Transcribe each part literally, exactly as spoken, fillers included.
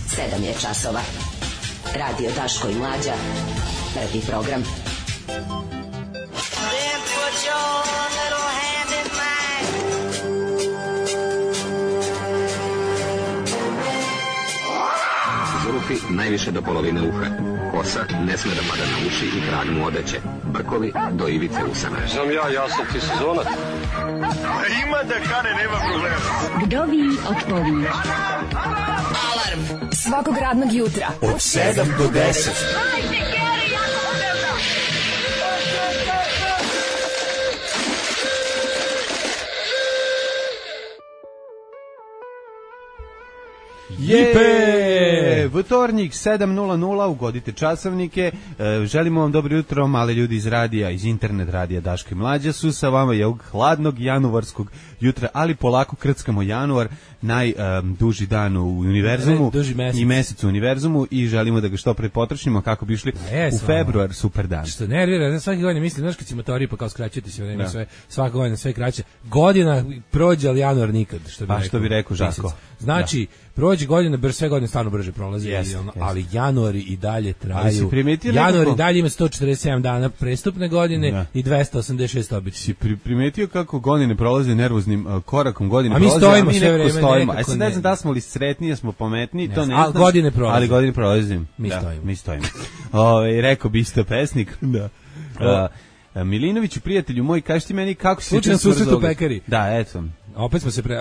sedam je časova. Radio Daško i Mlađa. Prvi program. Then put your little hand in mine. Zulufi najviše do polovine uha. Kosa ne sme da pada na uši i krag mu odeće. Brkovi do ivice usana. Znam ja, ja sam ti sezonac. Ima da kane, nema problema. Vdovi otpovi. Alarm svakog radnog jutra Od sedam do deset. Jepe! Vtornik, sedam nula nula, ugodite časovnike. E, želimo vam dobro jutro, male ljudi iz radija, iz internet radija Daško i Mlađa su sa vama je ovog hladnog januarskog jutra, ali polako krckamo januar, najduži um, dan u univerzumu mesec. I mesec u univerzumu i želimo da ga što pre potrošimo kako bi išli yes, u februar, super dan. Što nervira, ne svaki godine mislim, znaš kad si motori pa kao skraćujete se vreme, sve, svaka godina sve kraće. Godina prođe, ali januar nikad, što bi pa, rekao. Što bi rekao Žako. Znači, da. Prođe godine, brže, sve godine stvarno brže prolazi, yes, ono, yes. Ali januari i dalje traju. Januari i dalje ima sto četrdeset sedam dana prestupne godine da. I dvesta osamdeset šest običnih. Si pri, primetio kako godine prolaze nervoznim uh, korakom, godine a mi prolaze, stojimo a mi sve vreme, stojimo. A sad ne, ne znam da smo li sretniji, smo pametniji, to ne znam. Godine prolaze. Ali godine prolazim. Mi da, stojimo. Mi stojimo. Ove, rekao bi isto pesnik. Da. Uh, Milinoviću, prijatelju moj, kaži ti meni kako si... Slučajno susret u pekari. Da, eto. Opet smo se, pre,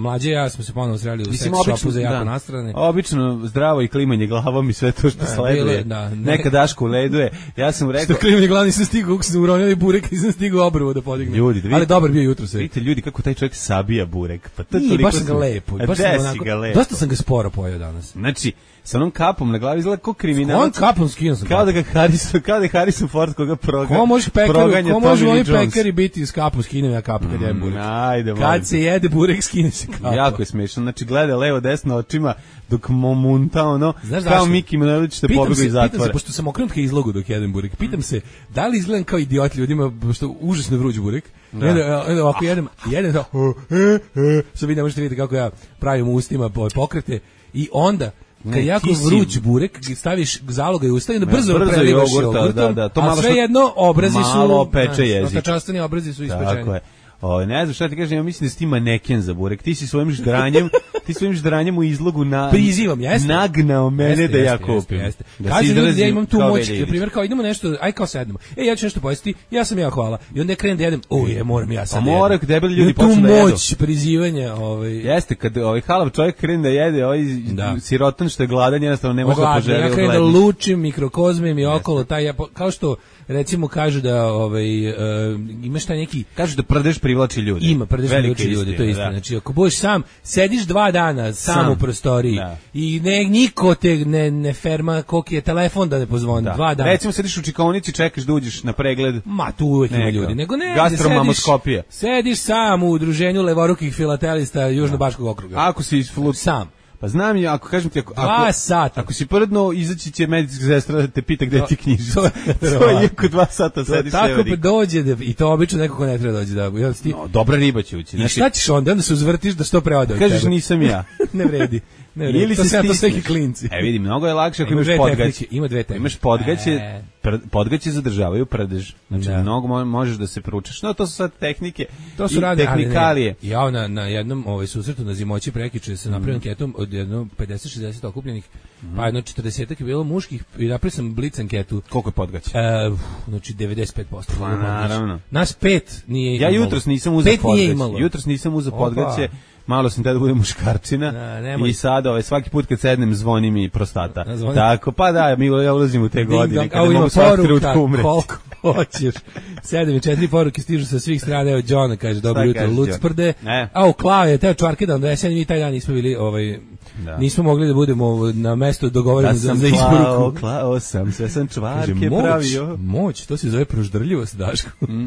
Mlađe ja smo se ponovno sreli u sex shopu za jako nastrane. Obično zdravo i klimanje glavom i sve to što sleduje. Da, ne. Neka Daško leduje. Ja sam mu rekao... Što klimanje glavom nisam stigao, kako sam uronili burek, nisam stigao obrvu da podignem. Ljudi, da vidite, ali dobar bio jutro se. Vidite ljudi kako taj čovjek sabija burek. Pa to nije, baš sam ga lepo. Baš sam onako, ga lepo. Dosta sam ga sporo pojeo danas. Znači, sa onom kapom na glavi izgleda kao kriminalac. On kapom skinuo sam. Kao da ga Harrison, kao da Harrison Ford koga proga. Ko može pekari, ko može oni pekari biti s kapom, skinem ja kapu kad jedem burek. Ajde, kad se jede burek, skine se kapa. Jako je smešno. Znači gleda levo desno očima dok momunta ono kao Miki Manojlović što pobegao iz zatvora. Pitam se, pošto sam okrenut ka izlogu dok jedem burek. Pitam se, da li izgledam kao idiot ljudima što užasno vruć burek? Da. Onda ovako jedem, jedem to. Što vi ne možete vidjeti kako ja pravim ustima pokrete i onda kad jako vruć burek, staviš zaloga i usta i onda brzo, ja, brzo prelivaš jogurtom, da, da, to a sve jedno obrazi su, malo peče jezik. Otačastani obrazi su ispečeni. Tako je. O, ne znam šta ti kažem, ja mislim da si ti maneken za burek. Ti si svojim ždranjem, ti svojim ždranjem u izlogu na prizivam, jeste. Nagnao mene jeste, da ja kupim. Jeste, jeste. Kaže ljudi da ja imam tu moć, na primjer kao idemo nešto, aj kao sednemo. E ja ću nešto pojesti, ja sam ja hvala. I onda ja krenem da jedem, o je, moram ja sad. A mora debeli ljudi počnu da jedu. Tu moć prizivanja, ovaj. Jeste, kad ovaj halav čovjek krene da jede, ovaj da. Sirotan što je gladan, jednostavno ne može da poželi. Ja krenem da lučim, mikrokozmem i okolo taj ja kao što recimo kažu da ovaj uh, imaš taj neki kažu da prdeš privlači ljude. Ima prdeš privlači ljude, to je istina. Znači ako budeš sam, sediš dva dana sam, sam. u prostoriji da. I ne niko te ne ne ferma koliki je telefon da ne pozvoni da. Dva dana. Recimo sediš u čekaonici, čekaš da uđeš na pregled. Ma tu uvek ima ljudi, nego ne. Gastromamoskopija. Sediš, sediš sam u udruženju levorukih filatelista Južnobaškog okruga. Ako si flut sam pa znam ja, ako kažem ti, ako, dva sata. Ako si prdno, izaći će medicinska sestra da te pita gde ti knjižica. To je jako dva sata sediš. Tako pa dođe, da, i to obično neko ko ne treba dođe. Da, ti... no, dobra riba će ući. I šta ćeš onda? Onda se uzvrtiš da što pre ode od kažeš tebe. Nisam ja. Ne vredi. Ne, ili to se sve to sve klinci. E vidi, mnogo je lakše ako imaš podgaće. Ima dve tehnike. Imaš podgaće, e. podgaće zadržavaju prdež. Znači da. Mnogo možeš da se pručaš. No to su sad tehnike. To su rade tehnikalije. Ja na na jednom ovaj susretu na Zimoći prekiče se napravio mm. anketom od jedno pedeset šezdeset okupljenih. Mm. Pa jedno četrdeset je bilo muških i napravio sam blic anketu. Koliko je podgaće? E, znači devedeset pet posto. Pa naravno. Nas pet nije. Ja jutros nisam uzeo podgaće. Jutros nisam uzeo podgaće. Malo sam tada bude muškarčina da, i sad ovaj, svaki put kad sednem zvoni mi prostata. Da, tako, pa da, mi ja ulazim u te ding godine dong, kada mogu svaki trenutku umreti. Koliko hoćeš. Sedem i četiri poruke stižu sa svih strana. Evo John kaže, dobro jutro, Lucprde. A u Klao je teo čvarke da onda jesen mi taj dan nismo bili, ovaj, da. Nismo mogli da budemo na mesto dogovoreno da za, za isporuku. Klao sam, sve sam čvarke kaže, moć, pravio. Moć, to se zove proždrljivost, Daško. Mm,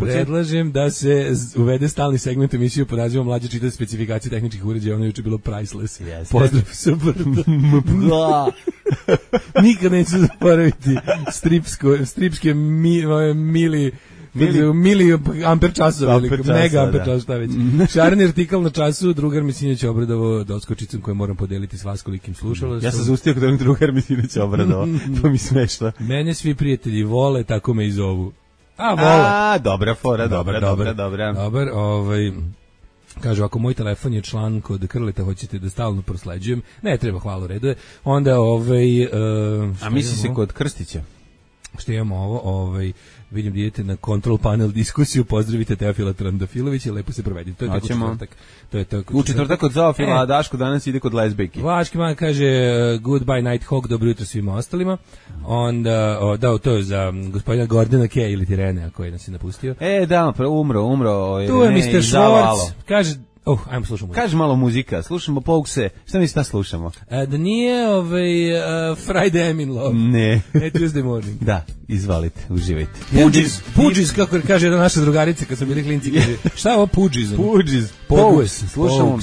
predlažem da se uvede stalni segment emisiju pod nazivom Mlađe čita specifikacije tehničkih uređaja, ono juče bilo priceless. Yes. Pozdrav sa brda. Nikad neću zaboraviti stripsko, stripske mi, mili Mili, mili amper časova, Amper časa, mega amper da. časova, šta već. Šareni artikal na času, drugar mi sinoć obradovao doskočicom koju moram podeliti s vas kolikim slušala. Ja sam zaustio kod onog drugar mi sinoć obradovao, to mi smešno. Mene svi prijatelji vole, tako me i zovu. A, vole. A, dobra fora, dobra, dobra, dobra. Dobar, ovaj... Kaže, ako moj telefon je član kod Krleta, hoćete da stalno prosleđujem, ne treba, hvala, u redu je. Onda, ovaj... Uh, A misli se kod Krstića? Što imamo ovo, ovaj, vidim da idete na control panel diskusiju, pozdravite Teofila Trandafilovića, lepo se provedi. To je tako četvrtak. To je tako U četvrtak kod Zofila, e. a Daško danas ide kod lezbejke. Vlaški man kaže goodbye Nighthawk, dobro jutro svima ostalima. Onda, o, da, to je za gospodina Gordona Kay ili Tirene, koji nas je napustio. E, da, umro, umro. Tu je mister Schwartz, kaže... Oh, ajmo slušamo muziku. Kaži malo muzika, slušamo Poukse. Šta mi šta slušamo? A, da nije ovaj, uh, Friday I'm in love. Ne. Ne, Tuesday morning. Da, izvalite, uživajte. Pudžiz, Pudžiz, kako kaže jedna naša drugarica kad smo bili klinci, kaže, šta je ovo Pudžiz? Pudžiz, Pouks, slušamo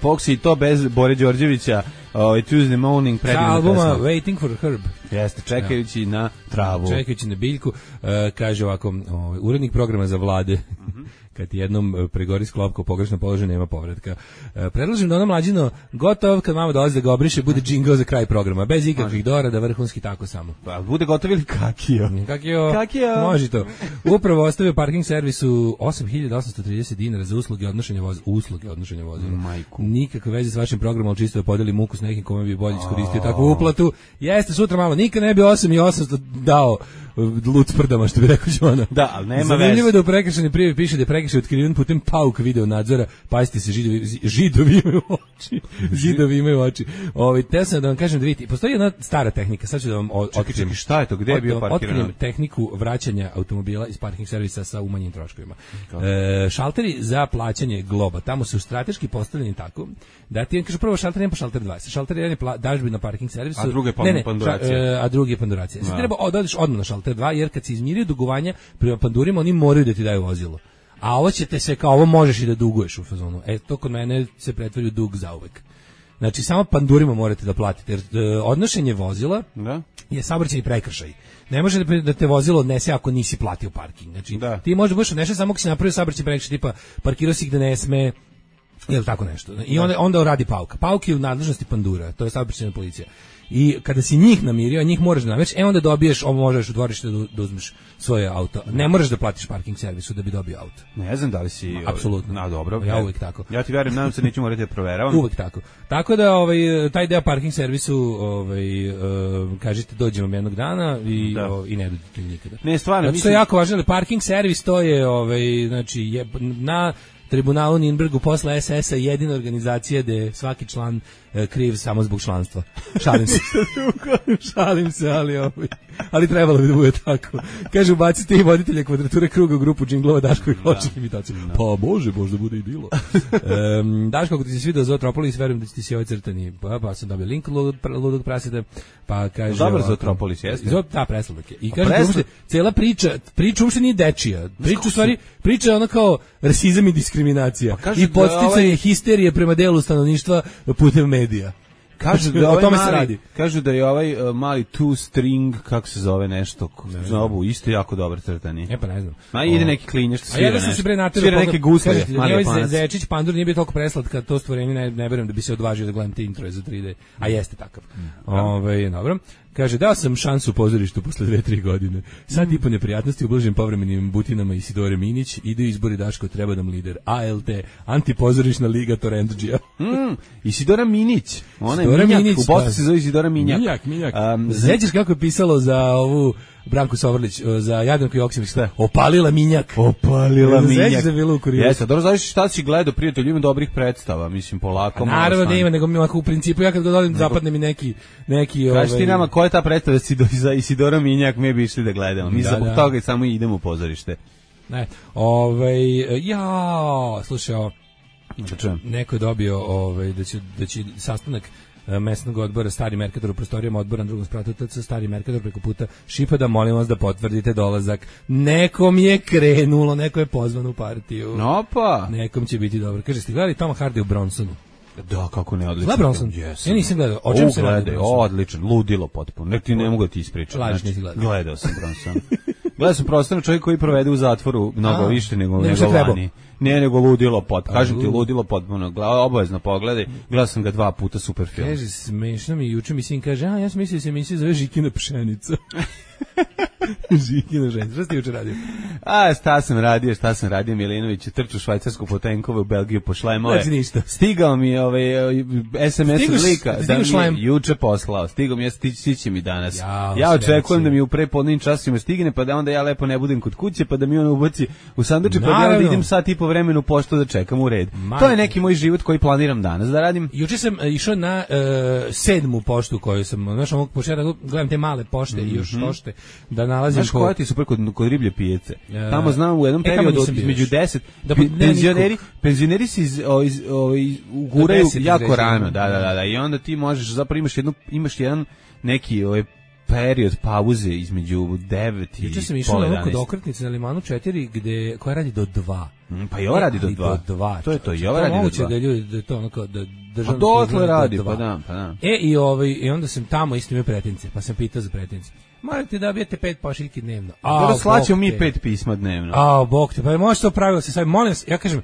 Poukse i to bez Bore Đorđevića, ovaj Tuesday morning, predivna pesma. Albuma Waiting for Herb. Jeste, čekajući na travu. Čekajući na biljku, uh, kaže ovako, ovaj, urednik programa za vlade, mm-hmm. kad jednom pregori sklopka u pogrešno položaju, nema povratka. E, predlažem da ono mlađino gotov, kad mama dolazi da ga obriše, bude džingl za kraj programa, bez ikakvih dorada, vrhunski tako samo. Pa bude gotov ili kakio? Kakio, kakio. Može to. Upravo ostavio parking servisu osam hiljada osamsto trideset dinara za usluge odnošenja vozila. Usluge odnošenja vozila. Majku. Nikakve veze s vašim programom, ali čisto da podeli muku s nekim kome bi bolje iskoristio takvu uplatu. Jeste, sutra malo, nikad ne bi osam i osamsto dao luc prdama, što bi rekao Žona. Da, ali nema veze. Zanimljivo je da u prekršajnoj prijavi piše da je prekršaj otkriven putem pauk video nadzora. Pazite se, židovi, židovi imaju oči. Zidovi imaju oči. Ovaj, te sam da vam kažem da vidite, postoji jedna stara tehnika, sad ću da vam otkrijem. Šta je to, gde je bio parkiran? Otkrijem tehniku vraćanja automobila iz parking servisa sa umanjenim troškovima. E, šalteri za plaćanje globa, tamo su strateški postavljeni tako da ti kaže prvo šalter jedan pa šalter dva. Sa šalter jedan je pla, dažbi na parking servisu, a drugi je ne, ne, panduracija. Ša, e, a drugi je panduracija. Sad treba odeš odmah na šalter dva, jer kad se izmiri dugovanja prema pandurima, oni moraju da ti daju vozilo. A ovo će te se kao ovo možeš i da duguješ u fazonu. E, to kod mene se pretvori u dug zauvek. Znači, samo pandurima morate da platite, jer e, odnošenje vozila da? je saobraćajni prekršaj. Ne može da, da te vozilo odnese ako nisi platio parking. Znači, da. ti možda budeš odnešen samo ako si napravio saobraćajni prekršaj, tipa parkirao si gde ne sme, ili tako nešto. I onda, onda radi pauka. Pauk je u nadležnosti pandura, to je saobraćajna policija. I kada si njih namirio, a njih moraš da namereš, e onda dobiješ, ovo možeš u dvorište da, da uzmeš svoje auto. Ne moraš da platiš parking servisu da bi dobio auto. Ne znam da li si... Apsolutno. Na, dobro. Ja uvek tako. Ja ti verujem, nadam se neću morati da proveravam. Uvek tako. Tako da ovaj, taj deo parking servisu, ovaj, uh, kažete, dođemo jednog dana i, da. o, i ne dođete nikada. Ne, stvarno. Zato mislim... je jako važno, ali parking servis to je, ovaj, znači, je, na... Tribunalu Nürnbergu posle es es a jedina organizacija gde je svaki član e, kriv samo zbog članstva. Šalim se. Šalim se, ali ovaj, ali trebalo bi da bude tako. Kaže, ubacite i voditelja kvadrature kruga u grupu džinglova Daško i hoćeš imitaciju. No. Pa može, možda bude i bilo. um, Daško, ako ti se svidio Zootropolis, verujem da ti si ovaj crtani. Pa, pa sam dobio link ludog, ludog praseta. Pa kaže... Dobar Zootropolis, jeste? Zot, da, presladak je. I kaže, preslad... cijela priča, priča uopšte nije dečija. Priča u stvari, priča je ona kao rasizam i diskriminacija. Pa i podsticanje ovaj... histerije prema delu stanovništva putem medija. Kažu da ovaj mali, radi. Kažu da je ovaj uh, mali two string, kako se zove nešto, zovu, isto jako dobar crtani. E pa ne znam. Ma ide neki klinjaš što svira. A ja da sam se bre naterao. Svira neke gusle, mali panac. Zečić Pandur nije bio toliko preslatka, to stvorenje ne, ne verujem da bi se odvažio da gledam te introje za tri de. A jeste takav. Mm. Ove, dobro. Kaže, dao sam šansu u pozorištu posle dve, tri godine. Sad mm. i po neprijatnosti ublažim povremenim butinama Isidore Minić, ide izbori Daško, treba nam lider. A L T, antipozorišna liga Torrentđija. mm. Isidora Minić. Ona je Minjak, Minić, u Bosni se zove Isidora Minjak. Minjak, Minjak. Um, Zećeš kako je pisalo za ovu Branku Sovrlić, za Jadranku Joksimović, opalila Minjak. Opalila Minjak. Zećeš da je bilo u Kuriru. Jeste, dobro, znaš šta si gledao, prijatelj, ima dobrih predstava, mislim, polako. A naravno da ima, nego mi ovako u principu, ja kad ga dolim, zapadne mi neki... neki kaži ti nama, ko je ta predstava za Isidora Minjak, mi bi išli da gledamo. Mi da, zbog da. toga i samo idemo u pozorište. Ne, ovaj, ja, slušaj, o, neko je dobio ovaj, da će, da će sastanak mesnog odbora Stari Merkator u prostorijama odbora na drugom spratu T C Stari Merkator preko puta Šipada, molim vas da potvrdite dolazak. Nekom je krenulo, neko je pozvan u partiju. No pa. Nekom će biti dobro. Kaže, ste gledali Toma Hardy u Bronsonu? Da, kako ne, odlično. Gleda Bronson? Yes. Ja nisam gledao. O čem se radi? Odličan, ludilo potpuno. Nek ti ne mogu da ti ispričam. Lažiš, nisi gledao. Gledao sam Bronson. Gledao sam prostorno čovjek koji provede u zatvoru mnogo A, više nego nego što nego trebao. vani. Ne, nego ludilo pot. Kažem A, ti lu- ludilo potpuno. Gledao, obavezno pogledaj. Gledao sam ga dva puta, super film. Kaže, smešno mi, juče mi sin kaže, a ja sam mislio da se emisija zove Žikina pšenica. Žikina pšenica, šta si ti juče radio? A, šta sam radio, šta sam radio, Milinović, trču švajcarsku po tenkove u Belgiju po šlemove. Znači ništa. Stigao mi je ovaj es em es Stigoš- od lika da stigoš mi šlem? je juče poslao. Stigao mi je, stići, stići mi danas. Jao, ja očekujem sreći. da mi u prepodnim časima stigne, pa da onda ja lepo ne budem kod kuće, pa da mi on ubaci u sanduče, pa da ja onda Naravno. idem sat i po vremenu u poštu da čekam u red. Majko. To je neki moj život koji planiram danas da radim. Juče sam e, išao na e, sedmu poštu koju sam, znaš, ovog početka gledam te male pošte i još tošte da nalazim Znaš koja ti je super kod, kod riblje pijace? E, Tamo znam u jednom e, tamo periodu nisam od bio između još. deset Da, pi- ne, penzioneri, nikog. penzioneri se iz, o, iz, o, iz, uguraju deset jako izređeno. rano, da, da, da, da, i onda ti možeš, zapravo imaš, jednu, imaš jedan neki ovaj, period pauze između devet i Juče sam išao pola na ono kod jedanaest. okretnice na Limanu četiri gde koja radi do dva. Mm, Pa i ovo radi do Ali dva. do dva. To je to, i čoveče. ovo radi do moguće dva. da ljudi da je to onako da Pa državno dotle radi, pa da, pa da. E i ovaj i onda sam tamo isto imao pretince, pa sam pitao za pretince. Morate da dobijete pet pošiljki dnevno. Dobro, slaćemo Bog mi te. pet pisma dnevno. A, bog te, pa može to pravilo se sad, molim vas, ja kažem,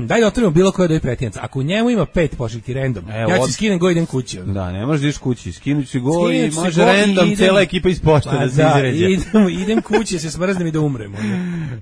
daj da otvorimo bilo koje da je pretinjac. Ako u njemu ima pet pošiljki random, Evo, ja od- ću skinem go i idem kući. ono. Da, ne možeš da ideš kući, skinući si go Skinuti i se može go i random idem- cijela ekipa iz pošte Pa da se da, izređe. idem, idem kući, se smrznem i da umrem. ono.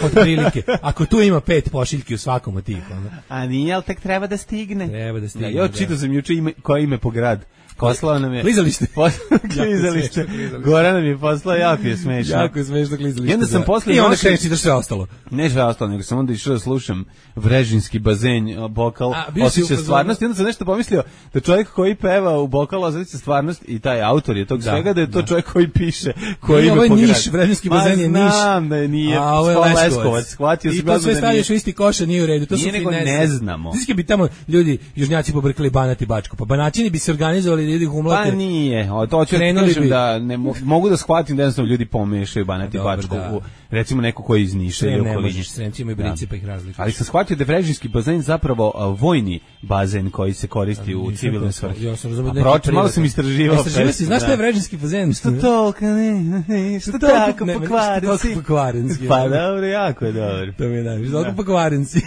Od prilike. Ako tu ima pet pošiljki u svakom od tih. ono. A nije, ali tek treba da stigne. Treba da stigne, Da, ja da. čitao sam juče ime, koje ime po grad. Poslao nam je... Klizalište. Poslao- Klizalište. smešno klizalište. Goran nam je poslao, jako je smešno. Jako je smešno klizalište. I onda sam da. posle I onda noći- kreneš i da sve ostalo. Ne sve ostalo, nego sam onda išao da slušam Vrežinski bazen, o, bokal, A, bio si u osjeća fazonu- stvarnost. I onda sam nešto pomislio da čovjek koji peva u bokalu osjeća stvarnost i taj autor je tog Da, svega, da je to da. čovjek koji piše, koji Nije, ime ovo je po gradu. Niš, Vrežinski Ma, bazen je Niš. znam da je nije, A ovo je Spol- Leskovac. Shvatio I sam to odmah sve da stavljaš u nije. isti koš, a nije u redu. To Nije, su nego finese. ne znamo. Znaš kad bi tamo ljudi, južnjaci pobrkali Banat i Bačku, pa Banaćini bi se organizovali da ljudi humlate. Pa nije, o, to ću da Krenuli kažem bi- da ne mo- mogu da shvatim da jednostavno ljudi pomešaju Banat i Dobro, Bačku, da. u, recimo neko koji iz Niša Sve ili ne okoline. možeš, Sremci imaju brinci pa ih razlikuš. Ali sam shvatio da je Vrežinski bazen zapravo a, vojni bazen koji se koristi u Nisam civilne to- svrhe. Ja sam razumio A da neki proču, malo privatni. sam istraživao. Istraživao si, znaš šta je Vrežinski bazen? Što to, ka ne, ne, što tako ne, ne, pokvarenci. što tako pokvarenci, Pa ja. dobro, jako je dobro. To mi je najviše. Zato pokvarenci.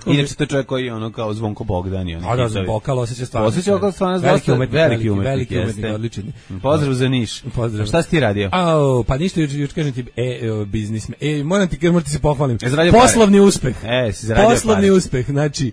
Inače, to je čovjek koji je ono kao Zvonko Bogdan i ono. A da, hitovi. bokal osjeća stvarno. Osjeća oko stvarno veliki dosta umetnik, veliki umetnik, veliki umetnik, jeste. odličan. Pozdrav za Niš. Pozdrav. A šta si ti radio? Au, pa ništa, juče juče kažem ti, e, e, biznismen. E, moram ti, moram ti se pohvalim. E, zaradio pare. Poslovni uspeh. E, si zaradio Poslovni pare. uspeh. Znači,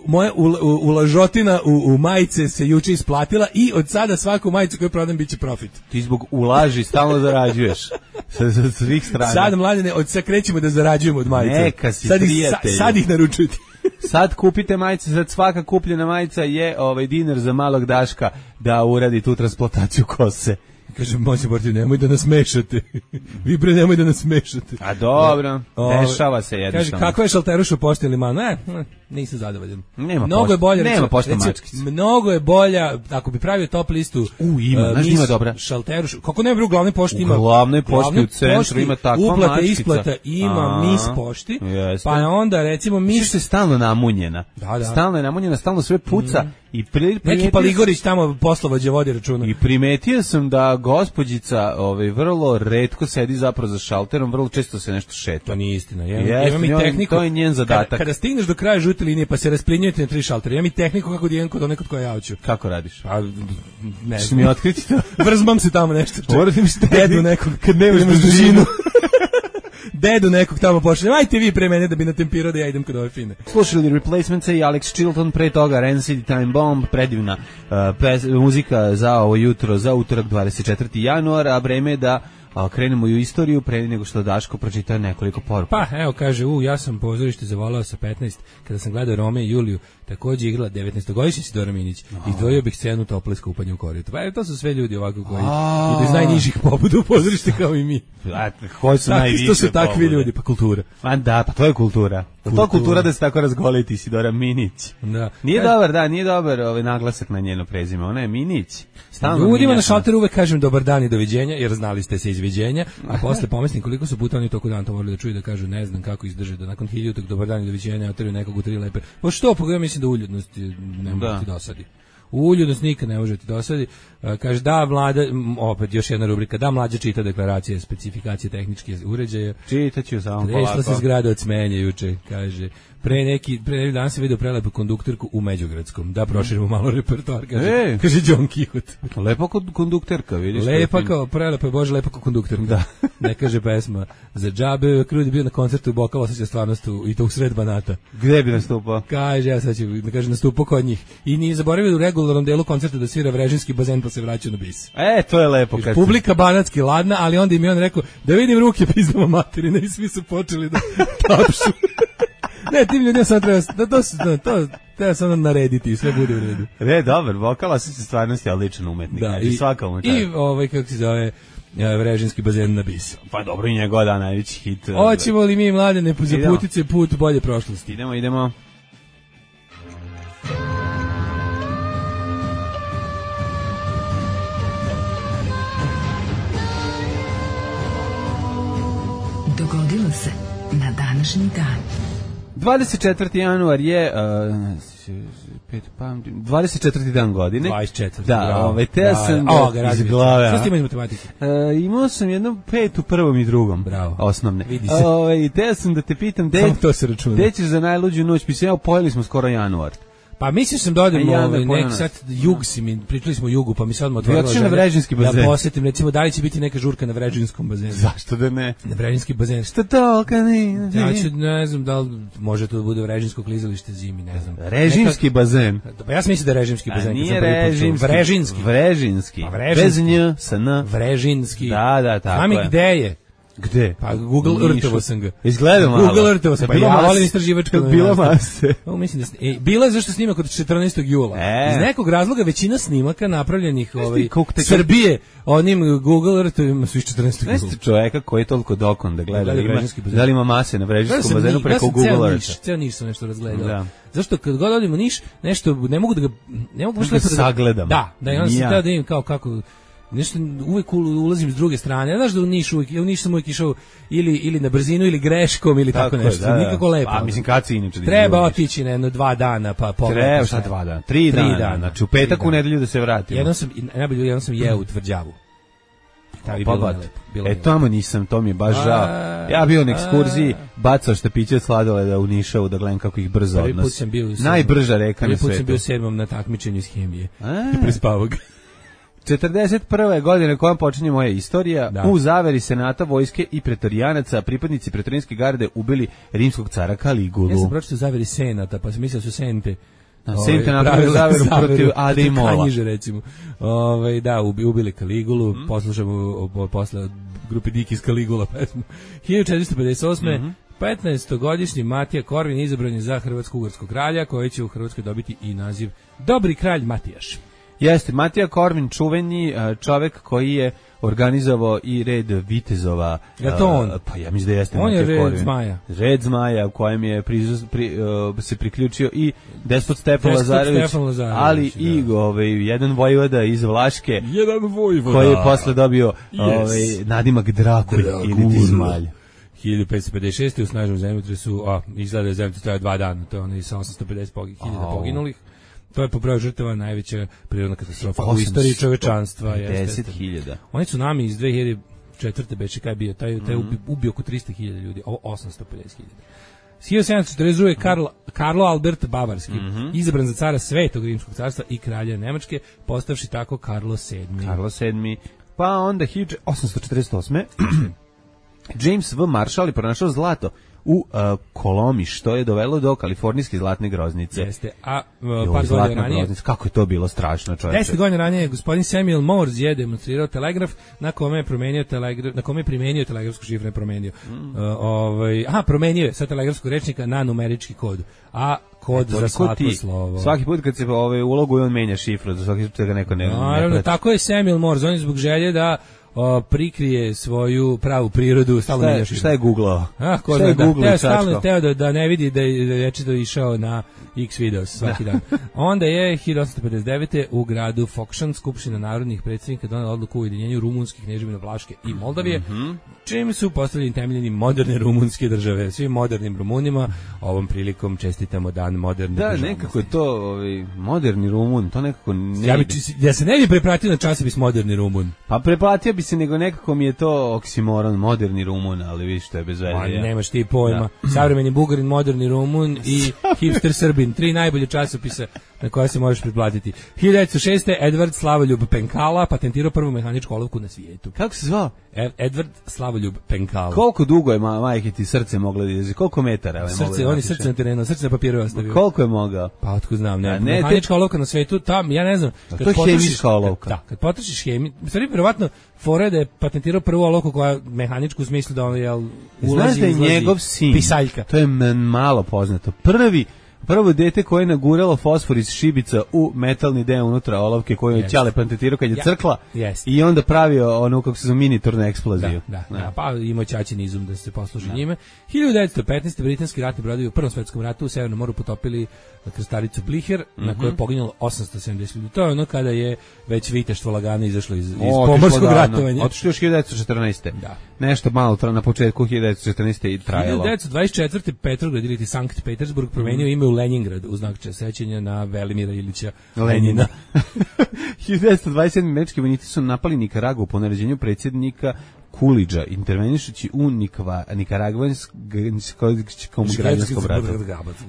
moja u, u, ulažotina u, u majice se juče isplatila i od sada svaku majicu koju prodam biće profit. Ti zbog ulaži stalno zarađuješ. Sa, sa svih strana. Sad, mladine, od sad krećemo da zarađujemo od majice. Neka si sad ih, sa, prijatelju. sad ih naručujete. Sad kupite majice, sad svaka kupljena majica je ovaj dinar za malog Daška da uradi tu transplantaciju kose. Kaže, moći Borti, nemoj da nas mešate. Vi bre, nemoj da nas mešate. A dobro, Ove, dešava se Kaže, jednostavno. kako je šalteruš u pošti ili man? Ne, ne, nisam zadovoljan. Nema mnogo pošte- je bolja, nema recimo- pošte recimo, mačkice. Mnogo je bolja, ako bi pravio top listu. U, ima, uh, znaš, mis ima dobra. Šalteruš, kako ne bi u glavnoj pošti U ima. glavnoj pošti glavnoj u centru pošti ima takva uplata, mačkica. isplata, ima A, mis pošti. jeste. Pa onda, recimo, Misliš mis... se stalno namunjena. Da, da. Stalno je namunjena, stalno sve puca. I pri, Neki primetio Paligorić tamo poslovođe vodi računa. I primetio sam da gospođica ovaj, vrlo retko sedi zapravo za šalterom, vrlo često se nešto šeta. To nije istina. Ja, Jeste, imam i njoj- tehniku. to je njen zadatak. Kada, kada stigneš do kraja žute linije pa se rasplinjujete na tri šaltera, imam i tehniku kako da idem kod one kod koje ja hoću. Kako radiš? Pa, ne Što mi otkriti to? Vrzmam se tamo nešto. čekaj. Moraš mi šta Dedu nekog. kad nemaš idem uz dužinu. Dedu nekog tamo pošaljem. Ajte vi pre mene da bi natempirao da ja idem kod ove fine. Slušali Replacementsa i Alex Chilton, pre toga Rancid Time Bomb, predivna uh, pes, muzika za ovo jutro, za utorak dvadeset četvrtog januara, a vreme je da a, krenemo i u istoriju pre nego što Daško pročita nekoliko poruka. Pa, evo kaže, u, ja sam pozorište zavolao sa petnaest, kada sam gledao Rome i Juliju, takođe igrala devetnaestogodišnji Sidora Minić, izdvojio bih scenu tople skupanje u koritu. Pa, evo, to su sve ljudi ovako koji idu iz najnižih pobuda u pozorište kao i mi. A, koji su Takvi, najviše to su takvi pobude? ljudi, pa kultura. Ma da, pa to je kultura. kultura. To kultura da se tako razgoliti Sidora Minić. Da. Nije E, dobar, da, nije dobar ovaj naglasak na njeno prezime. Ona je Minić. Stalno Ljudima na Minja. šalteru uvek kažem dobar dan i doviđenja, jer znali ste se izviđenja, a posle pomislim koliko su puta oni toku dan to morali da čuju da kažu ne znam kako izdrže, da nakon hiljaditog dobar dan i doviđenja oteraju nekog u tri lepe. Pa što, pa ja mislim da uljudnost je- ne može Da. ti dosadi. Uljudnost nikad ne možete dosadi. Uh, kaže da mlada, m, opet još jedna rubrika, da mlađa čita deklaracije, specifikacije tehničke uređaja. Čitaću samo Tresla polako. se zgrada od smenja juče, kaže. Pre neki, pre neki dan sam vidio prelepu konduktorku u Međugradskom. Da proširimo malo repertoar, kaže, E. kaže John Kihut. Lepa kod kondukterka, vidiš. Lepa kao, prelepa je, Bože, lepa kao konduktorka. Da. Ne kaže pesma. Za džabe, Krudi bio na koncertu u Bokal, osjeća stvarnost u, i to u sred Banata. Gde bi nastupao? Kaže, ja sad ću, da kaže, nastupao kod njih. I nije zaboravio u regularnom delu koncerta da svira Vrežinski bazen, pa se vraća na bis. E, to je lepo. Kad Publika banatski ladna, ali onda im je on rekao, da vidim ruke pizdama materine, i svi su počeli da tapšu. Ne, tim ljudima sad treba, da to, to, to treba samo narediti i sve bude u redu. Ne, dobar, vokal, osjeća stvarnosti, ali ličan umetnik. Da, znači, i, svaka umetnik. i ovaj, kako se zove, e, Vrežinski bazen na bis. Pa dobro, i njegova da najveći hit. Hoćemo li mi mladene za putice put bolje prošlosti? Idemo, idemo. Dogodilo se na današnji dan. dvadeset četvrti januar je uh, pet, pamtim, dvadeset četvrti dan godine. dvadeset četvrti Da, bravo. ovaj, te sam O, da, ga iz radim. glave. Šta a? ste imali matematike? Uh, imao sam jednu petu, prvom i drugom. Bravo. Osnovne. Vidi se. Ovaj, te sam da te pitam, de, Samo to se računa. gde ćeš za najluđu noć? Mislim, evo, pojeli smo skoro januar. Pa mislim sam da odem A ja ovaj, ne pojam nek nas. sad jug si mi, pričali smo o jugu, pa mi sad odmah otvorila otišao na želja Vrežinski bazen. Da posetim, recimo, da li će biti neka žurka na Vrežinskom bazenu? Zašto da ne? Na Vrežinski bazen. Šta to, kad ne? Ja ću, ne znam da li može to da bude Vrežinsko klizalište zimi, ne znam. Režimski bazen. Neka, pa ja sam mislio da je Režimski A bazen. kad nije sam prvi put čuo. režimski. Vrežinski. Vrežinski. Pa Vrežinski. Bez nj, sa n. Vrežinski. Da, da, tako Znam i je. gde je. Gde? Pa Google U Nišu. Eartho sam ga. Izgleda malo. Google Eartho sam, pa Bila ja mas- volim istraživačko Bila novinarstvo. mase. O, mislim da sn- e, bila je zašto snima kod četrnaestog jula. E. Iz nekog razloga većina snimaka napravljenih ovaj koliko te- Srbije onim Google Earthovima su iz četrnaestog jula. Znaš čoveka koji je toliko dokon da gleda, Gleda ima, Vrežinski bazen. da li ima mase na Gledao Vrežinskom sam bazenu Ni- preko gledao sam Google ceo Eartha. Niš, ceo Niš sam nešto razgledao. Da. Zašto kad god odem u Niš, nešto ne mogu da ga ne mogu baš Da lepo sagledam. Da, da, i onda Ni sam ja. teo da vidim kao kako nešto uvek ul- ulazim s druge strane. Znaš da u Niš uvek, ja u Niš sam uvek išao ili ili na brzinu ili greškom ili tako, je, nešto. da, da. Nikako lepo. A mislim kad si inače da Treba izgubiš? otići na jedno dva dana pa pogledati. Treba šta dva dana? Tri, Tri dana. dana. Znači u petak Tri u dana. nedelju da se vratimo. Jednom sam i najbolje jednom sam jeo u Tvrđavu. Tamo je Pa bilo bat. lepo. Bilo E je lepo. tamo nisam, to mi je baš A, žao. Ja bio na ekskurziji, bacao štapiće od sladoleda u Nišavu da gledam kako ih brzo Prvi put odnose. sam bio u sedmom- Najbrža reka Prvi na put sam bio svetu. sedmom na takmičenju iz hemije. A. Prespavao ga. četrdeset prve godine kojom počinje moja istorija, Da. u zaveri senata, vojske i pretorijanaca, pripadnici pretorijske garde ubili rimskog cara Kaligulu. Ja sam pročitao zaveri senata, pa sam mislio da su sente. Da, ovaj, Senka napravila pravile zaveru protiv Ade i Mola. Kanjiže, recimo. Ovaj da, ubi, ubili Kaligulu, Mhm. mm. poslušamo o, o, posle od grupe Dikis Kaligula pesmu. hiljadu četiristo pedeset osme. Mhm. petnaestogodišnji Matija Korvin izabran je za hrvatsko-ugarskog kralja, koji će u Hrvatskoj dobiti i naziv Dobri kralj Matijaš. Jeste, Matija Korvin, čuveni e, čovek koji je organizovao i red vitezova. Je to on? e, Pa ja mislim da jeste On je Matija red Korvin. zmaja. Red zmaja u kojem je prizus, pri, e, se priključio i despot Stefan Despot Lazarević, Stefan Lazarević, ali da. i ovaj, jedan vojvoda iz Vlaške Jedan vojvoda. koji je posle dobio Yes. ovaj, nadimak Drakulj ili ti zmalj. hiljadu petsto pedeset šeste. u snažnom zemljotresu, a izgleda da je zemljotres traje dva dana, to je ono i sa osamsto pedeset hiljada Au. poginulih. To je po broju žrtava najveća prirodna katastrofa u osamsto istoriji čovečanstva. jeste, pedeset jeste. hiljada. Onaj tsunami iz dve hiljade četvrte. beše kaj je bio, taj, taj Mhm. ubi, ubio oko trista hiljada ljudi, ovo osamsto pedeset hiljada. hiljadu sedamsto četrdeset druge. Karl, Karlo Albert Bavarski, Mhm. izabran za cara Svetog rimskog carstva i kralja Nemačke, postavši tako Karlo sedmi. Karlo sedmi. Pa onda hiljadu osamsto četrdeset osme. James V. Marshall je pronašao zlato u uh, Kolomi, što je dovelo do kalifornijske zlatne groznice. Jeste, a uh, Joj, par godina zlatna ranije, groznica, kako je to bilo strašno, čoveče. deset godina ranije gospodin Samuel Morse je demonstrirao telegraf na kome je promenio telegraf, na kome je primenio telegrafsku šifru, ne promenio. Mm. Uh, ovaj, aha, promenio je sa telegrafskog rečnika na numerički kod, a kod za Toliko svako ti, slovo. Svaki put kad se ovaj, uloguje, on menja šifru, za svaki put da ga neko ne... Naravno, ne prati. tako je Samuel Morse, on je zbog želje da o, prikrije svoju pravu prirodu, stalno Šta je, menjaš. šta je googlao? Ah, ko Šta je zna, da. googlao Teo i stalno čačkao? teo da, da ne vidi da je, da je večito išao na X videos svaki dan. Onda je hiljadu osamsto pedeset devete u gradu Fokšan Skupština narodnih predsjednika donela odluku o ujedinjenju rumunskih kneževina Vlaške i Moldavije, mm-hmm. čim su postavljeni temeljeni moderne rumunske države. Svim modernim Rumunima ovom prilikom čestitamo dan moderne Da, državnosti. nekako je to ovaj, moderni Rumun, to nekako ne Ja, bi, ide. ja se ne bi prepratio na časopis moderni Rumun. Pa preplatio bi se, nego nekako mi je to oksimoron, moderni Rumun, ali vidiš što je bez veze. Ma, ja. nemaš ti pojma. Savremeni Bugarin, moderni Rumun i hipster Srbin. Tri najbolje časopisa na koja se možeš pretplatiti. hiljadu devetsto šeste. Edward Slavoljub Penkala patentirao prvu mehaničku olovku na svijetu. Kako se zvao? E- Edward Slavoljub Penkala. Koliko dugo je ma, majke ti srce moglo da izdrži? Koliko metara? Je moglo Srce, da on je napiše? srce na terenu, srce na papiru je ostavio. Koliko je mogao? Pa otkud znam, ne. A ne, Mehanička olovka na svetu, tam, ja ne znam. A kad to je potrošiš- hemijska olovka. Da, kad potrošiš hemiju, u stvari, vjerovatno, fora je da je patentirao prvu olovku koja mehaničku u smislu da ono, jel, ulazi, Znaš da je izlazi, njegov sin, pisaljka. to je m- malo poznato, prvi prvo dete koje je naguralo fosfor iz šibica u metalni deo unutra olovke koju je Yes. Ćale patentirao kad je Ja. crkla Yes. i onda pravio ono kako se zove miniturnu eksploziju. Da, da, da, pa imao ćaćin izum da se posluži da. njime. hiljadu devetsto petnaeste. britanski ratni brodovi u Prvom svetskom ratu u Severnom moru potopili krstaricu Bliher, mm-hmm. na kojoj je poginulo osamsto sedamdeset ljudi. To je ono kada je već viteštvo lagano izašlo iz, iz O, pomorskog otišlo ratovanja. Otišlo još hiljadu devetsto četrnaeste. Da. Nešto malo tra, na početku hiljadu devetsto četrnaeste i trajalo. hiljadu devetsto dvadeset četvrte. Petrograd ili Sankt Petersburg promenio ime u Leningrad u znak sećanja na Velimira Ilića Lenjina. hiljadu devetsto dvadeset sedme. američki vojnici su napali Nikaragu po naređenju predsjednika Kulidža, intervenišući u Nikva, Nikaragvanskom građanskom ratu.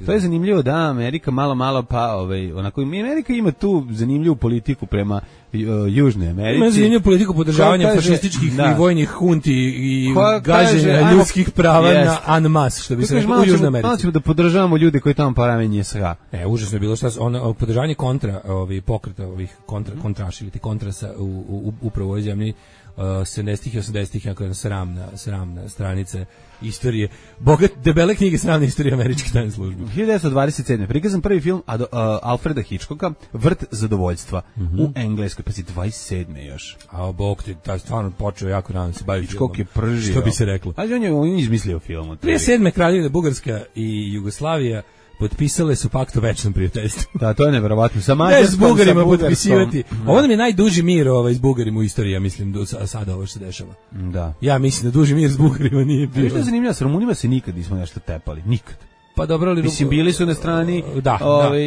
To je zanimljivo da Amerika malo, malo pa, ovaj, onako, Amerika ima tu zanimljivu politiku prema uh, Južnoj Americi. Ima zanimljivu politiku podržavanja Ko kaže- fašističkih da. i vojnih hunti i Ko kaže, gaženja ajmo- ljudskih prava Jest. na en masse, što bi Ko se kaže, reklo malo u Južnoj ćemo- Malo Americi. ćemo da podržavamo ljude koji tamo paramenje S H. E, užasno je bilo šta su- ono podržavanje kontra, ovih pokreta, ovih kontra kontraši ili ti kontrasa u, u upravo u ovoj zemlji uh, sedamdesetih i osamdesetih jako jedna sramna, sramna stranica istorije. Bogat, debele knjige sramne istorije američke tajne službe. hiljadu devetsto dvadeset sedme. prikazan prvi film Ado, uh, Alfreda Hitchcocka, Vrt zadovoljstva, Mhm. u Engleskoj, pa si dvadeset sedme još. A bog ti, taj stvarno počeo jako rano se bavi Hitchcock je filmom. pržio. Što bi se reklo. Ali on je, on je izmislio film. od trideset tebi. sedme. Kraljevina Bugarska i Jugoslavija potpisale su pakt o večnom prijateljstvu. Da, to je neverovatno. Sa Ne, Mađarskom, s Bugarima sa Bugarskom. potpisivati. Ovo nam je najduži mir ovaj, s Bugarima u istoriji, ja mislim, do sa- sada ovo što se dešava. Da. Ja mislim da duži mir s Bugarima nije Viš što bio. je zanimljivo, s Rumunima se nikad nismo nešto tepali. Nikad. Pa dobro, ali... Mislim, bili su na strani, Da, ovaj,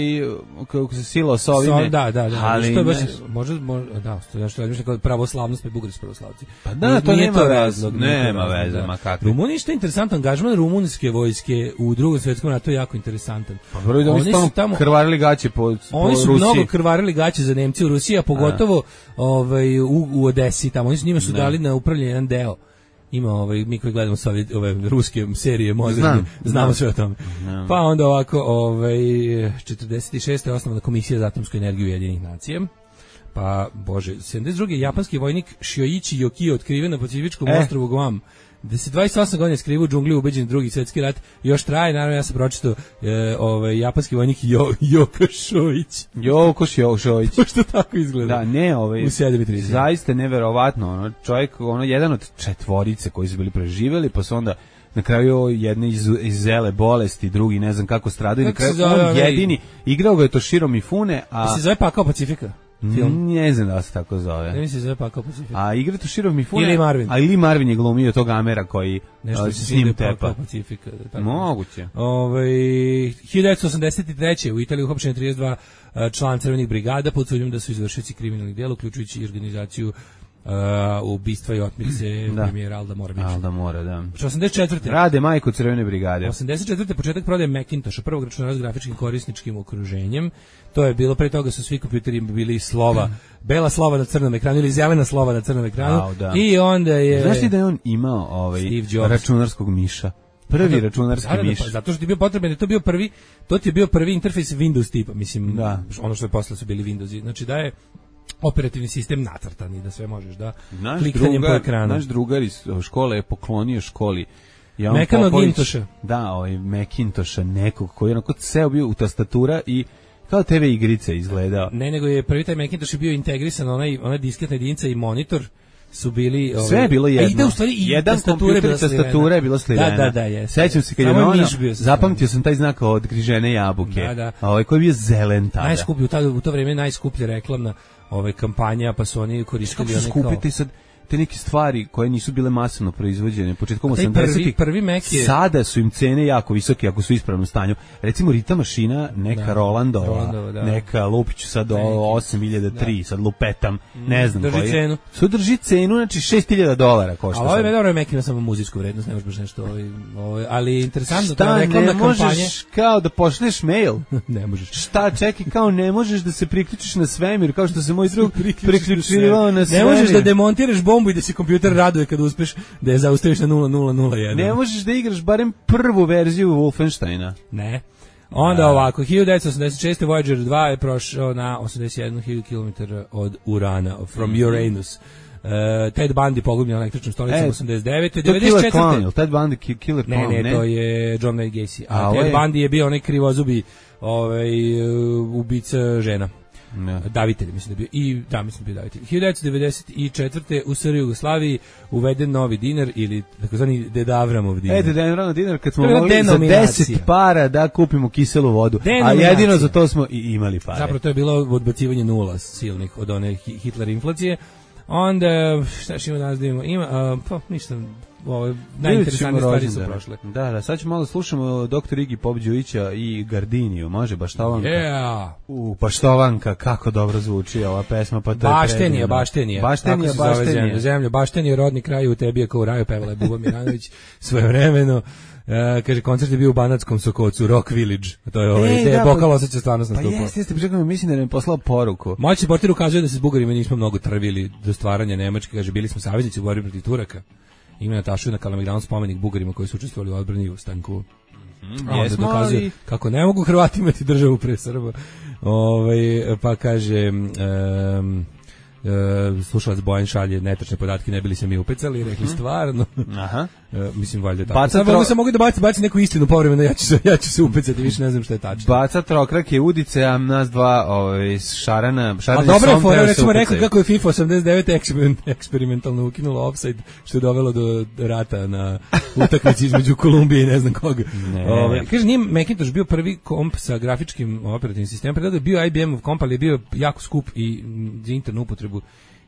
kako se silo s ovime. So, da, da, da. Ali, što je baš, ne- može, može, da, to je nešto razmišljam kao pravoslavnost, pa i bugarski pravoslavci. Pa da, Nije- to nije nema veze, razlog, nije to nema razlog, veze, da. ma kakvi. Rumuni, što je interesantan, angažman rumunske vojske u Drugom svjetskom ratu je jako interesantan. Pa prvo da oni su tamo tamo krvarili gaće po, po Oni su Rusiji. mnogo krvarili gaće za Nemci u Rusiji, a pogotovo ovaj, u, u Odesi, tamo. Oni su njima su Ne. dali na upravljanje jedan deo. Ima ovaj, mi koji gledamo sve ove, ove ruske serije moderne, Znam, znamo znam. sve o tome. Znam. Pa onda ovako, ovaj, četrdeset šeste. je osnovana komisija za atomsku energiju Ujedinjenih nacija. Pa, bože, sedamdeset druge. japanski vojnik Shioichi Yokio otkriven na Pacifičkom E. ostrvu Guam. Da se dvadeset osam godina skriva u džungli ubeđen drugi svjetski rat još traje, naravno ja sam pročitao e, ovaj, japanski vojnik jo, Joko Šoić. Jokoš Jošović. Što tako izgleda? Da, ne, ovaj, U sedam i trideset. zaista neverovatno, ono, čovjek, ono, jedan od četvorice koji su bili preživjeli, pa su onda na kraju jedne iz, iz zele bolesti, drugi ne znam kako stradaju, na Kako se kraju zove on onaj- jedini, igrao ga je Toshiro Mifune, a Se zove Pakao Pacifika? Film. ne znam da se tako Ne zove. mislim se zove Pakao Pacifika. A igra Toshiro Mifune, Ili Marvin. a ili Marvin je glumio tog Amera koji Nešto a, se se s svide njim Pakao tepa. Pacifika. da tako. Moguće. Ovaj hiljadu devetsto osamdeset treće. u Italiji uhapšeno trideset dva uh, člana crvenih brigada pod sumnjom da su izvršioci kriminalnih dela, uključujući i organizaciju uh, ubistva i otmice Da. premijera Alda Moravića. Al da mora, da. osamdeset četvrte. Rade majku Crvene brigade. osamdeset četvrte. početak prodaje Macintosha, prvog računara s grafičkim korisničkim okruženjem. To je bilo, pre toga su svi kompjuteri bili slova, bela slova na crnom ekranu ili zelena slova na crnom ekranu. Au, da. I onda je... Znaš ti da je on imao ovaj Steve Jobs. računarskog miša? Prvi Da, računarski da, da, miš. pa zato što ti je bio potreban, je to bio prvi, to ti je bio prvi interfejs Windows tipa, mislim, Da. ono što je posle su bili Windowsi. Znači da je operativni sistem nacrtan i da sve možeš da Naš kliktanjem drugar, po ekranu. naš drugar iz škole je poklonio školi Jan Mekano Popović, Gintoša. Da, ovaj Macintosha, nekog koji je onako ceo bio u tastatura i kao te ve igrice izgledao. Ne, nego je prvi taj Macintosh je bio integrisan, onaj, onaj disketna jedinica i monitor su bili ovaj, sve je bilo jedno. A ide u stvari i jedan kompjuter i tastatura je bila slivena. Da, da, da, je. Sećam se kad je ono, zapamtio sam taj znak od grižene jabuke. Da, da. A ovaj koji je bio zelen tada. Najskuplji u, tada, u to vrijeme najskuplja reklamna ovaj kampanja, pa su oni koristili one kao skupiti sad te neke stvari koje nisu bile masovno proizvođene početkom osamdesetih. Prvi, prvi Mac je... Sada su im cene jako visoke ako su u ispravnom stanju. Recimo Rita mašina, neka da, Rolandova, Rolandova da. Neka Lupić sad do osam hiljada tri, da. Sad lupetam, ne znam drži koji. Cenu. Su drži cenu, znači šest hiljada dolara košta. A ovaj dobro Mac ima samo muzičku vrednost, ne možeš baš nešto ovaj, ovaj, ali interesantno šta, ta reklamna ne kampanja. Možeš kao da pošleš mail? Ne možeš. Šta, čekaj, kao ne možeš da se priključiš na svemir, kao što se moj drug priključivao na svemir. Ne možeš da demontiraš bombu i da se kompjuter raduje kad uspeš da je zaustaviš na nula nula nula jedan. Ne možeš da igraš barem prvu verziju Wolfensteina. Ne. Onda da. Ovako, hiljadu devetsto osamdeset šeste Voyager dva je prošao na osamdeset jednu hiljadu kilometara od Urana, from Uranus. Uh, Ted Bundy pogubljen električnom stolicom e, osamdeset devete devedeset četvrte Clown, Ted Bundy Killer Clown, ne, ne, ne, to je John Wayne Gacy. A, a Ted Bundy je bio onaj krivozubi ovaj, uh, ubica žena. No. Davitelj, mislim da bio i da mislim da bio davitelj. hiljadu devetsto devedeset četvrte u SR Jugoslaviji uveden novi dinar ili takozvani Dedavramov dinar. E, Dedavramov dinar kad smo mogli za deset para da kupimo kiselu vodu, a jedino za to smo i imali pare. Zapravo to je bilo odbacivanje nula silnih od one Hitler inflacije. Onda šta ima danas da imamo? Ima uh, pa ništa. Ovo najinteresantnije stvari su prošle. Da, da, sad ćemo malo slušamo doktor Igi Popđovića i Gardiniju, može Baštovanka. Yeah. U, Baštovanka, kako dobro zvuči ova pesma, pa to je Baštenija, Baštenija. Baštenija, Baštenija. Zemlja, Baštenija, rodni kraj u tebi je kao u raju, pevala je Buba Miranović svojevremeno. Uh, kaže, koncert je bio u Banatskom Sokocu, Rock Village. To je ovaj, gde je Bokal osjeća stvarnost nastupao. Pa jeste, jeste, pričekaj, mislim da nam je poslao poruku. Moći supporter ukazuje da se s Bugarima nismo mnogo trvili do stvaranja Nemačke, kaže, bili smo saveznici u borbi protiv Turaka. Ima Natašu na Kalemegdanu spomenik Bugarima koji su učestvovali u odbrani u Stanku. Mm, a onda dokazuje ali... kako ne mogu Hrvati imati državu pre Srba. Ovaj, pa kaže... Um, Uh, slušalac Bojan šalje netačne podatke, ne bili se mi upecali, rekli stvarno. Aha. Uh, mislim valjda tako. Baca Sad tro... sam mogu da baci, baci neku istinu povremeno, ja ću se ja ću se upecati, više ne znam šta je tačno. Baca trokrak je udice, a nas dva ovaj šarana, šarani. A dobro je fora, recimo rekao kako je FIFA osamdeset devet eksperiment, eksperimentalno ukinula offside, što je dovelo do rata na utakmici između Kolumbije i ne znam koga. Ne. Ovaj kaže nije Macintosh bio prvi komp sa grafičkim operativnim sistemom, predao je bio I B M-ov komp, ali je bio jako skup i za internu upotrebu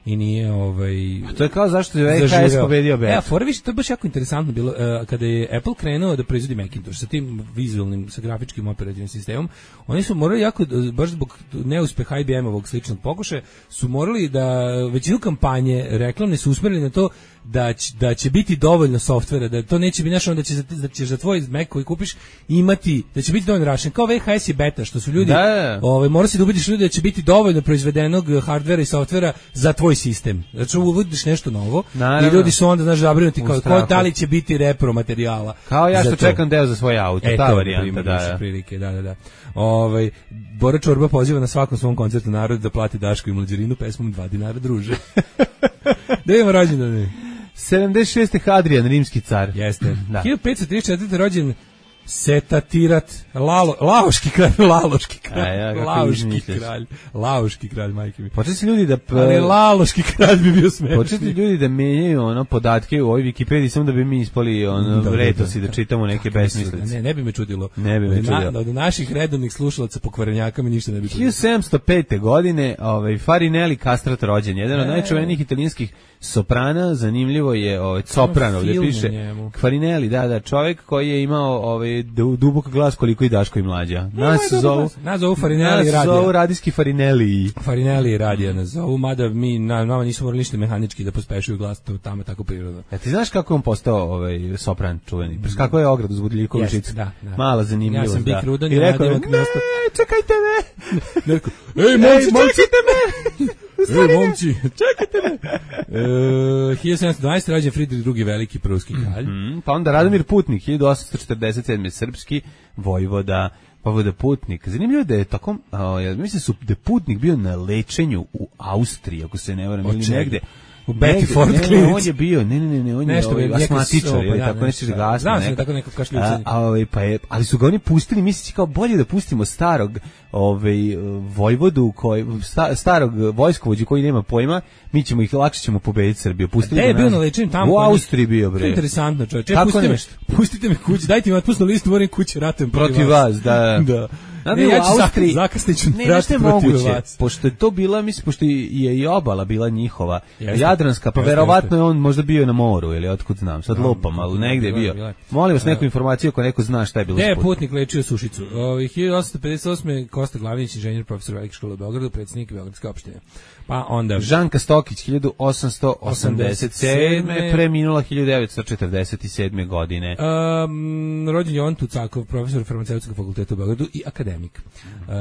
i nije ovaj a to je kao zašto je V H S pobedio B. Ja, Forvić, to je baš jako interesantno bilo uh, kada je Apple krenuo da proizvodi Macintosh sa tim vizualnim, sa grafičkim operativnim sistemom. Oni su morali jako, baš zbog neuspeha I B M-ovog sličnog pokušaja, su morali da većinu kampanje reklamne su usmerili na to da će, da će biti dovoljno softvera, da to neće biti našo, da će da ćeš za tvoj Mac koji kupiš imati, da će biti dovoljno rašen. Kao V H S je beta, što su ljudi, da. ovaj mora se da ubediš ljudi da će biti dovoljno proizvedenog hardvera i softvera za tvoj sistem. Znači uvodiš nešto novo. Naravno. I ljudi su onda znaš zabrinuti kao ko, da li će biti repro materijala. Kao ja što čekam deo za svoj auto, e, ta varijanta, da, da. Prilike, da, da, da. Ovaj Bora Čorba poziva na svakom svom koncertu narod da plati Daško i Mlađerinu pesmom dva dinara druže. Da imamo rođendane. sedamdeset šeste Hadrian, rimski car. Jeste. Da. hiljadu petsto trideset četvrte rođen Setatirat, Lalo, Laoški kralj, Laloški kralj, ja, Laoški kralj, Laoški kralj, majke mi. Početi ljudi da... Ali Laloški kralj bi bio smešni. Početi ljudi da menjaju ono podatke u ovoj Wikipediji, samo da bi mi ispali ono da, vretosi, da, da, da čitamo neke besmislice. Ne, ne bi me čudilo. Ne bi me čudilo. Na, od naših redovnih slušalaca pokvarenjaka mi ništa ne bi čudilo. hiljadu sedamsto pete godine ovaj, Farinelli Castrat rođen, jedan od e, najčuvenijih italijanskih soprana, zanimljivo je ovaj, soprano, gdje piše Farinelli, da, da, čovjek koji je imao ovaj, dubok glas koliko i Daško i Mlađa. Nas no, zovu, nas zovu Farinelli radija. Nas zovu radijski Farinelli. Farinelli radija nas zovu, mada mi na, nama nisu morali ništa mehanički da pospešuju glas, to tamo tako prirodno. Ja, ti znaš kako je on postao ovaj, sopran čuveni? Pres kako je ogradu uz Budljivkovu žicu? Da, da. Mala zanimljivost. Ja sam Bik Rudan i rekao, ne, čekajte me! Ej, momci, čekajte me! Ej, momci, čekajte me! E, hiljadu sedamsto dvanaeste rođen Fridrik drugi veliki pruski kralj. Mm -hmm. Pa onda Radomir Putnik, hiljadu osamsto četrdeset sedme srpski vojvoda, vojvoda Putnik. Zanimljivo da je tako, ja mislim su da je Putnik bio na lečenju u Austriji, ako se ne varam, ili negde. u Betty Negde, Ford ne, ne, klinici. on je bio, ne, ne, ne, ne, on Nešto je ovaj, bi- neka asmatičar, sopa, ili da, tako nešto, nešto da. gasno. Znao sam neka. tako neko A, kašljucanje. a, ovaj, pa je, ali su ga oni pustili, misleći kao bolje da pustimo starog ovaj, vojvodu, koji, sta, starog vojskovođu koji nema pojma, mi ćemo ih, lakše ćemo pobediti Srbiju. Pustili Gde je ga bio nas- na lečenju tamo? U kod njih? Austriji bio, To je bre. interesantno, čovječe. Tako Pustite me, nešto. pustite me kući, dajte mi otpusnu listu, moram kući, ratujem Protiv vas, da. Da. Znate, E, u ja ću Austriji, zakasnit ću ne, rat nešto je protiv moguće, vas. pošto je to bila, mislim, pošto je i obala bila njihova, Jeste. jadranska, pa Jeste, verovatno jeste. je on možda bio na moru, ili otkud znam, sad Da, lupam, ali negde je bila je, bio. bila je. Molim vas neku informaciju ako neko zna šta je bilo Gde je s putem. putnik lečio Sušicu? Ovaj hiljadu osamsto pedeset osme Kosta Glavinić, inženjer, profesor Velike škole u Beogradu, predsjednik Beogradske opštine. Pa onda Žanka Stokić, hiljadu osamsto osamdeset sedme preminula hiljadu devetsto četrdeset sedme godine. Um, rođen Jovan Tucakov, profesor farmaceutskog fakulteta u Beogradu i akademik. Uh,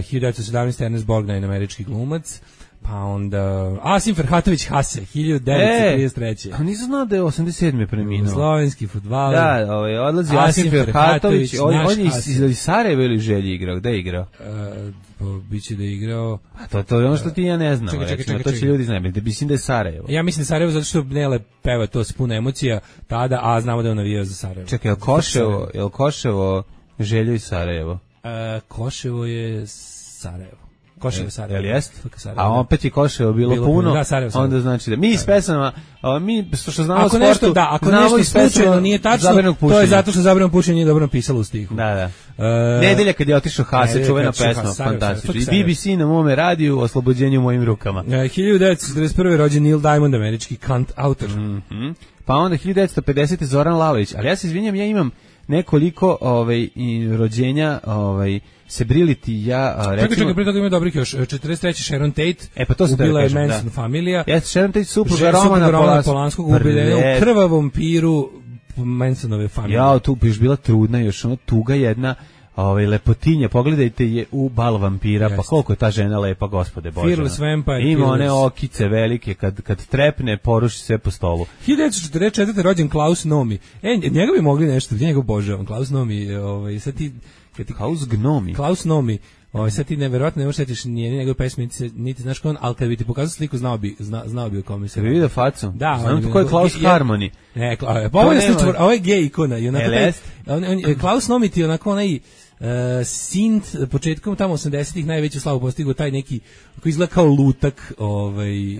hiljadu devetsto sedamnaeste Ernest Borgnine, američki glumac. Pa onda Asim Ferhatović Hase, hiljadu devetsto trideset treće. A nisam znao da je osamdeset sedme preminuo. Slovenski fudbaler. Da, ovaj, odlazi Asim Asim Ferhatović, Ferhatović, on, naš on je iz, Asim. iz Sarajeva ili Želji igrao, gde je igrao? Uh, pa biće da je igrao. A to, to je ono što ti i ja ne znam, Čekaj, čekaj, recimo, čekaj, to će čekaj. ljudi znaju, da mislim da je Sarajevo. Ja mislim Sarajevo zato što Nele peva to s puno emocija tada, a znamo da je on navijao za Sarajevo. Čekaj, je li Koševo, je li Koševo Željo i Sarajevo? Uh, Koševo je Sarajevo. Koševo je Sarajevo. Jel jest? F K Sarajevo, A da. opet je Koševo bilo, Bilo puno, puno, da, Sarajevo, Sarajevo. onda znači da mi iz pesama, a, mi što što znamo o Ako sportu, nešto da, ako znamo nešto iz pesama slučajno nije tačno, zabranog to je pušenja. zato što zabrano pušenje nije dobro napisalo u stihu. Da, da. E, Nedelja kad je otišao Hase, Nedelja čuvena kad je otišao pesma, Hase, Sarajevo, fantastično. I Sarajevo. B B C na mome radiju, Oslobođenje u mojim rukama. E, hiljadu devetsto četrdeset prve rođen Neil Diamond, američki kant autor. Mhm. Pa onda hiljadu devetsto pedesete Zoran Lalović, ali ja se izvinjam, ja imam nekoliko ovaj i rođenja, ovaj Sebrility, ja a, Čekaj, recimo čekaj, prije toga ima dobrih još. četrdeset treće Sharon Tate. E, pa to sam ubila da je kažem, Manson da. familija. Jeste Sharon Tate supruga Žena Romana supruga Romana Polanskog, Polanskog ubila u Pred- krvavom piru Mansonove familije. Ja, tu još bila trudna, još ono tuga jedna, ovaj lepotinja, pogledajte je u Bal vampira, pa Jeste. koliko je ta žena lepa, gospode Bože. Fearless Vampire Ima one Killers. okice velike, kad, kad trepne, poruši sve po stolu. hiljadu devetsto četrdeset četvrte rođen Klaus Nomi. E, njega bi mogli nešto, njega obožavam. Klaus Nomi, ovaj, sad ti... Kad ti Klaus Gnomi. Klaus Nomi, ovaj, sad ti neverovatno ne možeš setiš ni jedne njegove pesme, niti, se- niti znaš ko on, ali kad bi ti pokazao sliku, znao bi, zna, znao bi o kome se Jel vidio facu? Da, znam on to je- ko je Klaus je- Harmony. Ne, Kla, pa ovo je, nema- slučaj, ovo je gej ikona. I onako Jel taj, jest? on, on, Klaus Nomi ti je onako onaj Uh, Sint početkom tamo osamdesetih najveću slavu postigao taj neki koji izgleda kao lutak, ovaj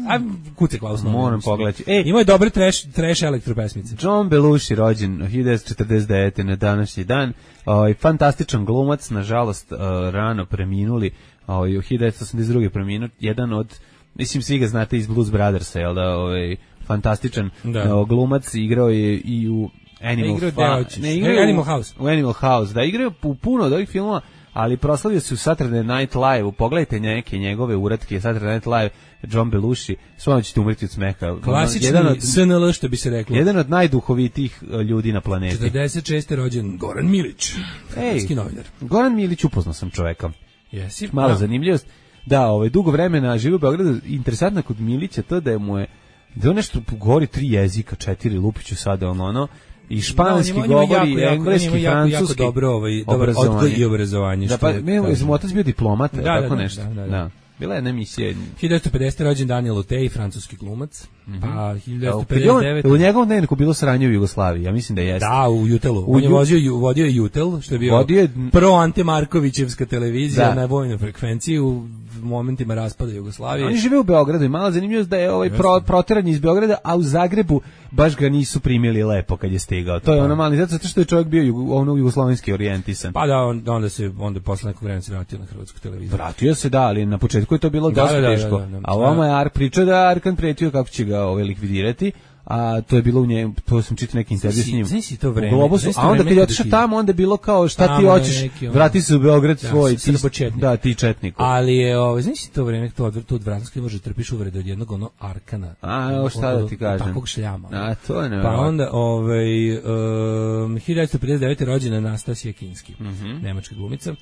a kuce Klaus Nomi. Moram mislim. pogledati. Ej, Imao je dobre trash trash elektro pesmice. John Belushi rođen hiljadu devetsto četrdeset devete na današnji dan, ovaj fantastičan glumac, nažalost uh, rano preminuli, ovaj u hiljadu devetsto osamdeset druge preminuo, jedan od, mislim svi ga znate iz Blues Brothersa, jel da, ovaj fantastičan Da. uh, glumac, igrao je i u Animal, igrao Fa- deo ćeš. ne, igrao E, je u- Animal House. U Animal House, da, igrao je u puno od ovih filmova, ali proslavio se u Saturday Night Live-u. Pogledajte neke njegove uratke, Saturday Night Live, John Belushi, svojno ćete umreti od smeha. Klasični Jedan od, S N L, što bi se reklo. jedan od najduhovitijih uh, ljudi na planeti. četrdeset šeste rođen Goran Milić, Ej, hrvatski novinar. Goran Milić, upoznao sam čoveka. Jesi? Mala Da. zanimljivost. Da, ovaj, dugo vremena živi u Beogradu. Interesantno je kod Milića to da je mu je, da je on nešto govori tri jezika, četiri, lupiću sada, ono, ono, i španski Da, on ima- on ima govori, jako, jako, engleski, on ima jako, jako francuski, dobro, ovaj, dobar obrazovanje. odgoj i obrazovanje. Da, što pa, mi kažem. smo otac bio diplomat, Da, tako da, da, nešto. da, da, Da, da. Bila je jedna emisija. hiljadu devetsto pedesete rođen Daniel Otej, francuski glumac. Pa hiljadu devetsto Kad je on- pedeset U devete njegovom dnevniku bilo sranje u Jugoslaviji, ja mislim da jeste. Da, u Jutelu. U On je Ju- vozio, ju- vodio je Jutel, što je bio Vodio je- pro Ante Markovićevska televizija Da. na vojnoj frekvenciji u momentima raspada Jugoslavije. Oni žive u Beogradu i mala zanimljivost da je ovaj pro, proteran iz Beograda, a u Zagrebu baš ga nisu primili lepo kad je stigao. To je ono mali, zato što je čovjek bio jugo, ono jugoslovenski orijentisan. Pa da, on, onda se onda posle nekog vremena se vratio na hrvatsku televiziju. Vratio se, da, ali na početku je to bilo Da, dosta da, da, teško. da, da, da. A ovamo je Ark pričao da je Arkan pretio kako će ga ovaj likvidirati, a to je bilo u njemu, to sam čitao neki intervju s njim. Znaš si to u vreme, Globusu, znaš si to a onda vreme kad je kada otišao ti- tamo, onda je bilo kao šta ti Tamo je hoćeš, neki ono- vrati se u Beograd Da, svoj, ti, srbočetnik. da, ti četnik. Ali je, ovaj, znaš si to vreme, to, to od Vranskoj može trpiš uvrede od jednog ono Arkana. A, evo šta da ti Od- kažem. od Takvog šljama. A, to je Pa nevjerojatno. onda, ovaj, um, hiljadu devetsto pedeset devete rođena Anastasija Kinski, Mhm. nemačka glumica. Uh,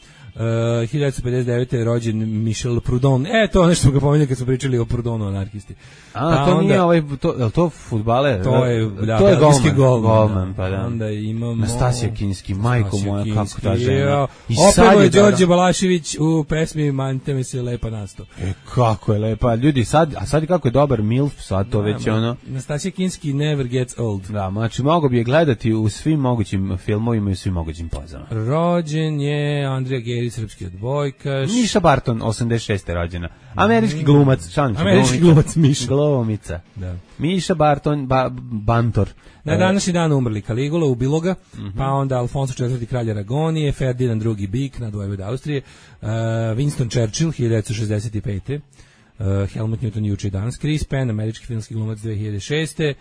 hiljadu devetsto pedeset devete rođen Michel Proudhon. E, to nešto smo ga pomenuli kad smo pričali o Proudhonu, anarhisti. A, Pa to onda- nije ovaj, to, je li to fudbaler? fudbaler. To je, da, to je belgijski golman. golman, golman, pa da. Onda imamo... Nastasija Kinski, majko moja, kako ta žena. Ja. I Opevo je da- Đorđe Balašević u pesmi Mante me se lepa nasto. E, kako je lepa. Ljudi, sad, a sad kako je dobar milf, sad to već je ono... Nastasija Kinski never gets old. Da, znači mogu bi je gledati u svim mogućim filmovima i u svim mogućim pozama. Rođen je Andrija Geri, srpski odbojkaš. Miša Barton, osamdeset šeste rođena. Američki glumac, šalim se, Američki glumac Miša. Glumica. Da. Miša Barton, ba, Bantor. Na današnji dan umrli Kaligula u Biloga, mm-hmm. pa onda Alfonso četvrti kralj Aragonije, Ferdinand drugi Bik, nadvojvod Austrije, uh, Winston Churchill, hiljadu devetsto šezdeset pete. Uh, Helmut Newton juče i danas, Chris Penn, američki filmski glumac dve hiljade šeste.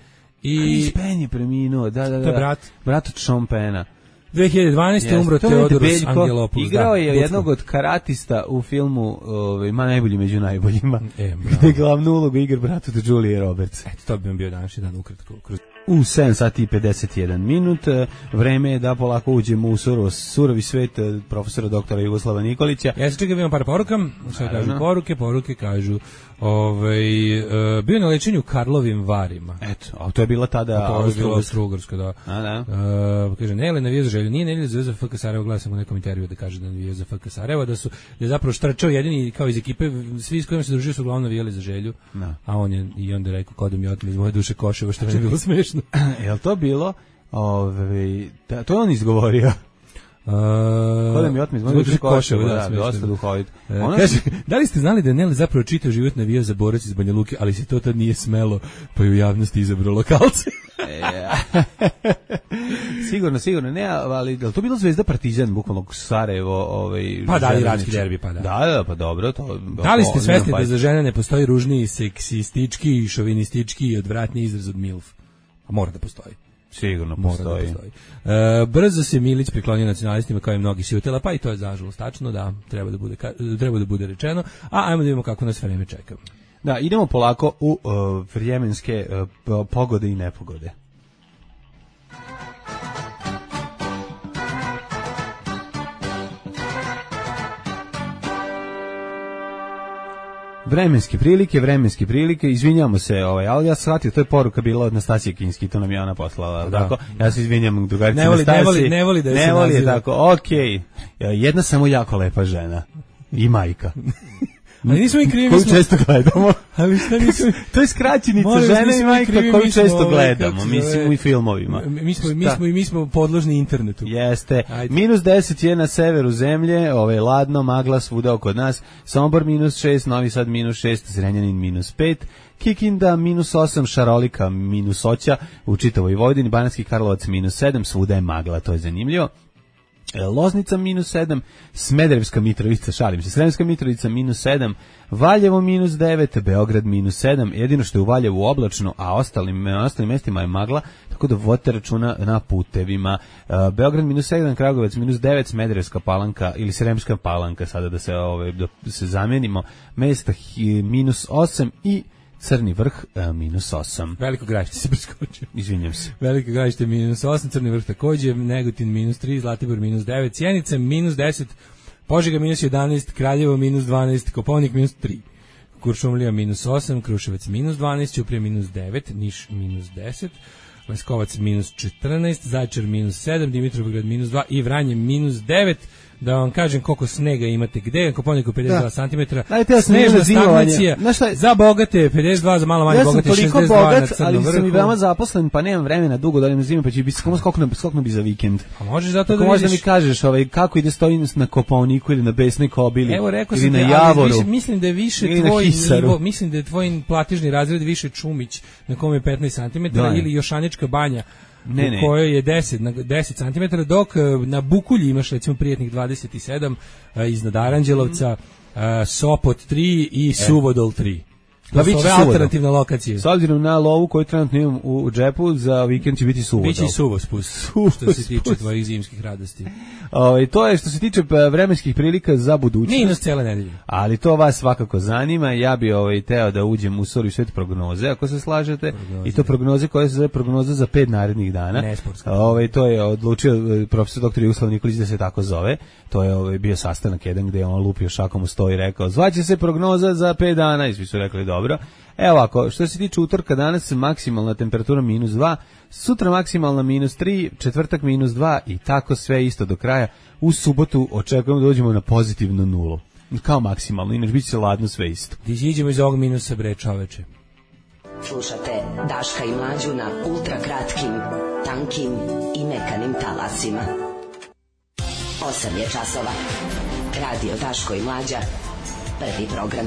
I Chris Penn je preminuo, da, da, da. To je brat. Brat od Sean Penna. dve hiljade dvanaeste. Yes, umro Teodorus Angelopoulos. Igrao da, je Budsko. jednog od karatista u filmu ovaj, Ma najbolji među najboljima. E, gde glavnu ulogu igra brat od Julie Roberts. Eto, to bi vam bio današnji dan ukratko. Kroz... U sedam sati i pedeset jedan minut, vreme je da polako uđemo u surov, surovi svet profesora doktora Jugoslava Nikolića. Ja se čekam, imam par poruka, sve kažu poruke, poruke kažu, ovaj, uh, bio na lečenju Karlovim Varima. Eto, a to je bila tada to je bila Austro-Ugarska, da. A, da. Uh, kaže, ne, navija za Želju, nije navija za F K Sarajevo, gledam sam u nekom intervju da kaže da navija za F K Sarajevo, da su, da je zapravo štrčao jedini, kao iz ekipe, svi s kojima se družio su uglavnom navijali za Želju, da. A on je, i onda je rekao, kao da mi otme iz moje duše Koševo, što mi je bilo smešno. Jel to bilo? Ove, da, to je on izgovorio. Uh, Kod mi otme iz moje duše Koševo, da, da, dosta duhovit. Uh, kaže, da li ste znali da je Neli zapravo čitav život navijao za borac iz Banja Luke, ali se to tad nije smelo, pa je u javnosti izabrao lokalce? sigurno, sigurno, ne, ali je to bilo Zvezda Partizan, bukvalno Sarajevo, ovaj, pa da, iranski derbi, pa da. Da, da, pa dobro, to. Da li ste svesni da za žene ne postoji ružniji, seksistički i šovinistički i odvratni izraz od milf? A mora da postoji. Sigurno postoji. Da postoji. E, brzo se Milić priklonio nacionalistima kao i mnogi sivotela, pa i to je zažalost tačno, da, treba da bude, treba da bude rečeno, a ajmo da vidimo kako nas vreme čeka. Da, idemo polako u uh, vremenske uh, pogode i nepogode. Vremenske prilike, vremenske prilike, izvinjamo se, ovaj, ali ja sam shvatio, to je poruka bila od Nastasije Kinski, to nam je ona poslala, da. Tako, ja se izvinjam drugarici ne voli, Nastasiji. Ne voli, ne voli da je ne se voli je naziva. tako, okej, okay. Jedna samo jako lepa žena i majka. Ali nismo i krivi, koju smo... često gledamo. Ali šta nismo... To je skraćenica Molim, žene i majka krivi, koju često ovaj, gledamo, mislim u filmovima. Mi smo, mi smo, mi smo podložni internetu. Jeste. Ajde. Minus deset je na severu zemlje, ovaj, ladno, magla svuda oko nas, Sombor minus šest, Novi Sad minus šest, Zrenjanin minus pet, Kikinda minus osam, Šarolika minus oća, u čitavoj Vojvodini, Banatski Karlovac minus sedam, svuda je magla, to je zanimljivo. Loznica minus sedam, Smederevska Mitrovica, šalim se, Sremska Mitrovica minus sedam, Valjevo minus devet, Beograd minus sedam, jedino što je u Valjevu oblačno, a ostalim, ostalim mestima je magla, tako da vodite računa na putevima. Beograd minus sedam, Kragujevac minus devet, Smederevska Palanka ili Sremska Palanka, sada da se, ove, da se zamenimo, mesta minus osam i Crni vrh uh, minus osam. Veliko Gradište se preskočio. Izvinjam se. Veliko Gradište minus osam, Crni vrh takođe, Negotin minus tri, Zlatibor minus devet, Sjenica minus deset, Požega minus jedanaest, Kraljevo minus dvanaest, Kopaonik minus tri, Kuršumlija minus osam, Kruševac minus dvanaest, Ćuprija minus devet, Niš minus deset, Leskovac minus četrnaest, Zaječar minus sedam, Dimitrovgrad minus dva i Vranje minus devet. Da vam kažem koliko snega imate gde, Kopaoniku pedeset dva centimetra, snežna stagnacija, za bogate pedeset dva, za malo manje ja bogate šezdeset dva bogat, na Crnom ali vrhu. sam i veoma zaposlen, pa nemam vremena dugo da idem zime, pa će biti skoro skokno, skokno bi za vikend. A možeš zato tako da možda vidiš... mi kažeš ovaj, kako ide stojim na Kopaoniku ili na Besnoj Kobili, evo, rekao ili sam na te, Javoru. Više, mislim da je više tvoj nivo, mislim da je tvoj platižni razred više Čumić, na kome je petnaest centimetara, ili Jošanička banja, ne, ne. u kojoj je deset, na deset centimetara, dok na Bukulji imaš recimo prijatnih dvadeset sedam, iznad Aranđelovca, mm. Sopot tri i Suvodol tri. To su ove alternativne lokacije. S obzirom na lovu koju trenutno imam u, u džepu, za vikend će biti Suvodol. Biće i Suvospus, što se tiče tvojih zimskih radosti. O, to je što se tiče vremenskih prilika za budućnost. Minus cijele nedelje. Ali to vas svakako zanima. Ja bi ovaj, teo da uđem u sori svet prognoze, ako se slažete. Prognoze. I to prognoze koje se zove prognoza za pet narednih dana. Nesportska. Ovaj, to je odlučio profesor doktor Jugoslav Nikolić da se tako zove. To je ovaj, bio sastanak jedan gde je on lupio šakom u sto i rekao, zvaće se prognoza za pet dana. I svi su rekli, dobro. Evo ovako, što se tiče utorka, danas maksimalna temperatura minus dva, sutra maksimalna minus tri, četvrtak minus dva i tako sve isto do kraja. U subotu očekujemo da dođemo na pozitivnu nulu. Kao maksimalno, inače bit će ladno sve isto. Ti iđemo iz ovog minusa, bre, čoveče. Slušate Daška i Mlađu na ultra kratkim, tankim i mekanim talasima. Osam je časova. Radio Daško i Mlađa. Prvi program.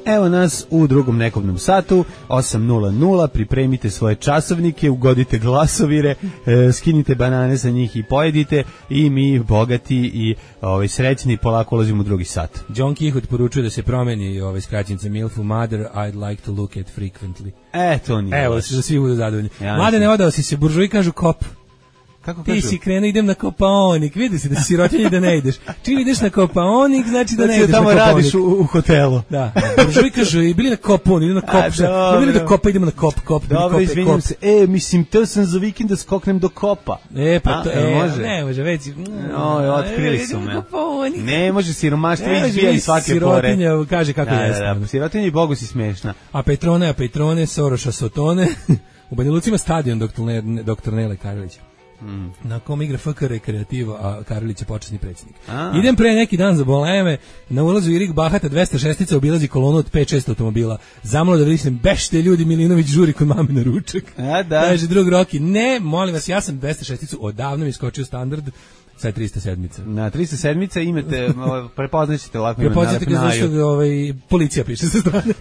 Evo nas u drugom nekobnom satu, osam nula nula, pripremite svoje časovnike, ugodite glasovire, e, skinite banane za njih i pojedite i mi bogati i ovaj, srećni polako ulazimo u drugi sat. John Kihut poručuje da se promeni ovaj skraćenica Milfu Mother, I'd like to look at frequently. E, to nije. Evo, da svi budu zadovoljni. Ja Mlade, ne odao si se, buržuji kažu kop. Kako Ti kažu? si krenuo, idem na Kopaonik, vidi se da si sirotinji da ne ideš. Čim ideš na Kopaonik, znači da ne Znači ideš da tamo na Kopaonik. radiš u, u hotelu. Da, buržuji kažu, i bili na Kopon, idem na Kop, A, šta? dobro. Bili na Kopa, idemo na Kop, Kop, bili Dobro, Kope, izvinjam Kop. se. E, mislim, teo sam za vikend da skoknem do Kopa. E, pa A, to, jel e, može? ne može, već. Oj, otkrili su idemo me. na Kopaonik. Ne može, siromaštvo Ne može, izbija vi iz svake pore. sirotinja kaže kako Da, jeste. da, da, sirotinja i Bogu si smešna. A Petrone, a Petrone, Soroša, Sotone. U Banja Luci ima stadion doktor Ne- doktor Nele Karlić. Mm. Na kom igra F K Rekreativo, a Karlić je počasni predsjednik. A. Idem pre neki dan za Boleme, na ulazu Irik Bahata dvesta šestica obilazi kolonu od pet šest automobila. Zamalo da vidim, bešte ljudi, Milinović žuri kod mame na ručak. A, da. Kaže drug Roki, ne, molim vas, ja sam dvesta šesticu odavno mi iskočio standard, sad trista sedmica. Na trista sedmica imate, ovaj, prepoznaćete lako ime na Prepoznate ga Lepnaju. zašto ga ovaj, policija piše sa strane.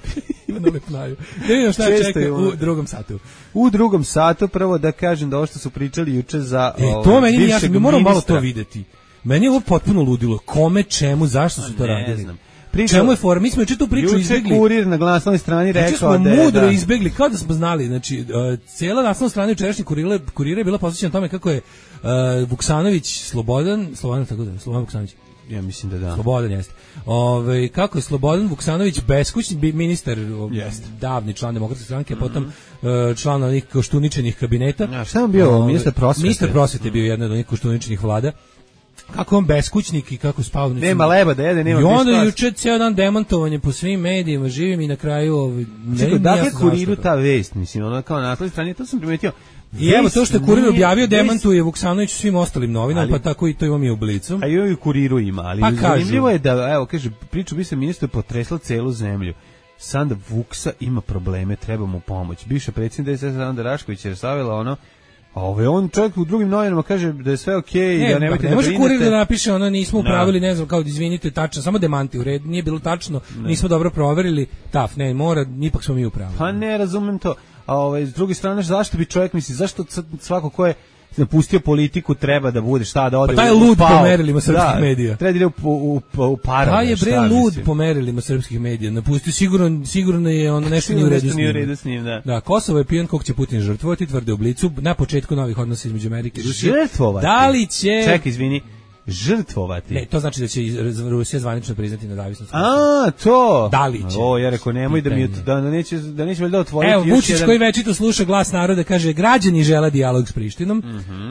Ima na Lepnaju. Da vidimo šta Često čeka je ono. u drugom satu. U drugom satu prvo da kažem da ovo što su pričali juče za E, ovaj, to meni nije bivšeg jasno, mi moramo malo ministra. to videti. Meni je ovo potpuno ludilo. Kome, čemu, zašto su to Ne radili? znam. Pričao- Čemu je fora? Mi smo juče tu priču Juče izbegli. kurir na glasnoj strani Juče rekao smo da je... mudro da, izbegli, kao da smo znali. Znači, uh, cijela naslovna strana jučerašnjeg kurira, kurira je bila posvećena tome kako je uh, Vuksanović Slobodan, Slobodan tako da, Slobodan Vuksanović, Ja mislim da da. Slobodan jeste. Ove, kako je Slobodan Vuksanović beskućni bi- ministar, o, Jeste. davni član demokratske stranke, mm-hmm. potom uh, član onih koštuničenih kabineta. Ja, šta je on bio, Ove, ministar prosvete? Ministar prosvete je bio jedna od onih koštuničenih vlada. Kako on beskućnik i kako spavao. Nema leba da jede, nema I onda gdje juče ceo dan demantovanje po svim medijima, živim i na kraju ovaj, Čekaj, dakle jasno kuriru zašto to. ta vest, mislim, ono kao na naslovnoj strani, to sam primetio. I evo to što je kurir Vest objavio nije- demantuje Vuksanović svim ostalim novinama, Ali- pa tako i to imamo i u Blicu. A i u kuriru ima, ali Pa kažu. zanimljivo je da, evo, kaže, priču bi se ministru potresla celu zemlju. Sanda Vuksa ima probleme, treba mu pomoć. Bivša predsjednica D S S Sanda Rašković je savjela ono, a ovaj on čovjek u drugim novinama kaže da je sve okej, Ne, da nemojte ne da može brinete. kurir da napiše ono nismo Da. upravili, ne znam, kao izvinite, tačno, samo demanti u red, nije bilo tačno, nismo dobro proverili, taf, ne, mora, ipak smo mi upravili. Pa ne, razumem to. A ovaj, s druge strane, zašto bi čovjek, misli, zašto c- svako ko je napustio politiku treba da bude, šta, da ode Pa taj je u lud pao? po merilima srpskih Da, medija. treba da ide u, u, u, u parove, Pa je bre šta, lud mislim. po merilima srpskih medija, napustio, sigurno, sigurno je ono nešto nije u redu Nešto s nije u njim. redu s njim, da. Da, Kosovo je pijan kog će Putin žrtvovati, tvrde u Blicu, na početku novih odnosa između Amerike i Rusije. Žrtvovati? Da li će... Čekaj, izvini, žrtvovati? Ne, to znači da će iz- Rusija zvanično priznati nezavisnost. A, to. Da li će? O, ja rekao, nemoj da mi Pitanje. da, da neće da neće valjda otvoriti Evo, još Vučić jedan. koji večito sluša glas naroda, kaže, građani žele dijalog s Prištinom,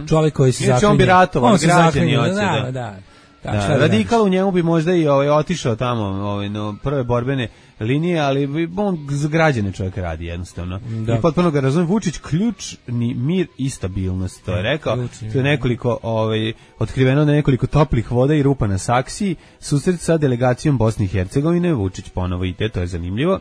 čovjek koji se Inače, zaklinje. on bi ratovao, On se građani zaklinje, hoće, da, da. da. Da, Da, šta da radikal u njemu bi možda i ovaj otišao tamo, ovaj no prve borbene linije, ali bi on za građane čovjek radi jednostavno. Da. I potpuno ga razumem. Vučić ključni mir i stabilnost, to je rekao. Ključni, To je nekoliko ovaj otkriveno na nekoliko toplih voda i rupa na saksiji, susret sa delegacijom Bosne i Hercegovine, Vučić ponovo ide, to je zanimljivo.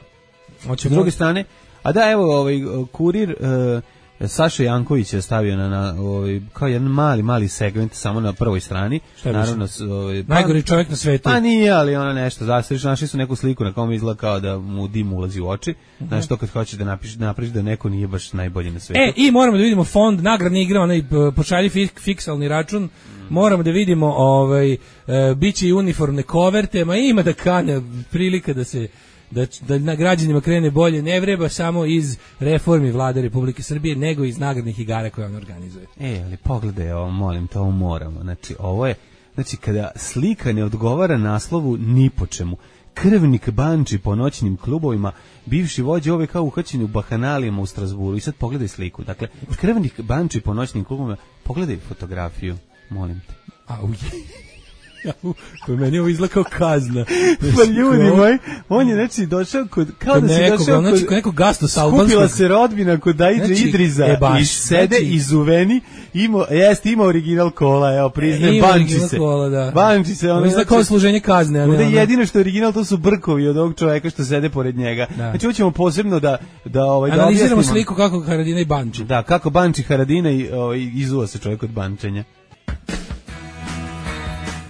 Hoćemo- S druge strane, a da evo ovaj kurir e, Saša Janković je stavio na, na ovaj kao jedan mali mali segment samo na prvoj strani. Šta je Naravno s- ovaj pa- Najgori čovjek na svetu. Pa nije, ali ono nešto, zastaviš, našli su neku sliku na kom izgleda kao da mu dim ulazi u oči. Znaš, to kad hoćeš da napišeš, napraviš da neko nije baš najbolji na svetu. E, i moramo da vidimo fond nagradne igre, onaj p- pošalji fik, fiksalni račun, moramo da vidimo, ovaj, e, bit će i uniformne koverte, ma ima da kanja prilika da se da, da na građanima krene bolje, ne vreba samo iz reformi vlade Republike Srbije, nego iz nagradnih igara koje on organizuje. E, ali pogledaj ovo, molim te, ovo moramo. Znači, ovo je, znači, kada slika ne odgovara naslovu ni po čemu, krvnik banči po noćnim klubovima, bivši vođa ove kao uhvaćeni u bahanalijama u Strasburu. I sad pogledaj sliku. Dakle, krvnik banči po noćnim klubovima, pogledaj fotografiju, molim te. Au. Pa meni ovo izgleda kao kazna. Pa ljudi moji, on je znači došao kod, kao Kod da se nekog, došao znači, kod, kod nekog gastos albanskog. skupila se rodbina kod Daidže Znači, Idriza e, baš, i sede znači- izuveni, ima, jeste, ima original kola, evo, priznajem, Ima banči original se. kola, da. Banči se, ono, Ovo izgleda kao služenje kazne. a ne ovde ono- jedino što je original, to su brkovi od ovog čoveka što sede pored njega. Da. Znači, hoćemo posebno da, da, ovaj, da Analiziramo objasnimo. sliku kako Haradina i Banči. Da, kako Banči Haradina i ovaj, izuva se čovjek od bančenja.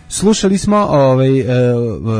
Slušali smo ovaj uh,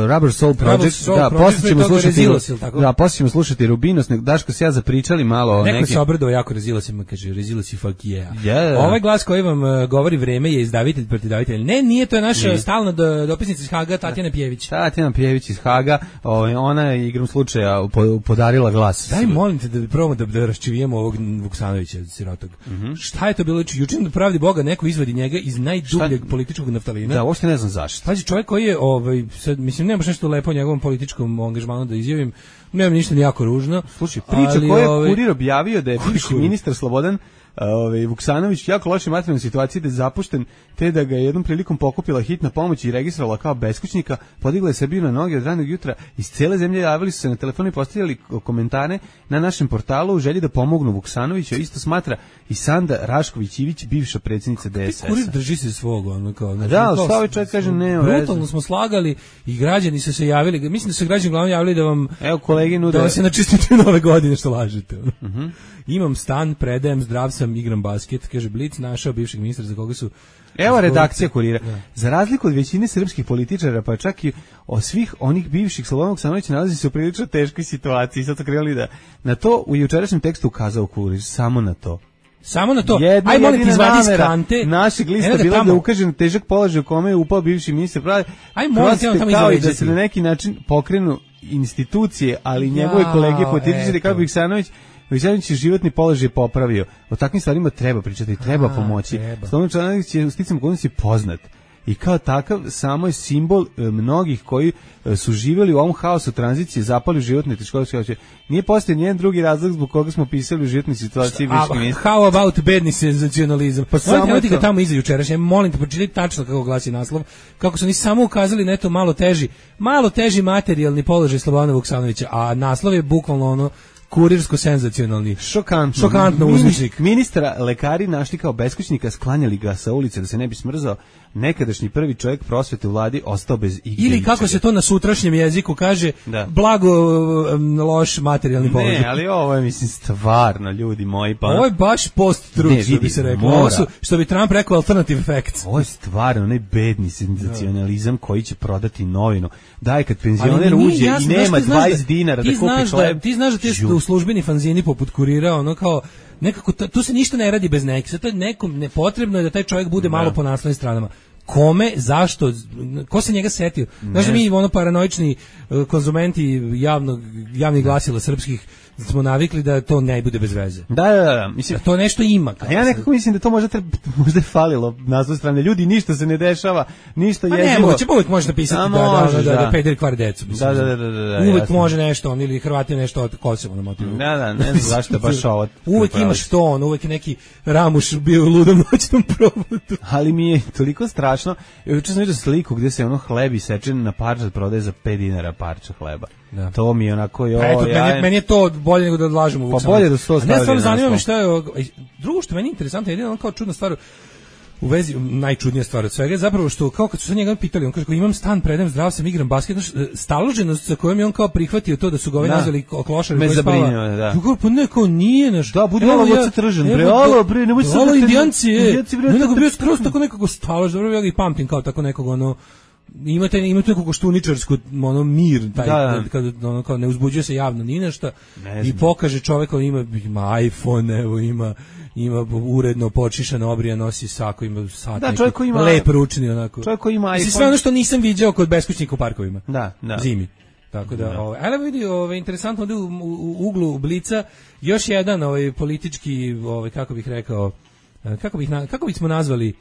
Rubber Soul Project, Rubber Soul da, Project, posle ćemo pre toga slušati Rezilos, ili tako? da, posle ćemo slušati Rubinos, nek Daško se ja zapričali malo o Neko nekim. se obradao jako Rezilosima, kaže Rezilosi fuck yeah. Yeah. Ovaj glas koji vam uh, govori vreme je izdavitelj protiv davitelja. Ne, nije, to je naša Nije. stalna do, dopisnica iz Haga, Tatjana Pjević. Tatjana Pjević iz Haga, ovaj, ona je igrom slučaja po- podarila glas. Daj, molim te da probamo da, da raščivijemo ovog Vuksanovića, sirotog. Mhm. Šta je to bilo? Juče na pravdi Boga neko izvadi njega iz najdubljeg političkog naftalina. Da, uopšte ne znam zašto. Pazi, čovjek koji je, ovaj, sad, mislim, nema baš nešto lepo o njegovom političkom angažmanu da izjavim, nema ništa ni jako ružno. Slušaj, priča ali, koju je ovaj, Kurir objavio da je Koji bivši Kurir? ministar Slobodan ovaj Vuksanović jako loše materijalne situacije, da je zapušten, te da ga je jednom prilikom pokupila hitna pomoć i registrovala kao beskućnika, podigla je Srbiju na noge od ranog jutra, iz cele zemlje javili su se na telefon i postavljali komentare na našem portalu u želji da pomognu Vuksanoviću. Isto smatra i Sanda Rašković-Ivić, bivša predsjednica D S Kurir S-a. drži se svog, ono kao. Znači, Da, kao- šta ovaj čovjek kaže, nema veze. Brutalno smo slagali i građani su se javili, mislim da su građani glavno javili da vam Evo kolegi nude. da vas je načistiti nove godine što lažete. Uh-huh. Imam stan, predajem, zdrav sam, igram basket, kaže Blic, našao bivšeg ministra za koga su... Evo redakcija Kurira. Da. Za razliku od većine srpskih političara, pa čak i od svih onih bivših, Slobodan Vuksanović nalazi se u prilično teškoj situaciji. Sad su krenuli da na to u jučerašnjem tekstu ukazao Kurir, samo na to. Samo na to. Jedna Aj, molim ti, jedina izvadi iz namera kante. našeg lista Eno da bila tamo- da ukaže na težak položaj u kome je upao bivši ministar pravde. Aj, molim te, ono tamo kao i da izređati. se na neki način pokrenu institucije, ali njegove Jao, kolege političari eto. kao Vuksanović Vuksanović je životni položaj popravio. O takvim stvarima treba pričati, treba A, pomoći. treba. Slobodan Vuksanović je u sticam okolnosti poznat. I kao takav samo je simbol e, mnogih koji e, su živjeli u ovom haosu tranzicije, zapali u životne teškoće. Nije postoji nijedan drugi razlog zbog koga smo pisali u životnoj situaciji A, bivšeg ministra. how about bedni senzacionalizam? Pa samo samo ti ga to. tamo iza jučerašnje. Molim te, pročitaj tačno kako glasi naslov. Kako su oni samo ukazali na eto malo teži, malo teži materijalni položaj Slobodana Vuksanovića, a naslov je bukvalno ono kurirsko senzacionalni. Šokantno. Šokantno Mini- uzvišnik. Ministra lekari našli kao beskućnika, sklanjali ga sa ulice da se ne bi smrzao. Nekadašnji prvi čovjek prosvete u vladi ostao bez igde Ili kako ičega. se to na sutrašnjem jeziku kaže, Da. blago um, loš materijalni položaj. Ne, ali ovo je, mislim, stvarno, ljudi moji, pa... Ovo je baš post-truth, Ne, što vidi, bi se reklo. mora. Ovo su, što bi Trump rekao, alternative facts. Ovo je stvarno onaj bedni senzacionalizam koji će prodati novinu. Daj, kad Ali penzioner mi nije uđe jasno, i znaš, nema ti znaš da- dvadeset dinara ti da kupi znaš hleb. Ti znaš da ti Žu. u službeni fanzini poput Kurira, ono kao, nekako, to- tu se ništa ne radi bez nekih. Sad to je nekom nepotrebno je da taj čovjek bude malo po naslovnim stranama. Kome, zašto, ko se njega setio? Znaš da mi ono paranoični uh, konzumenti javnog, javnih glasila srpskih smo navikli da to ne bude bez veze. Da, da, da, mislim... Da to nešto ima. A ja nekako mislim da to možda, treba, možda je falilo na svoj strane. Ljudi, ništa se ne dešava, ništa Pa jezivo. ne, moće, uvek može napisati A da, da, možeš, da, da, da. da pederi kvari decu. mislim. Da, da, da, da, da, uvek jasno. može nešto, on ili Hrvati nešto od Kosova na motivu. Da, da, ne znam zašto je baš ovo. Uvek imaš to, on, uvek je neki Ramuš bio u ludom noćnom provodu. Ali mi je toliko strašno. Juče sam vidio sliku gdje se ono hleb isečen na parčad prodaje za pet dinara parča hleba. Da. To mi je onako, jo, Pa eto, ja... meni, meni je to bolje nego da odlažemo u Pa Vuksanović. bolje da su to A ne, stavili stvarno na zanima me naslov. šta je ovo- drugo što meni je interesantno, jedino ono kao čudna stvar u vezi, najčudnija stvar od svega je zapravo što kao kad su se njega pitali, on kaže kao imam stan, predajem, zdrav sam, igram basket, znaš, staloženost sa kojom je on kao prihvatio to da su ga ovi Da. nazvali ko- klošari Me koji spava. zabrinjava, da. Kao, pa ne, kao nije naš. Da, budi Evo malo ja- voca tržan, bre, evo, alo, da- bre, nemoj sad alo, da te- indijanci, je. indijanci, bre, Ne, nego te- bio skroz tako nekako stalož, dobro, ja ga i pamtim kao tako nekog ono, imate imate neku koštuničarsku ono mir taj Da, da. kad, kad ono kao ne uzbuđuje se javno ni na šta Ne i znam. pokaže čovjek on ima ima iPhone, evo ima ima uredno počišan obrija, nosi sako, ima sat Da, neki, čovjek koji ima- lep ručni onako. čovjek koji ima Mislim, iPhone. sve ono što nisam viđao kod beskućnika u parkovima. Da, da. Zimi. Tako da, ovaj, ali vidi, ovaj interesantno da u, u, u uglu Blica još jedan ovaj politički, ovaj kako bih rekao, eh, kako bih na, kako bismo nazvali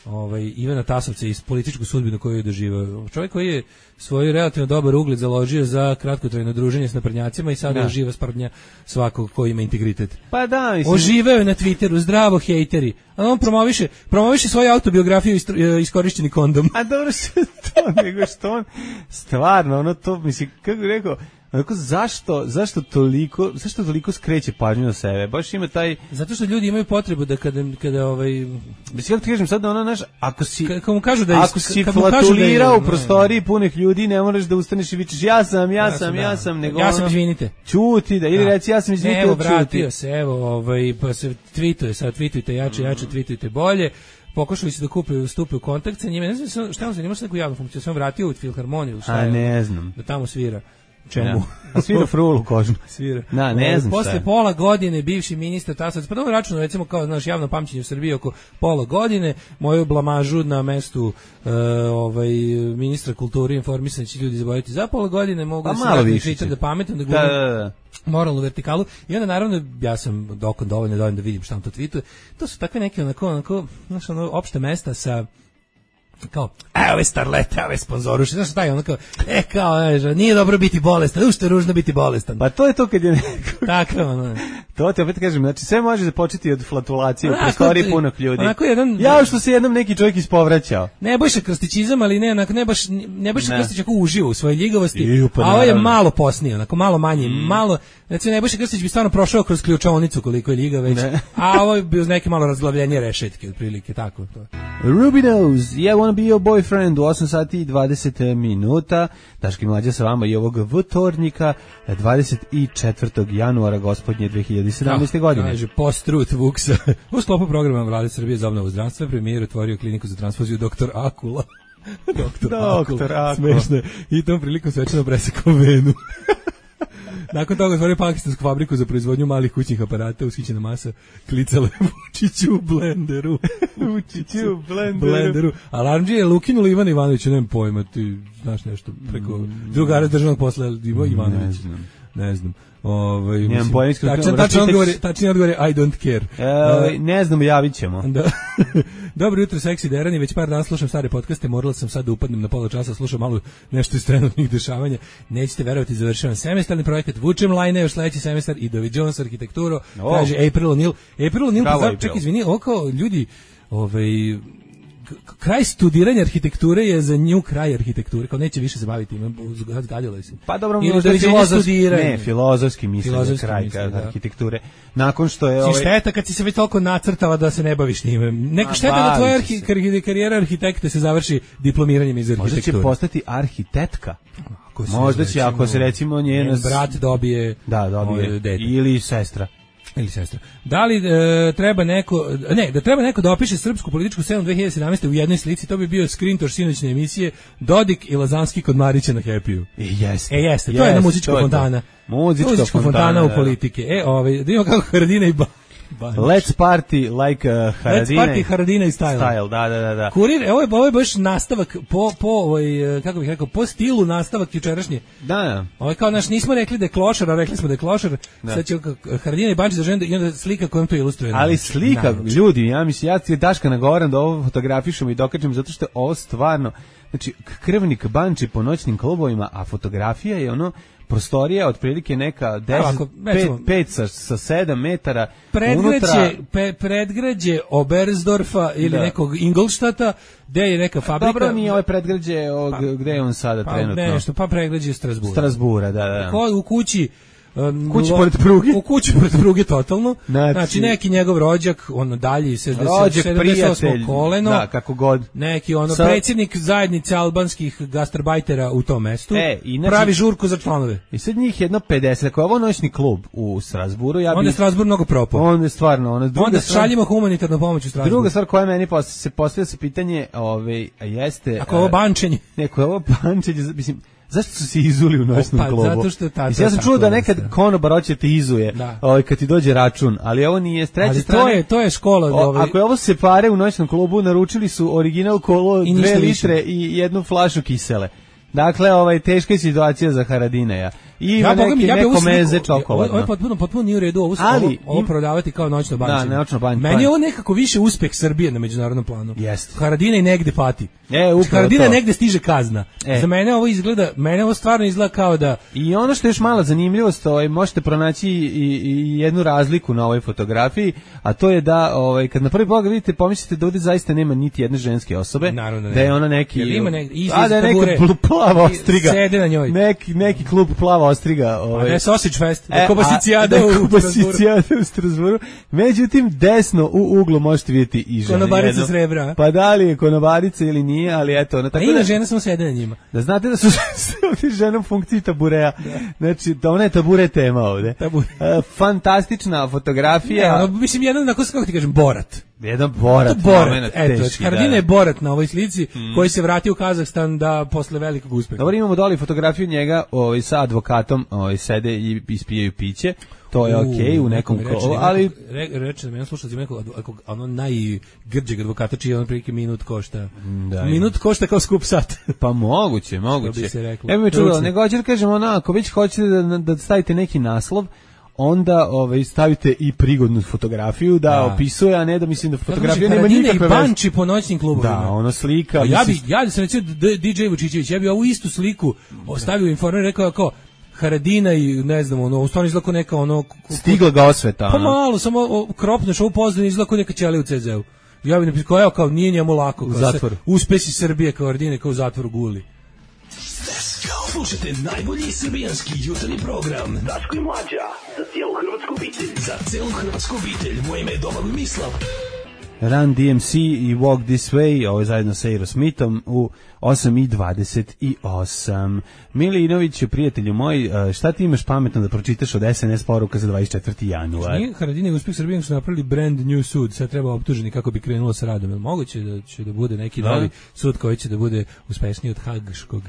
ovaj Ivana Tasovca iz političku sudbinu koju je doživao. Čovjek koji je svoj relativno dobar ugled založio za kratkotrajno druženje s naprednjacima i sada je živa sprdnja svakog ko ima integritet. Pa da, mislim. Oživeo je na Twitteru, zdravo hejteri. A on promoviše, promoviše svoju autobiografiju Iskorišćeni kondom. A dobro što to, nego što on stvarno, ono to, mislim, kako bih rekao, onako, zašto, zašto toliko, zašto toliko skreće pažnju na sebe? Baš ima taj... Zato što ljudi imaju potrebu da kada, kada ovaj... Mislim, kako ti kažem, sad da ono, znaš, ako si... Kada mu kažu da je... Ako si flatulirao u prostoriji punih ljudi, ne moraš da ustaneš i vičeš, ja sam, ja sam, ja sam, nego ja sam, izvinite. Čuti, da, ili reci, ja sam, izvinite, evo, vratio se, evo, ovaj, pa se tweetuje, sad tweetujte jače, jače, tweetujte bolje. Pokušali su da kupe, stupe u kontakt sa njime. Ne znam šta on zanima sa neku javnu funkciju. Sam vratio u Filharmoniju. A ne znam. Da tamo svira. Čemu? Ja. A svira frulu kožnu. Svira. Da, ne znam. Posle pola godine bivši ministar Tasovac, pa dobro računao recimo kao naš javno pamćenje u Srbiji oko pola godine, moju blamažu na mestu uh, ovaj ministra kulture i informisanja će ljudi zaboraviti za pola godine, mogu pa se različiti da pametam da glumim. Da, da, da. Moralnu vertikalu i onda naravno ja sam dokon dovoljno dovoljno da vidim šta on to tweetuje. To su takve neke onako onako znaš ono opšte mesta sa kao, evo ove starlete, ove sponzoruše, znaš taj ono kao, e kao, ne, nije dobro biti bolestan, ušte je ružno biti bolestan. Pa to je to kad je neko... Tako, ono. To ti opet kažem, znači sve može započeti od flatulacije u prostoriji punog ljudi. Onako jedan... Ja što se jednom neki čovjek ispovraćao. Ne Nebojša Krstićizam, ali ne, onako, ne baš, Nebojša Krstić ako uživo u svojoj ljigavosti, pa, a ovo je malo posnije, onako, malo manje, mm. malo, znači Nebojša Krstić bi stvarno prošao kroz ključavnicu koliko je ljiga već, ne. A ovo je bio neke malo razglavljenje rešetke, otprilike, tako to. Ruby Nose, yeah, wanna be your boyfriend, u osam sati i dvadeset minuta, Daški Mlađa sa vama i ovog vtornika, dvadeset četvrtog januara gospodnje dve hiljade sedamnaeste. godine. Kaže, post-truth Vuksa. U sklopu programa Vlade Srbije za obnovu zdravstva premijer otvorio kliniku za transfuziju doktor Akula. doktor Akula. Smešno je. I tom prilikom svečano presekao venu. Nakon toga otvorio pakistansku fabriku za proizvodnju malih kućnih aparata, ushićena masa klicala Vučiću u blenderu. Vučiću u blenderu. blenderu. Alarmđije je ukinuli Ivana Ivanovića, nemam pojma, ti znaš nešto preko mm. drugara državnog posla Ivo Ivanović. Ne znam. Ne znam. Ovaj mislim tačan tačan odgovor, tačan odgovor I don't care. E, ne znam, javićemo. Da. Dobro jutro, seksi derani, već par dana slušam stare podcaste, morala sam sad da upadnem na pola časa, slušam malo nešto iz trenutnih dešavanja. Nećete verovati, završavam semestarni projekat, vučem lajne još sledeći semestar i doviđavam sa arhitekturo. Oh. Kaže April O'Neil. April O'Neil, pa ček, izvini, oko ljudi, ovaj kraj studiranja arhitekture je za nju kraj arhitekture, kao neće više se baviti, zgadila se. Pa dobro, možda je filozofski, ne, filozofski misle kraj arhitekture. Nakon što je... Si šteta kad si se već toliko nacrtala da se ne baviš njime. Neka šteta da tvoja karijera arhitekta se završi diplomiranjem iz arhitekture. Možda će postati arhitektka. Možda će, ako se recimo njena... brat dobije... Da, dobije. Ili sestra. Ili sestra. Da li e, treba neko, ne, da treba neko da opiše srpsku političku scenu dve hiljade sedamnaeste. u jednoj slici, to bi bio skrintoš sinoćne emisije Dodik i Lazanski kod Marića na Happy-u. E, jeste. E, jeste, to je jedna muzička fontana. Muzička, muzička fontana, fontana u politike. E, ovaj, da imamo kako Haradina i ba Banč. Let's party like uh, Haradina. Let's party Haradina i style. Style, da, da, da, da. Kurir, ovo je, ovo je baš nastavak po, po ovaj, kako bih rekao, po stilu nastavak jučerašnje. Da, da. Ovo je kao, naš, nismo rekli da je klošar, a rekli smo da je klošar. Da. Sad će Haradina i Bančić zažene i onda slika kojom to ilustruje. Ali slika, naravno. Ljudi, ja mislim, ja ti Daška nagovaram da ovo fotografišemo i dokačem, zato što ovo stvarno, znači, krvnik Banči po noćnim klubovima, a fotografija je ono, prostorija otprilike neka deset, pet sa, sa sedam metara predgrađe, unutra... pe, predgrađe Oberstdorfa ili da. Nekog Ingolštata, gde je neka fabrika. Dobro, nije ovo predgrađe, pa, gde je on sada pa, trenutno? Nešto, pa predgrađe Strasbura. Strasbura, da, da. Ko, u kući Um, kući pored pruge. U kući pored pruge totalno. Znači, znači neki njegov rođak, ono dalji sedamdeset osmo koleno. Da, kako god. Neki ono Sa... predsjednik zajednice albanskih gastarbajtera u tom mestu. E, inači, pravi žurku za članove. I sad njih jedno pedeset, ako je ovo noćni klub u Strasburu, ja bih... Onda je Strasbur mnogo propao. Onda je stvarno, ono, onda šaljimo humanitarnu pomoć u Strasburu. Druga stvar koja meni posle se postavlja se pitanje, ovaj, jeste... Ako je ovo bančenje. Neko je ovo bančenje, mislim... Zašto su se izuli u noćnom pa, klubu? Zato što ta, ja sam čuo da nekad konobar hoće te izuje, ovaj, kad ti dođe račun, ali ovo nije s treće strane. To je, to je škola. O, ovaj... Ako je ovo se pare u noćnom klubu, naručili su original kolo, dve litre i jednu flašu kisele. Dakle, ovaj, teška je situacija za Haradinaja. i ima ja, neki, ja neko meze ovo, čokoladno. ovo je potpuno, potpuno nije u redu, ovo, Ali, ovo, ovo im, prodavati kao noćno bančenje. Da, noćno bančenje. Meni je ovo nekako više uspeh Srbije na međunarodnom planu. Jeste. Haradina i negde pati. E, upravo Haradina to. negde stiže kazna. E. Za mene ovo izgleda, mene ovo stvarno izgleda kao da... I ono što je još mala zanimljivost, ovaj, možete pronaći i, i jednu razliku na ovoj fotografiji, a to je da ovaj, kad na prvi pogled vidite, pomislite da ovdje zaista nema niti jedne ženske osobe, Naravno, da je ona neki... Jer ima nek, a da je neka pl- plava ostriga. Sede na njoj. Neki, neki klub plava ostriga. Ovaj. A da je Sausage Fest, da je E, Kobasicijada a, u da je Kobasicijada u Strasburu. Međutim, desno u uglu možete vidjeti i ženu. Konobarica srebra. Pa da li je konobarica ili nije, ali eto. Ona, a tako ima da, žena samo sede na njima. Da znate da su ovdje žena u funkciji tabureja. Da. Znači, da ona je tabure tema ovdje. Tabure. E, fantastična fotografija. Ne, ono, mislim, jedan, onako, kako ti kažem, Borat. Jedan Borat. Borat, eto, teški, Haradina da, je Borat na ovoj slici, mm. koji se vratio u Kazahstan da posle velikog uspeha. Dobro, imamo doli fotografiju njega ovaj, sa advokatom, ovaj, sede i ispijaju piće. To je okej okay, u nekom kolu, ali... Reče, reče da meni slušalci nekog, ono najgrđeg advokata čiji on prilike minut košta. Da, minut košta kao skup sat. Pa moguće, moguće. Evo mi čulo, nego hoće da kažem, ono, ako već hoćete da, da stavite neki naslov, onda ovaj, stavite i prigodnu fotografiju da, da opisuje, a ne da mislim da fotografija nema nikakve veze. Haradina i Banči po noćnim klubovima. Da, ono slika. A ja bi, ja da sam recimo D J Vučićević, ja bi ovu istu sliku ostavio Informer i rekao kao Haradina i ne znam, ono, u stvarno izlako neka ono... Stigla ga osveta. Pa malo, samo kropneš ovu pozdravu, izlako neka ćelija u C Z U. Ja bi napisao, evo kao, nije njemu lako. U zatvoru. Uspesi Srbije kao Haradine, kao u zatvoru guli. Slušajte najbolji srbijanski jutarnji program Daško i Mlađa, za cijelu hrvatsku obitelj. Za cijelu hrvatsku obitelj, moje ime je Domagoj Mislav. Run D M C i Walk This Way, ovo je zajedno sa Aerosmithom u osam i dvadeset osam. Milinoviću, prijatelju moj, šta ti imaš pametno da pročitaš od S N S poruka za dvadeset četvrti januar? Nije Haradina i uspeh Srbije su napravili brand new sud, sad treba optuženi kako bi krenulo sa radom. Je moguće da će da bude neki da. novi sud koji će da bude uspešniji od Hagškog?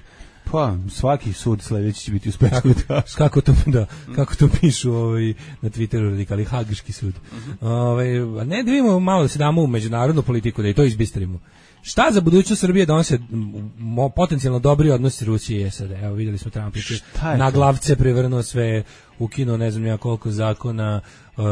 Pa, svaki sud sledeći će biti uspešan. Kako, kako to da, kako to pišu ovaj na Twitteru radikali Hagški sud. Uh-huh. Ovaj, ne da vidimo malo da se damo u međunarodnu politiku da i to izbistrimo. Šta za budućnost Srbije donose potencijalno dobri odnosi Rusije i S A D? Evo videli smo Trump je na glavce prevrnuo sve, ukinuo ne znam ja koliko zakona. Uh,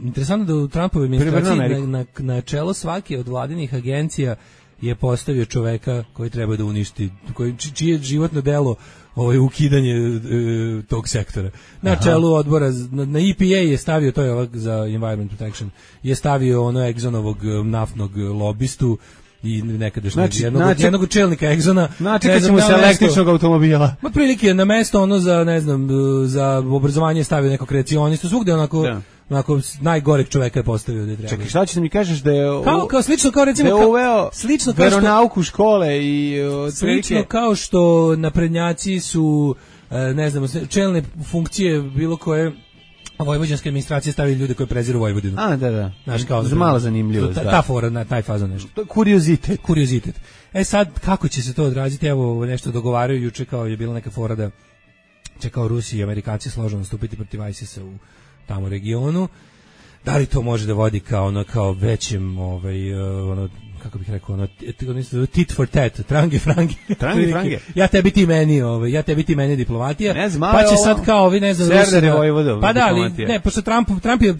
interesantno da u Trumpovoj administraciji na, na, na čelo svake od vladinih agencija je postavio čoveka koji treba da uništi, koji, čije životno delo ovaj, ukidanje e, tog sektora. Na Aha. čelu odbora, na, na E P A je stavio, to je ovak za Environment Protection, je stavio ono Exxonovog naftnog lobistu i nekadašnjeg znači, jednog, znači, jednog čelnika Exxona. Znači kad ćemo se električnog automobila. Ma prilike na mesto ono za, ne znam, za obrazovanje stavio nekog kreacionistu, svugde onako... Da. Onako najgoreg čoveka je postavio da treba. Čekaj, šta ćeš da mi kažeš da je u, kao, kao slično kao recimo da je uveo slično kao veronauku škole i slično kao što naprednjaci su ne znam čelne funkcije bilo koje vojvođanske administracije stavili ljude koji preziru Vojvodinu. A, da, da. Znaš, kao za malo zanimljivo. Ta, ta fora, na taj fazon nešto. To je kuriozitet. Kuriozitet. E sad, kako će se to odraziti? Evo, nešto dogovaraju juče kao je bila neka fora da će kao Rusi i Amerikanci složno nastupiti protiv ISIS-a u tamo regionu. Da li to može da vodi kao ono kao većem ovaj ono kako bih rekao ono tit for tat, trange frange. Trange frange. Ja tebi ti meni, ovaj ja tebi ti meni diplomatija. Ne znam, pa će sad kao vi ne znam Rusi. Pa da, ali ne, pošto Trump Trump je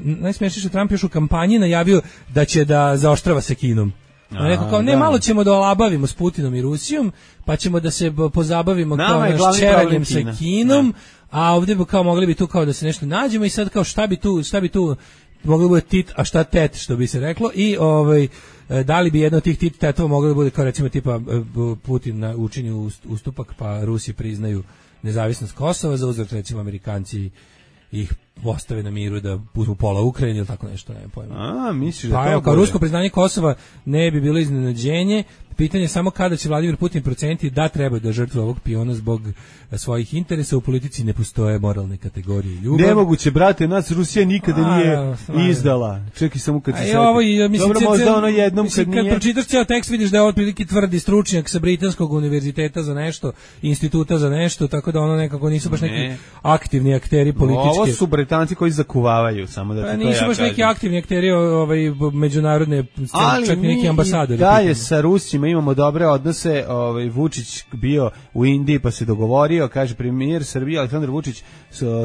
najsmešnije što Trump još u kampanji najavio da će da zaoštrava sa Kinom. A, rekao kao, ne, da. malo ćemo da olabavimo s Putinom i Rusijom, pa ćemo da se pozabavimo Nama kao naš čeranjem sa Kinom, da. a ovdje bi kao mogli bi tu kao da se nešto nađemo i sad kao šta bi tu, šta bi tu moglo bi bude tit, a šta tet, što bi se reklo, i ovaj, da li bi jedno od tih tit tetova moglo da bude kao recimo tipa Putin na učinju ustupak, pa Rusi priznaju nezavisnost Kosova, za uzvrat recimo Amerikanci ih ostave na miru da uzmu pola Ukrajine ili tako nešto, ne pojma. A, misliš da pa, to evo, kao rusko priznanje Kosova ne bi bilo iznenađenje. Pitanje je samo kada će Vladimir Putin proceniti da treba da žrtve ovog piona zbog svojih interesa. U politici ne postoje moralne kategorije ljubav. Nemoguće, brate, nas Rusija nikada a, nije a, izdala. Čekaj samo kad se seti. Dobro, možda ono jednom mislim, kad nije. Kad pročitaš cijel tekst vidiš da je otprilike tvrdi stručnjak sa Britanskog univerziteta za nešto, instituta za nešto, tako da ono nekako nisu baš neki ne. aktivni akteri političke. Ovo su bre Britanci koji zakuvavaju, samo da ti pa to ja nisu baš kažem. neki aktivni akteri ovaj, međunarodne, ali čak i neki ambasadori. Da je sa Rusima imamo dobre odnose, ovaj, Vučić bio u Indiji pa se dogovorio, kaže premijer Srbije Aleksandar Vučić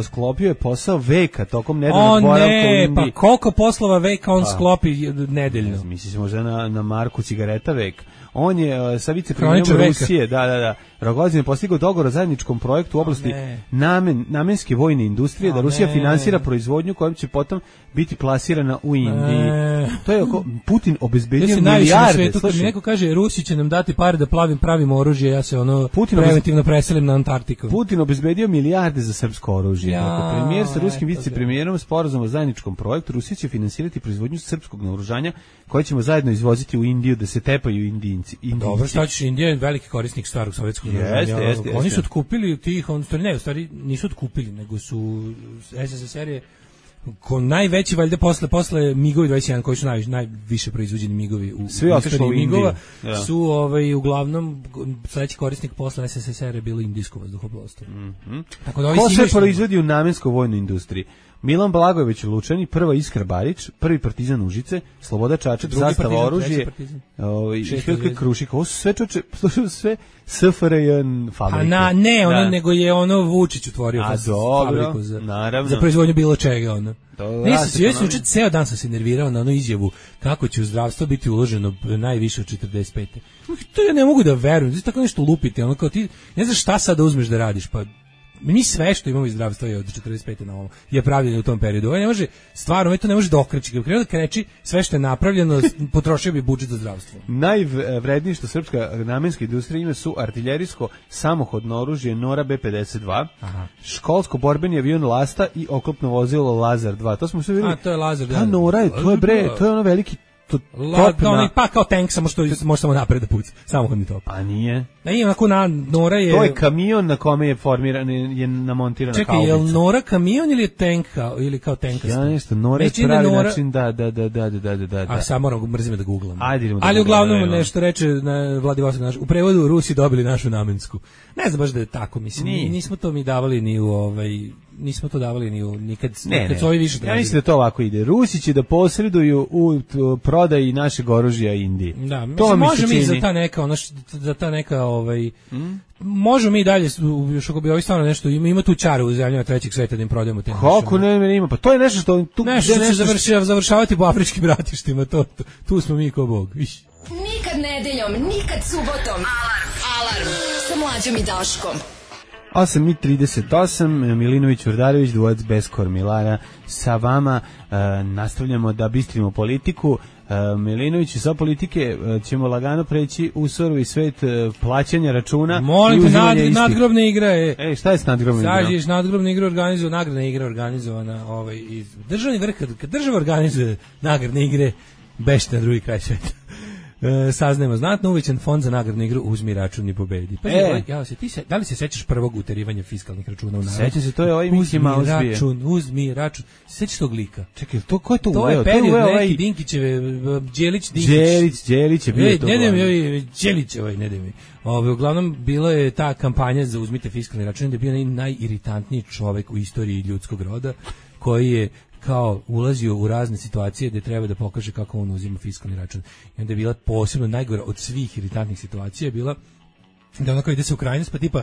sklopio je posao veka tokom nedeljnog boravka u Indiji. Pa koliko poslova veka on pa, sklopi nedeljno? Misliš možda na, na marku cigareta vek. On je uh, sa vicepremijerom Rusije, da, da, da, Rogozin je postigao dogovor o zajedničkom projektu u oblasti namen, namenske vojne industrije, da Rusija finansira proizvodnju kojom će potom biti plasirana u Indiji. Ne. To je oko, Putin obezbedio milijarde. Kad mi neko kaže Rusi će nam dati pare da plavim pravimo oružje, ja se ono Putin preventivno obez... preselim na Antarktiku. Putin obezbedio milijarde za srpsko oružje. Ja, premijer sa ruskim vicepremijerom sporazum o zajedničkom projektu, Rusija će finansirati proizvodnju srpskog naoružanja koje ćemo zajedno izvoziti u Indiju da se tepaju Indijinci. Indijinci. Dobro, šta ćeš, Indija je veliki korisnik starog sovjetskog naoružanja. Jeste, jeste, Oni jeste. su otkupili tih, on stvari ne, u stvari nisu otkupili, nego su S S S R je ko najveći valjda posle posle migovi dvadeset jedan koji su najviše najviše proizvođeni migovi u svi otišli u migova ja. Su ovaj uglavnom sledeći korisnik posle S S S R je bilo indijsko vazduhoplovstvo. Mhm. Tako da ko se proizvodi u namenskoj vojnoj industriji? Milan Blagojević u Lučani, prva Iskra Barić, prvi Partizan Užice, Sloboda Čačak, Zastava oružje, ovaj Iškelka Krušik, ovo su sve čoče, sve S F R J fabrike. A na, ne, ono, da. Nego je ono Vučić otvorio A, dobro, fabriku za, naravno. za proizvodnju bilo čega, ono. Nisam se, ja sam učit ceo dan sam se nervirao na onu izjavu kako će u zdravstvo biti uloženo najviše od četrdeset pete. To ja ne mogu da verujem, znači tako nešto lupiti, ono kao ti, ne znaš šta sad da uzmeš da radiš, pa mi sve što imamo iz zdravstva je od četrdeset pete na ovo je pravljeno u tom periodu. Ovo ne može, stvarno, to ne može dokreći. Kad krenuo da kreći, sve što je napravljeno, potrošio bi budžet za zdravstvo. Najvrednije što srpska namenska industrija ima su artiljerijsko samohodno oružje Nora B pedeset dva, aha. Školsko borbeni avion Lasta i oklopno vozilo Lazar dva. To smo sve vidjeli. A, to je Lazar dva. Ta Nora je, to je bre, to je ono veliki to La, na... pa kao tank, samo što može samo napred da puca, samohodni top. A nije. Ne, ima onako na Nora je. To je kamion na kome je formiran, je namontirana haubica. Čekaj, je li Nora kamion ili je tank ili kao tank? Ja nešto, Nora je pravi Nora... način, da, da, da, da, da, da, da. A samo moram mrzim da googlam. Ajde, da ali uglavnom da nešto reče na Vladivostok naš. U prevodu Rusi dobili našu namensku. Ne znam baš da je tako, mislim. Nije. Nismo to mi davali ni u ovaj nismo to davali ni u nikad ne, nikad su ovi više tražili. Ja mislim da to ovako ide. Rusi će da posreduju u prodaji našeg oružja Indiji. Da, to mi može mi za ta neka ono za ta neka ovaj mm? Možemo mi dalje još ako bi ovi stvarno nešto ima ima tu čaru u zemljama trećeg sveta da im prodajemo te. Kako ne, ne ima? Pa to je nešto što tu nešto će završava završavati po afričkim ratištima, to, to tu smo mi ko bog. Iš. Nikad nedeljom, nikad subotom. Alarm, alarm sa Mlađom i Daškom. osam i trideset osam, Milinović Vrdarević, dvojac bez kormilara sa vama. E, nastavljamo da bistrimo politiku. E, Milinović i sa politike e, ćemo lagano preći u surovi svet e, plaćanja računa. Molim te, nad, nadgrobne igre. E, e, šta je s nadgrobne igre? Sažiš, nadgrobne igre organizovana, nagradne igre organizovana. Ovaj, iz državni vrh, kad, kad država organizuje nagradne igre, bešte na drugi kraj sveta. E, saznajemo znatno uvećan fond za nagradnu igru Uzmi račun i pobedi. Pa e. ja se ti se da li se sećaš prvog uterivanja fiskalnih računa u narodu? Sećam se, to je ovaj Miki Mouse bio. Uzmi račun, uzmi račun. Sećaš tog lika? Čekaj, to ko je to? To je period neki Dinkićeve, Đelić, Dinkić. Đelić, Đelić je bio Ej, to. Ne daj mi, Đelić, ovaj, ne daj mi. Ove, uglavnom, bila je ta kampanja za uzmite fiskalni račun, da je bio najiritantniji čovek u istoriji ljudskog roda, koji je kao ulazio u razne situacije gde treba da pokaže kako on uzima fiskalni račun. I onda je bila posebno najgora od svih iritantnih situacija je bila da onako ide se u krajnost, pa tipa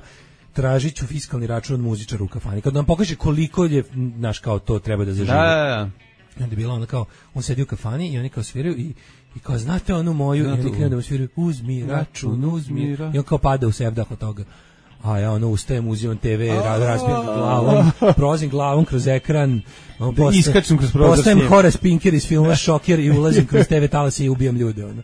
tražit ću fiskalni račun od muzičara u kafani. Kad nam pokaže koliko je, znaš, kao to treba da zaživi. Da, da, da. I onda je bila ona kao, on sedi u kafani i oni kao sviraju i I kao, znate onu moju, i oni krenu da mu sviraju, uzmi račun, uzmi, i on kao pada u sevdah od toga. A ja ono ustajem, uzimam te ve, razbijem glavom, prolazim glavom kroz ekran, postajem, iskačem kroz prozor. Postajem Horace Pinker iz filma Šoker i ulazim kroz te ve talase i ubijam ljude. Ono.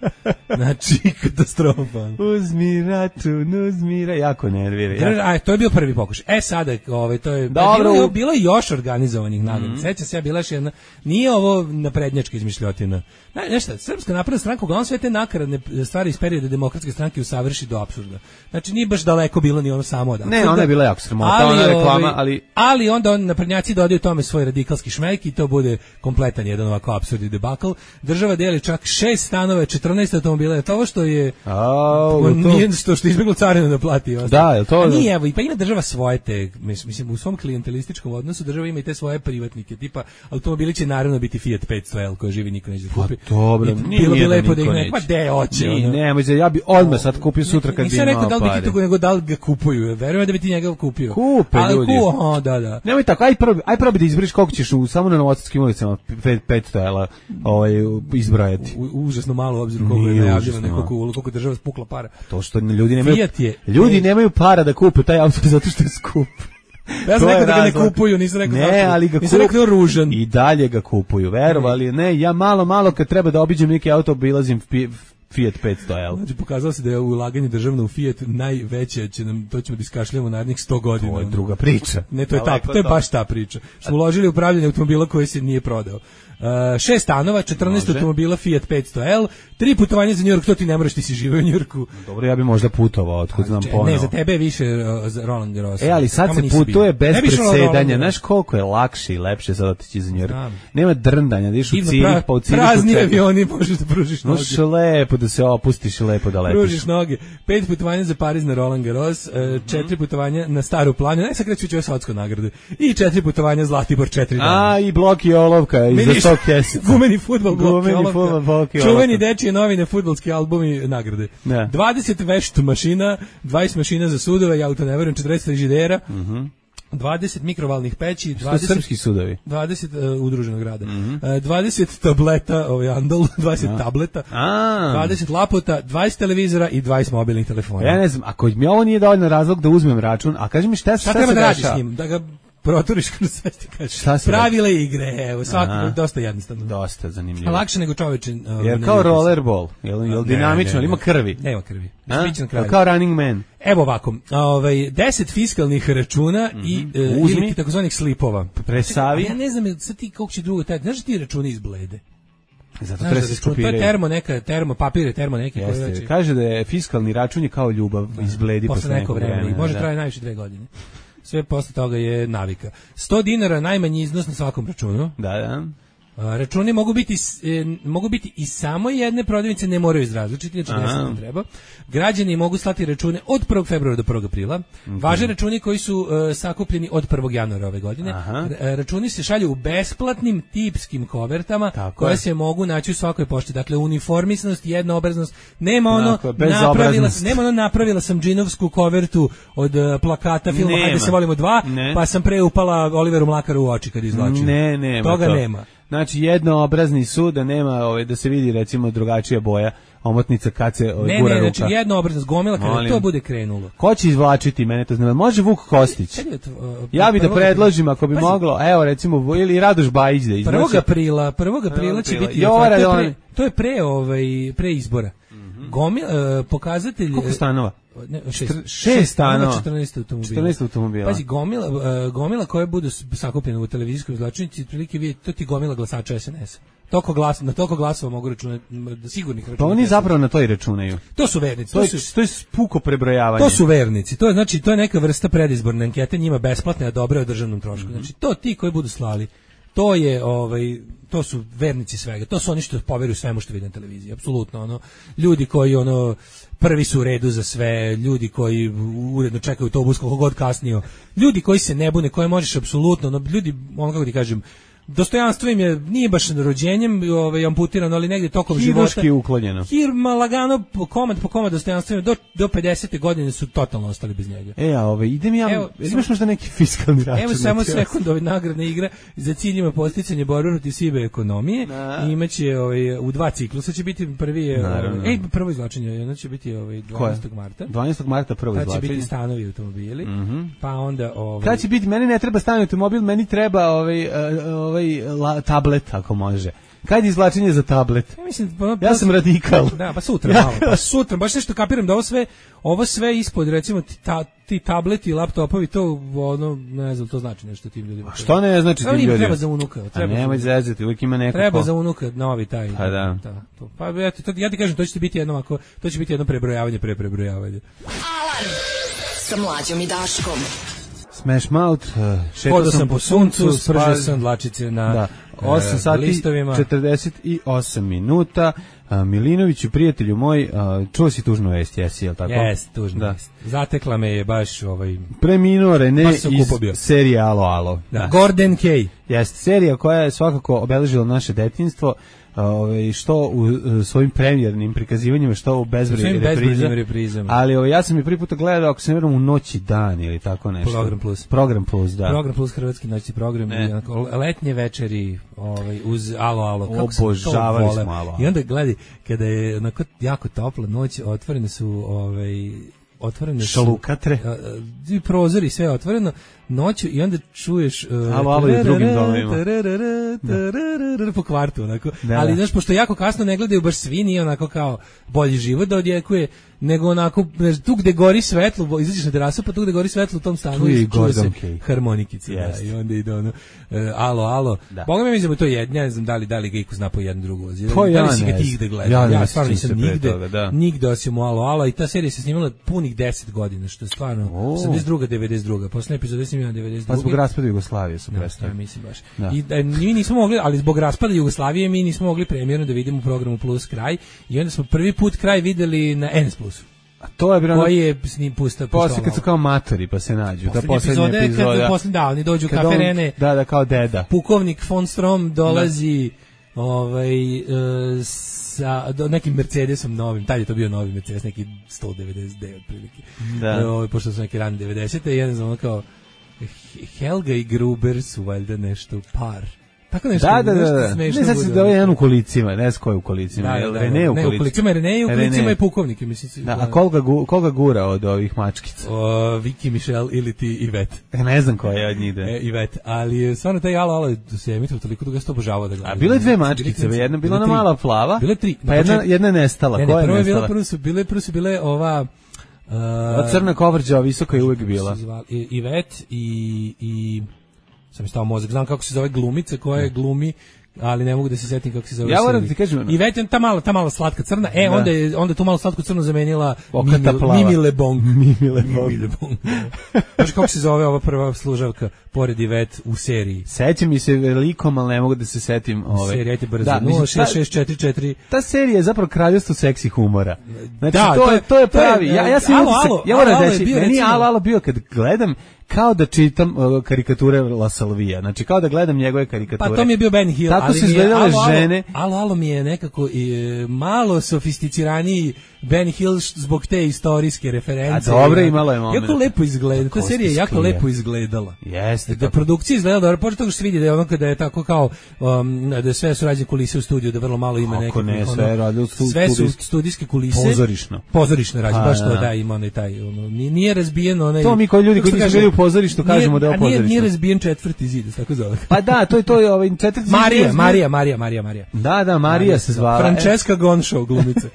Znači, katastrofa. Uzmi račun, uzmi račun, jako nervira. Ja. A, to je bio prvi pokušaj. E, sada, ovaj, to je, dobro, bilo, bilo je još organizovanih nagrada. Mm-hmm. Seća se, ja bila još jedna, nije ovo naprednjačka izmišljotina. Nešto, Srpska napredna stranka, uglavnom sve te nakaradne stvari iz perioda demokratske stranke usavrši do apsurda. Znači, nije baš daleko bilo ni ono samo odatle. Ne, ona je bila jako sramota, ona reklama, ali... Ali onda on, naprednjaci dodaju tome svoj radikalski šmejk i to bude kompletan jedan ovako apsurdni debakl. Država deli čak šest stanova, četrnaest automobila, je to ovo što je... Au, to... Nije što, što je izbjeglo carinu da plati. Da, je to... A nije, evo, pa ima država svoje te, mislim, u svom klijentelističkom odnosu država ima i te svoje privatnike, tipa automobili će naravno biti Fiat petsto L koji živi niko neće da kupi. Pa dobro, nije bilo bi lepo da ih neće. Pa de, hoće. Ne, nemoj, ja bi odmah sad kupio sutra kad bi imao pare. Nisam rekao da li bi ti to nego da li ga kupuju, verujem da bi ti njega kupio. Kupe ali ljudi. Ku, aha, da, da. Nemoj tako, aj probi, aj probi da izbriš koliko ćeš u, samo na Novosadskim ulicama petsto L ovaj, izbrojati. U, užasno malo u obziru koliko je najavljeno, koliko, koliko država spukla para. To što ljudi nemaju, je, ljudi nemaju para da kupe taj auto zato što je skup. Ja sam rekao da ga ne kupuju, nisam rekao ne, ali ga nisam rekao ružan. I dalje ga kupuju, verovali, ne, ja malo, malo kad treba da obiđem neki auto, obilazim Fiat petsto L. Znači, pokazalo se da je ulaganje državno u Fiat najveće, će nam, to ćemo da iskašljamo narednih sto godina. To je druga priča. Ne, to je, ta, to je baš ta priča. Smo uložili u upravljanje automobila koji se nije prodao. Uh, šest stanova, četrnaest automobila Fiat petsto L, tri putovanja za Njujork, to ti ne moraš, ti si živio u Njujorku. Dobro, ja bi možda putovao, otkud znam ponovo. Ne, za tebe je više uh, za Roland Garros. E, ali sad se putuje bez presedanja, znaš koliko je lakše i lepše sad otići za Njujork. Nema drndanja, da iš u Cirih, pa u Cirihu prazni avioni, možeš da pružiš noge. Možeš lepo da se opustiš i lepo da letiš. Pružiš noge. Pet putovanja za Pariz na Roland Garros, uh, četiri putovanja na Staru planinu, ne sad kreću ove svatsko nagrade, i četiri putovanja Zlatibor, četiri dana. A, i blok i olovka, i za sto kesa. Gumeni fudbal, Gumeni fudbal, blok i olovka. Čuveni dečije novine, fudbalski albumi, nagrade. Ne. dvadeset vešt mašina, dvadeset mašina za sudove, ja u to ne verujem, četrdeset frižidera, mhm. dvadeset mikrovalnih peći, dvadeset srpski sudovi, dvadeset uh, udruženog rada, mm-hmm. uh, dvadeset tableta, ovaj andol, dvadeset A. tableta, A. dvadeset lapota, dvadeset televizora i dvadeset mobilnih telefona. Ja ne znam, ako mi ovo nije dovoljno razlog da uzmem račun, a kaži mi šta, šta, šta treba se da radiš dešava? s njim, da ga proturiš kroz sve ti kažeš. Pravile igre, evo, svako dosta jednostavno. Dosta zanimljivo. Lakše nego čoveče. Uh, Jer kao rollerball, jel, jel dinamično, ali ima krvi? Nema krvi. Kao Running Man. Evo ovako, ovaj deset fiskalnih računa mm-hmm. i uh, ili takozvanih slipova. Presavi. Ja ne znam sad ti kako će drugo taj, znaš ti računi izblede. Zato treba se skopirati. To je termo neka, termo papire, termo neki koji znači. Kaže da je fiskalni račun je kao ljubav, izbledi posle neko vreme. Može da. Traje najviše dve godine. Sve posle toga je navika. sto dinara najmanji iznos na svakom računu. Da, da. A, računi mogu biti e, mogu biti i samo jedne prodavnice, ne moraju iz različitih, znači deset ne treba. Građani mogu slati račune od prvog februara do prvog aprila. Mm-hmm. Važe računi koji su e, sakupljeni od prvog januara ove godine. R, računi se šalju u besplatnim tipskim kovertama. Tako koje je. Se mogu naći u svakoj pošti. Dakle, uniformisanost, jednoobraznost. Nema ono Tako, napravila, nema ono napravila sam džinovsku kovertu od uh, plakata filma nema. Hajde se volimo dva, ne. Pa sam pre upala Oliveru Mlakaru u oči kad izvlačim. Ne, nema. Toga to. nema. Znači jednoobrazni su, da nema ovaj, da se vidi recimo drugačija boja omotnica kad se ovaj, ne, gura ne, ruka. Znači jednoobraznost gomila kada Molim. To bude krenulo. Ko će izvlačiti, mene to znam. Može Vuk Kostić. Uh, ja bih da predložim ako bi pazi. Moglo, evo recimo ili Radoš Bajić da izvlači. prvog aprila, prvog aprila će biti Jovara, to, je pre, to je pre ovaj pre izbora. Mm-hmm. Gomil uh, pokazatelj koliko stanova? Ne, šest, šest, šest stanova, četrnaest automobila. četrnaest automobila. Pazi, gomila, uh, gomila koje budu sakupljene u televizijskoj izvlačnici, otprilike vidi, to ti gomila glasača es en es. Toliko glas, na toliko glasova mogu računati, sigurnih računa. Pa oni zapravo na to i računaju. To su vernici. To, to, je, su, to je puko prebrojavanje. To su vernici. To je, znači, to je neka vrsta predizborne ankete, njima besplatne, a dobre o državnom trošku. Mm-hmm. Znači, to ti koji budu slali, to je, ovaj, to su vernici svega. To su oni što poveruju svemu što vide na televiziji. Apsolutno, ono, ljudi koji, ono, prvi su u redu za sve, ljudi koji uredno čekaju autobus koliko god kasnio, ljudi koji se ne bune, koje možeš apsolutno, ono, ljudi, ono kako ti kažem, dostojanstvo im je, nije baš rođenjem ovaj, amputirano, ali negdje tokom života. Hiruški uklonjeno. Hirma lagano, komad po komad dostojanstvo im, do, do pedesete godine su totalno ostali bez njega. E, a ove, idem ja, evo, imaš možda neki fiskalni račun? Evo samo sekund ove nagradne igre za cilj ima posticanje borbe protiv sive ekonomije. Na. I imaće ovaj, u dva ciklusa će biti prvi je, ovaj, ej, prvo izvlačenje, jedno će biti ovaj, dvanaestog marta. dvanaestog marta prvo izvlačenje. Tad će biti stanovi i automobili, mm-hmm. pa onda... Ovaj, kad će biti, meni ne treba stanovi automobil, meni treba ovaj, ovaj La, tablet ako može. Kad je izvlačenje za tablet? Ja, mislim, pa, ja sam radikal. Da, pa sutra malo. Pa sutra, baš nešto kapiram da ovo sve, ovo sve ispod, recimo, ti, ta, ti tableti i laptopovi, to, ono, ne znam, to znači nešto tim ljudima. A što ne znači tim ljudima? Treba za unuka. Treba A nemoj zezati, uvijek ima neko. Treba ko... za unuka, novi taj. Pa da. Ta, to. Pa eto, to, ja ti kažem, to će biti jedno, ako, to će biti jedno prebrojavanje, pre prebrojavanje. Alarm sa Mlađom i Daškom. Smash Mouth, uh, šetao Hodao sam sam po po suncu, suncu, spržio spaz- sam dlačice na Da. osam e, sati listovima. četrdeset osam minuta. A, Milinoviću, prijatelju moj, a, čuo si tužnu vest, jesi, jel tako? Jes, tužno. Da. Jest. Zatekla me je baš ovaj... Preminuo Rene Baš sam iz kupo bio. serije Alo, alo. Da. Gordon Kay. Jeste, serija koja je svakako obeležila naše detinjstvo, ovaj što u uh, svojim premijernim prikazivanjima, što u bezbroj Svojim repriza. bezbrojnim reprizama. Ali ovaj, ja sam je prvi put gledao, ako se ne varam, u Noći dan ili tako nešto. Program Plus. Program Plus, da. Program Plus, hrvatski noćni program, Ne. i onako, letnje večeri ovaj, uz Alo, alo. Kako sam to Obožavali voleo. smo Alo, alo. I onda gledaj, kada je onako jako topla noć, otvorene su ovaj, otvorene su Šalukatre. a, a, i prozori, sve je otvoreno noću i onda čuješ uh, Alo, alo i u drugim domovima. po kvartu onako. Da, Ali da. znaš, pošto jako kasno ne gledaju baš svi, nije onako kao bolji život da odjekuje, nego onako znaš, tu gde gori svetlo, izađeš na terasu, pa tu gde gori svetlo u tom stanu Tu je i čuje se Gordon Kay. harmonikice, da, Jest. i onda ide ono uh, alo, alo. Da. Boga mi mislim da je to jedno, ja ne znam da li, da li ga iko zna po jedan drugu. Da, Pa da ja li si ga ne ti znam. igde gledao? Ja Ja, ne stvarno sjećam nisam se pre nigde, toga, da. nigde osim u Alo, alo, i ta serija se snimala punih deset godina, što je stvarno O. osamdeset druga devedeset druga Poslednja epizoda je snimljena devedeset druga Pa zbog raspada Jugoslavije su Da, prestali. ja mislim baš. Da. I da, mi nismo mogli, ali zbog raspada Jugoslavije mi nismo mogli premijerno da vidimo u programu Plus kraj i onda smo prvi put kraj videli na N S Plusu. A to je bilo Koji je s njim pusta posle kad su kao matori pa se nađu. Ta poslednja poslednja epizoda je epizoda. kad posle da oni dođu Kad kafe on- Rene. Da, da, kao deda. Pukovnik von Strom dolazi ovaj e, sa do, nekim Mercedesom novim, tad je to bio novi Mercedes, neki sto devedeset devet prilike. Da. E, ovaj, pošto su neki rani devedesete i jedan znam ono kao Helga i Gruber su valjda nešto par. Tako nešto, Da, da, da. nešto da. Ne smešno znam se bude, da je ono. jedan u kolicima, ne znam ko je u kolicima. Da, da, Jel da, Rene da. u Ne, u kolicima? kolicima je Rene, u Rene. kolicima je pukovnik, mislim. Da, a koga, gu, koga gura od ovih mačkica? O, Viki, Michelle ili ti Ivet. E, ne znam ko je od njih da. E, Ivet, ali je stvarno taj Alo, alo se emituje toliko dugo, ja sam to obožavao da gledam. A bilo je dve Bili mačkice, klinci, jedna bila bile ona tri. mala plava, Bile tri. pa Na jedna, početku- jedna je nestala. Ne, ne, Koja je prvo je bila, nestala? prvo su bile, prvo su bile ova uh, Ova crna kovrđa, visoka je uvek kako se bila. zvala, I- Ivet i i sam mi stao mozak, znam kako se zove glumica koja je glumi, ali ne mogu da se setim kako se zove. Ja moram serija. ti kažem- I već ta mala, ta mala slatka crna. E, Da. onda je onda je tu malu slatku crnu zamenila Okata Mimi, plava. Mimi Lebong. Mimi Lebong. Mimi Lebong. Znaš kako se zove ova prva služavka pored Ivet u seriji? Sećam mi se velikom, ali ne mogu da se setim. Ove. Serija, ajte brzo. Da, mislim, nula šest šest četiri četiri ta serija je zapravo kraljevstvo seksi humora. Znači, Da, to, to je, je- to je to je, pravi. Ja, ja sam Alo, imao utisak- Alo, ja moram Alo je reći, bio, meni recimo- Alo, Alo bio kad gledam kao da čitam uh, karikature La Salvija. Znači, kao da gledam njegove karikature. Pa to mi je bio Ben Hill, Tako ali su mi je izgledale Alo, Alo, žene. Alo, Alo mi je nekako i, e, malo sofisticiraniji Ben Hill š- zbog te istorijske reference. A dobro, I, imalo je moment. Jako lepo izgleda, ta Kosti serija je jako sklija. lepo izgledala. Jeste. Da kako- produkcija izgleda dobro, pošto toga što se vidi da je ono kada je tako kao um, da je sve su rađene kulise u studiju, da vrlo malo ima Kako nekih ne, ono, sve je radilo stu- sve su studijski. studijske kulise. Pozorišno. Pozorišno rađe, Pa, baš to da. da ima onaj taj ono nije, nije razbijen onaj. To mi kao ljudi kako koji se nisu kaže, bili u pozorištu nije- kažemo da je ovo a nije, nije pozorišno. razbijen četvrti zid, tako zove. Pa da, to je to je ovaj četvrti Marija, zid- Marija, Marija, Marija, Marija. Da, da, Marija se zvala. Francesca Gonšov, glumica.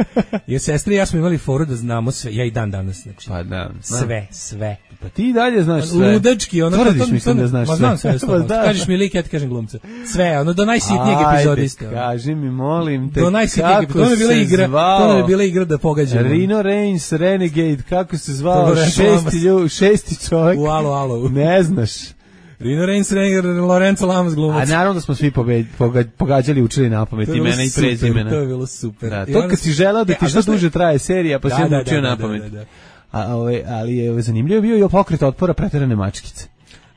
Jer sestre i ja smo imali foru da znamo sve, ja i dan danas, znači. Pa da. Sve, sve. Pa ti i dalje znaš sve. Ludački, ono Tvrdiš mislim da znaš ma, sve. znam sve, Pa sve. da. Kažeš mi lik, ja ti kažem glumca. Sve, ono do najsitnijeg Ajde, epizodiste. ono. kaži mi, molim te, Do najsitnijeg kako epizodiste. To mi je bila se igra, zvao? to nam je bila igra da pogađamo. Rino Reigns, Renegade, kako se zvao? Lorenzo Šesti, Lamas. lju, šesti čovjek. U alo, alo. Ne znaš. Rino Reigns, Lorenzo Lamas A glumac. naravno da smo svi pobe- poga- pogađali, učili na pamet To je bilo imena i super, prezimena. To je bilo super. Da, I to onda kad sam- si želeo da E, ti a što znaš duže traje serija, pa Da, si da, učio da, na da, pamet. da, da. A, ove, ali je zanimljivo bio i pokret otpora preterane mačkice.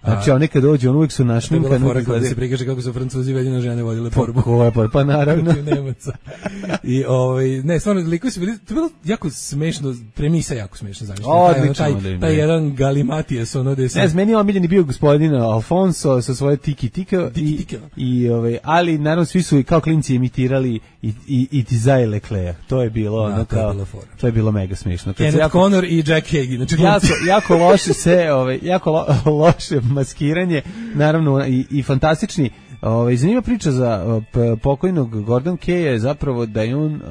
Znači, oni kad dođu, on uvijek su To je bila našminkani. fora kada se prikaže kako su Francuzi vedine žene vodile borbu. Ko je pa, pa naravno. Protiv Nemaca. I ovaj ne, stvarno likovi su bili, to je bilo jako smešno, premisa jako smešno zamišljena. Odlično, taj, da taj, im taj je. jedan Galimatijas, ono gde se Ne znam, meni je omiljeni bio gospodin Alfonso sa svoje tiki tika i, Tiki-tika. i ovaj, ali naravno svi su i kao klinci imitirali i i i Tizaje Leclerc. To je bilo Da, ono to je kao bila fora. to je bilo mega smešno. Kad se Kenneth jako, Connor i Jack Hagee, znači jako, glumci. jako loše se, ovaj, jako lo, loše maskiranje, naravno i, i fantastični. Ovaj, zanima priča za uh, p- pokojnog Gordon Kaya je zapravo da je on uh,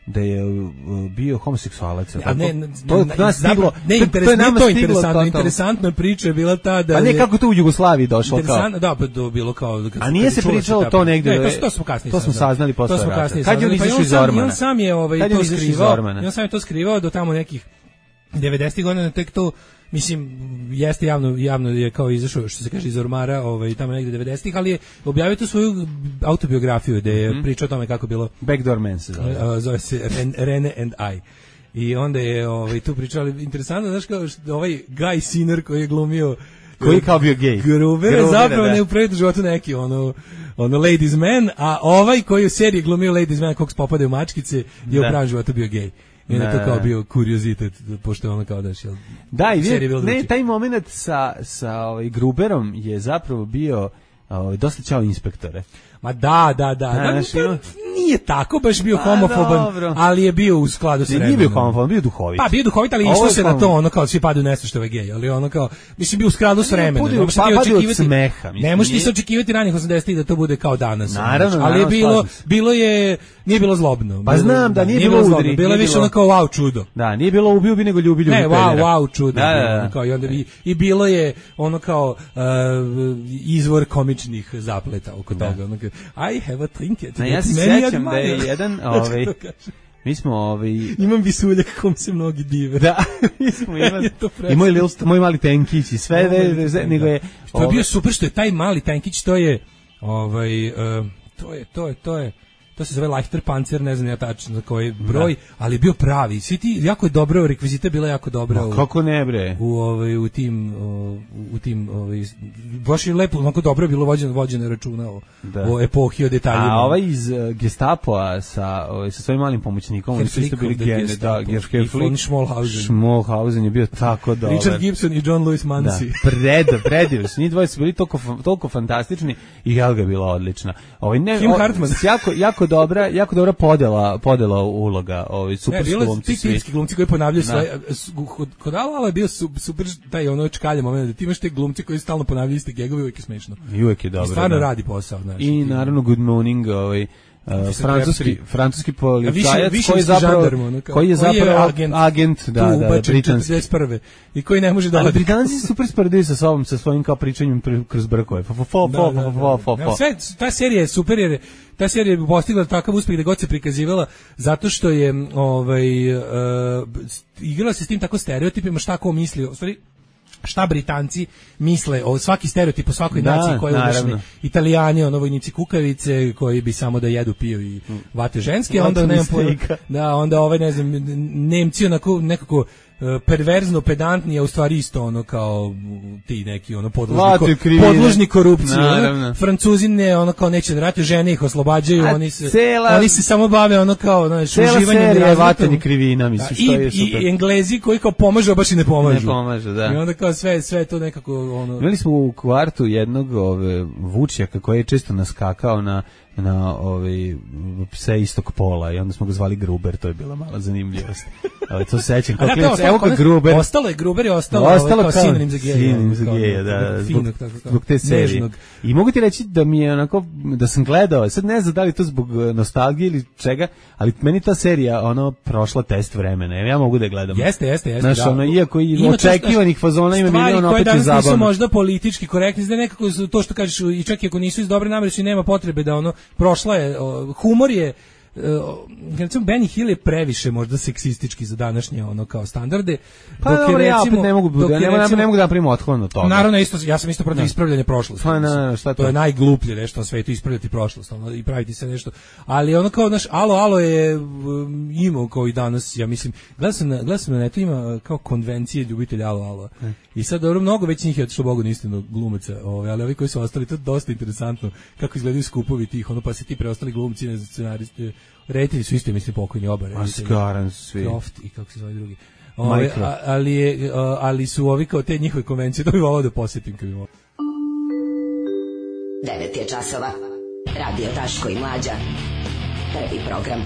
da je uh, bio homoseksualac. A tako? ne, ne, to je ne, nas stiglo. ne, to- interes, to je nama nije to stiglo interesantno, totalno. interesantna priča je bila ta da Pa ne, je- kako to u Jugoslaviji došlo kao? Interesantno, da, pa to bilo kao... kad- A nije kad se čula pričalo ta- to negde, Ne, to, to smo kasnije to smo saznali posle To smo rata. kasnije Kad je on saznali. Pa i izašao iz sam- Ormana? i on sam je ovaj, Kad je to on izašao iz skrivao, Ormana? i on sam je to skrivao do tamo nekih devedesetih godina tek to, mislim, jeste javno, javno je kao izašao, što se kaže, iz ormara, ovaj, tamo negde devedesetih, ali je objavio tu svoju autobiografiju, gde je mm-hmm. pričao o tome kako bilo... Backdoor Man se zove. Zove se Ren, Rene and I. I onda je ovaj, tu pričali, interesantno, znaš kao što, ovaj Guy Sinner koji je glumio koji je kao bio gej. Gruber je zapravo da. Ne u pretu životu neki ono, ono Ladies Man, a ovaj koji u seriji glumio Ladies Man kog popade u mačkice je u pravom životu bio gej. I onda je to kao bio kuriozitet, pošto je ono kao daš, jel? Da, i vi, ne, taj moment sa, sa ovaj, Gruberom je zapravo bio ovaj, dosta čao inspektore. Ma da, da, da, da, naš, da nije tako, baš bio homofoban, ali je bio u skladu sa vremenom. Nije bio homofoban, bio duhovit. Pa bio duhovit, ali išlo se na to, ono kao svi padaju nešto što je gej, ali ono kao, mislim, bio u skladu sa vremenom. Ne, pa padi od smeha. Ne možeš ti se očekivati ranih osamdesetih da to bude kao danas. Naravno, ali je bilo, bilo je, nije bilo zlobno. Pa znam da nije bilo udri. Bilo je više ono kao wow čudo. Da, nije bilo ubio bi nego ljubi ljubi. Ne, wow, wow čudo. Kao i onda bi i bilo je ono kao izvor komičnih zapleta oko toga. I have a trinket. Na, ja se sjećam da je jedan, ovaj, mi smo, ovaj... Imam visuljak kom se mnogi dive. Da, mi smo imali, i moj, lil, moj mali tenkić i sve, oh, da, nego je... To je bio super što je taj mali tenkić, to je, ovaj, uh, to je, to je, to je, to se zove Leichter Panzer, ne znam ja tačno za koji broj, da. Ali je bio pravi. Svi ti, jako je dobro, rekvizita je bila jako dobra. Ma, kako ne bre? U, ovaj, u tim, u, u tim, ovaj, baš je lepo, onako dobro je bilo vođeno, vođeno računa o, o epohi, o detaljima. A ovaj iz uh, Gestapoa sa, ovaj, sa svojim malim pomoćnikom, oni su isto bili gene, da, Gerflick, von Schmollhausen. Schmollhausen je bio tako dobar. Richard Gibson i John Lewis Mansi. Da, pred, predivno. Njih dvoje su bili toliko, toliko fantastični i Helga je bila odlična. Ovaj, ne, Kim Hartman. Jako, jako dobra, jako dobra podela, podela uloga, ovaj super ne, glumci svi. Ti glumci koji ponavljaju svoje kod kod Ala je bio super taj ono čkalje moment da ti imaš te glumci koji stalno ponavljaju iste gegove, uvijek je smešno. I uvijek je dobro. I stvarno da. Radi posao, znači. I naravno Good Morning, ovaj Uh, francuski francuski policajac koji je zapravo žandarmu, koji je zapravo agent, agent da da britanski četrdeset prve i koji ne može da ali Britanci su super sprdili sa sobom sa svojim kao pričanjem kroz brkove fo fo fo fo fo fo sve ta serija je super jer ta serija je postigla takav uspeh da god se prikazivala zato što je ovaj uh, igrala se s tim tako stereotipima šta ko misli u stvari šta Britanci misle o svaki stereotip o svakoj da, naciji koja je udašli. Italijani, ono vojnici kukavice koji bi samo da jedu, piju i vate ženske, onda nema da onda ovaj ne znam Nemci onako nekako perverzno pedantni, a u stvari isto ono kao ti neki ono podložni, podložni korupciji. Ono, Francuzi ne, ono kao neće da ratuju, žene ih oslobađaju, a oni se cela, oni se samo bave ono kao znači uživanjem i vatanje krivina, mislim što je super. I Englezi koji kao pomažu, a baš i ne pomažu. Ne pomažu, da. I onda kao sve sve to nekako ono. Imali smo u kvartu jednog ove Vučjaka koji je često naskakao na na ovaj pse istog pola i onda smo ga zvali Gruber, to je bila mala zanimljivost. Ali to se sećam kao klinac, evo ga Gruber. Ostalo je Gruber je ostalo, ostalo kao sinonim za geja. Sinonim za geja, da, zbog, zbog te serije. I mogu ti reći da mi je onako, da sam gledao, sad ne znam da li to zbog nostalgije ili čega, ali meni ta serija, ono, prošla test vremena, ja mogu da je gledam. Jeste, jeste, jeste. Znaš, ono, iako i očekivanih fazona ima milion, opet je zabavno. Stvari koje danas nisu možda politički korektni, da nekako to što kažeš, i čak i ako nisu iz dobre namere, su nema potrebe da ono, prošla je, humor je, recimo Benny Hill je previše možda seksistički za današnje ono kao standarde. Pa dok je, recimo, ja opet ne mogu, da, ne, recimo, ne mogu da napravim otklon od toga. Naravno, isto, ja sam isto protiv ispravljanja prošlosti. Pa, na, šta to? To je najgluplje nešto na svetu, ispravljati prošlost ono, i praviti se nešto. Ali ono kao, naš, alo, alo je um, imao kao i danas, ja mislim, gledam sam na, gledam sam na netu, ima kao konvencije ljubitelja alo, alo. Hmm. I sad, dobro, mnogo već njih je otišlo Bogu istinu glumaca, ovaj, ali ovi koji su ostali, to je dosta interesantno kako izgledaju skupovi tih, ono, pa se ti preostali glumci, ne znam, scenaristi, reditelji su isto, mislim, pokojni oba. Maskaran svi. Croft i kako se zove drugi. Ove, a, ali, je, a, ali su ovi kao te njihove konvencije, to bi volao da posjetim kad bi volao. devet je časova. Radio Daško i Mlađa. Prvi program.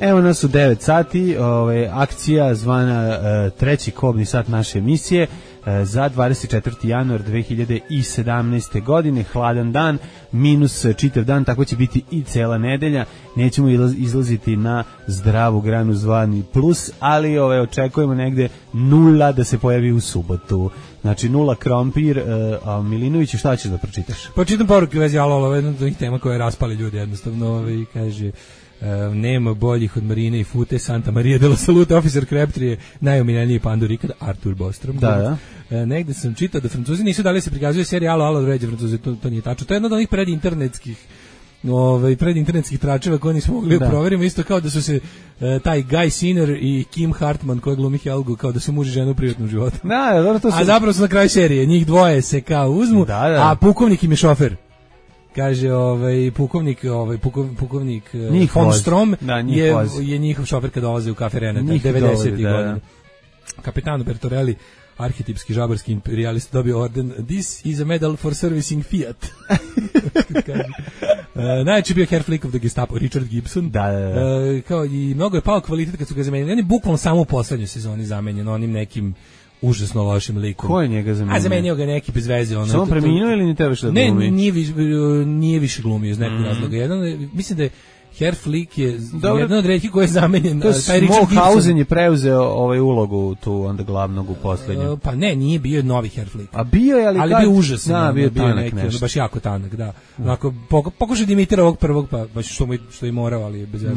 Evo nas u devet sati, ove, akcija zvana e, treći kobni sat naše emisije e, za dvadeset četvrti januar dve hiljade sedamnaeste. godine, hladan dan, minus čitav dan, tako će biti i cela nedelja, nećemo izlaziti na zdravu granu zvani plus, ali ove, očekujemo negde nula da se pojavi u subotu. Znači nula krompir, e, a Milinović, šta ćeš da pročitaš? Pročitam poruke u vezi alo, alo, jedna od tih tema koja raspali ljudi jednostavno, ove, kaže... Uh, nema boljih od Marine i Fute, Santa Maria de la Salute, Officer Crabtree je najomiljeniji pandur ikada, Artur Bostrom. Da, da. Uh, negde sam čitao da Francuzi nisu dali se prikazuje serija Alo, Alo, vređe Francuzi, to, to nije tačno. To je jedno od onih predinternetskih ovaj predinternetskih tračeva koje nismo mogli da proverimo, isto kao da su se uh, taj Guy Sinner i Kim Hartman koji glumi Helgu, kao da su muž i žena u privatnom životu. Da, dobro, to su... A zapravo su na kraju serije, njih dvoje se kao uzmu, da, da. A pukovnik im je šofer. Kaže ovaj pukovnik, ovaj pukov, pukovnik njih von Strom da, je je njihov šofer kad dolazi u kafe Renata devedesetih da, godina. Kapitano Bertorelli, arhetipski žabarski imperijalist, dobio orden This is a medal for servicing Fiat. uh, najveći bio hair flick of the Gestapo, Richard Gibson. Da, da, da. Uh, kao i mnogo je pao kvalitet kad su ga zamenili. On je bukvalno samo u poslednjoj sezoni zamenjen onim nekim užasno lošim likom. Ko je njega zamenio? A zamenio ga neki bez veze. Ono, samo preminuo ili ni tebe što da glumi? Ne, nije, više, nije više glumio iz nekog mm. razloga. Jedan, mislim da je Herr Flick je dobro, jedan od retkih koji je zamenjen. To je Smallhausen je preuzeo ovaj ulogu tu onda glavnog u poslednjem. Uh, pa ne, nije bio novi Herr Flick. A bio je, ali, ali kad... bio užasan. Da, bio, bio tanak neki, nešto. Baš jako tanak, da. Onako, pokušao da imitira ovog prvog, pa baš što, mu, što je morao, ali bez veze.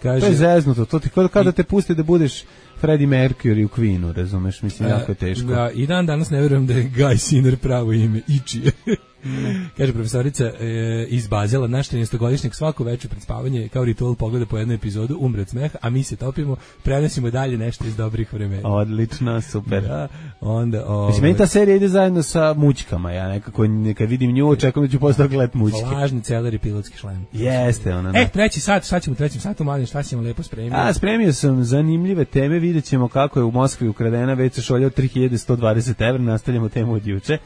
Kaže, to je zeznuto, to ti kada, kada te puste da budeš Freddie Mercury u Queenu, razumeš, mislim, jako je teško. Da, i dan danas ne verujem da je Guy Sinner pravo ime, Ichi. Kaže profesorica e, iz Bazela, naš trinaestogodišnjak svako večer pred spavanje kao ritual pogleda po jednu epizodu, umre od smeha, a mi se topimo, prenosimo dalje nešto iz dobrih vremena. Odlično, super. Da, onda, ovaj, mislim, meni ta serija ide zajedno sa mućkama, ja nekako, kad vidim nju, očekujem da ću postao gledat mućke. Lažni celer i pilotski šlem. Jeste, ona. E, treći sat, šta ćemo u trećem satu, mladen, šta ćemo lepo spremiti? A, spremio sam zanimljive teme, vidjet ćemo kako je u Moskvi ukradena ve ce šolja od tri hiljade sto dvadeset evra, nastavljamo temu od juče.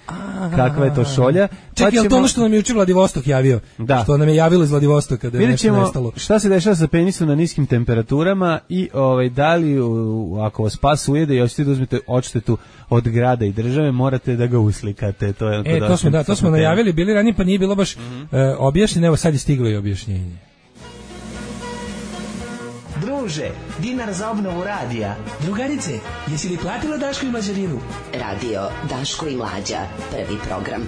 Kakva je to šolja? Čekaj, pa je li to ono što nam je juče Vladivostok javio? Da. Što nam je javilo iz Vladivostoka da je nešto nestalo. Šta se dešava sa penisom na niskim temperaturama i ovaj, da li u, ako vas pas ujede i hoćete da uzmete odštetu od grada i države, morate da ga uslikate. To je e, to smo, da, to smo najavili, bili ranije, pa nije bilo baš mm-hmm. uh, objašnjeno, evo sad je stiglo i objašnjenje. Druže, dinar za obnovu radija. Drugarice, jesi li platila Daško i Mlađarinu? Radio Daško i Mlađa, prvi program.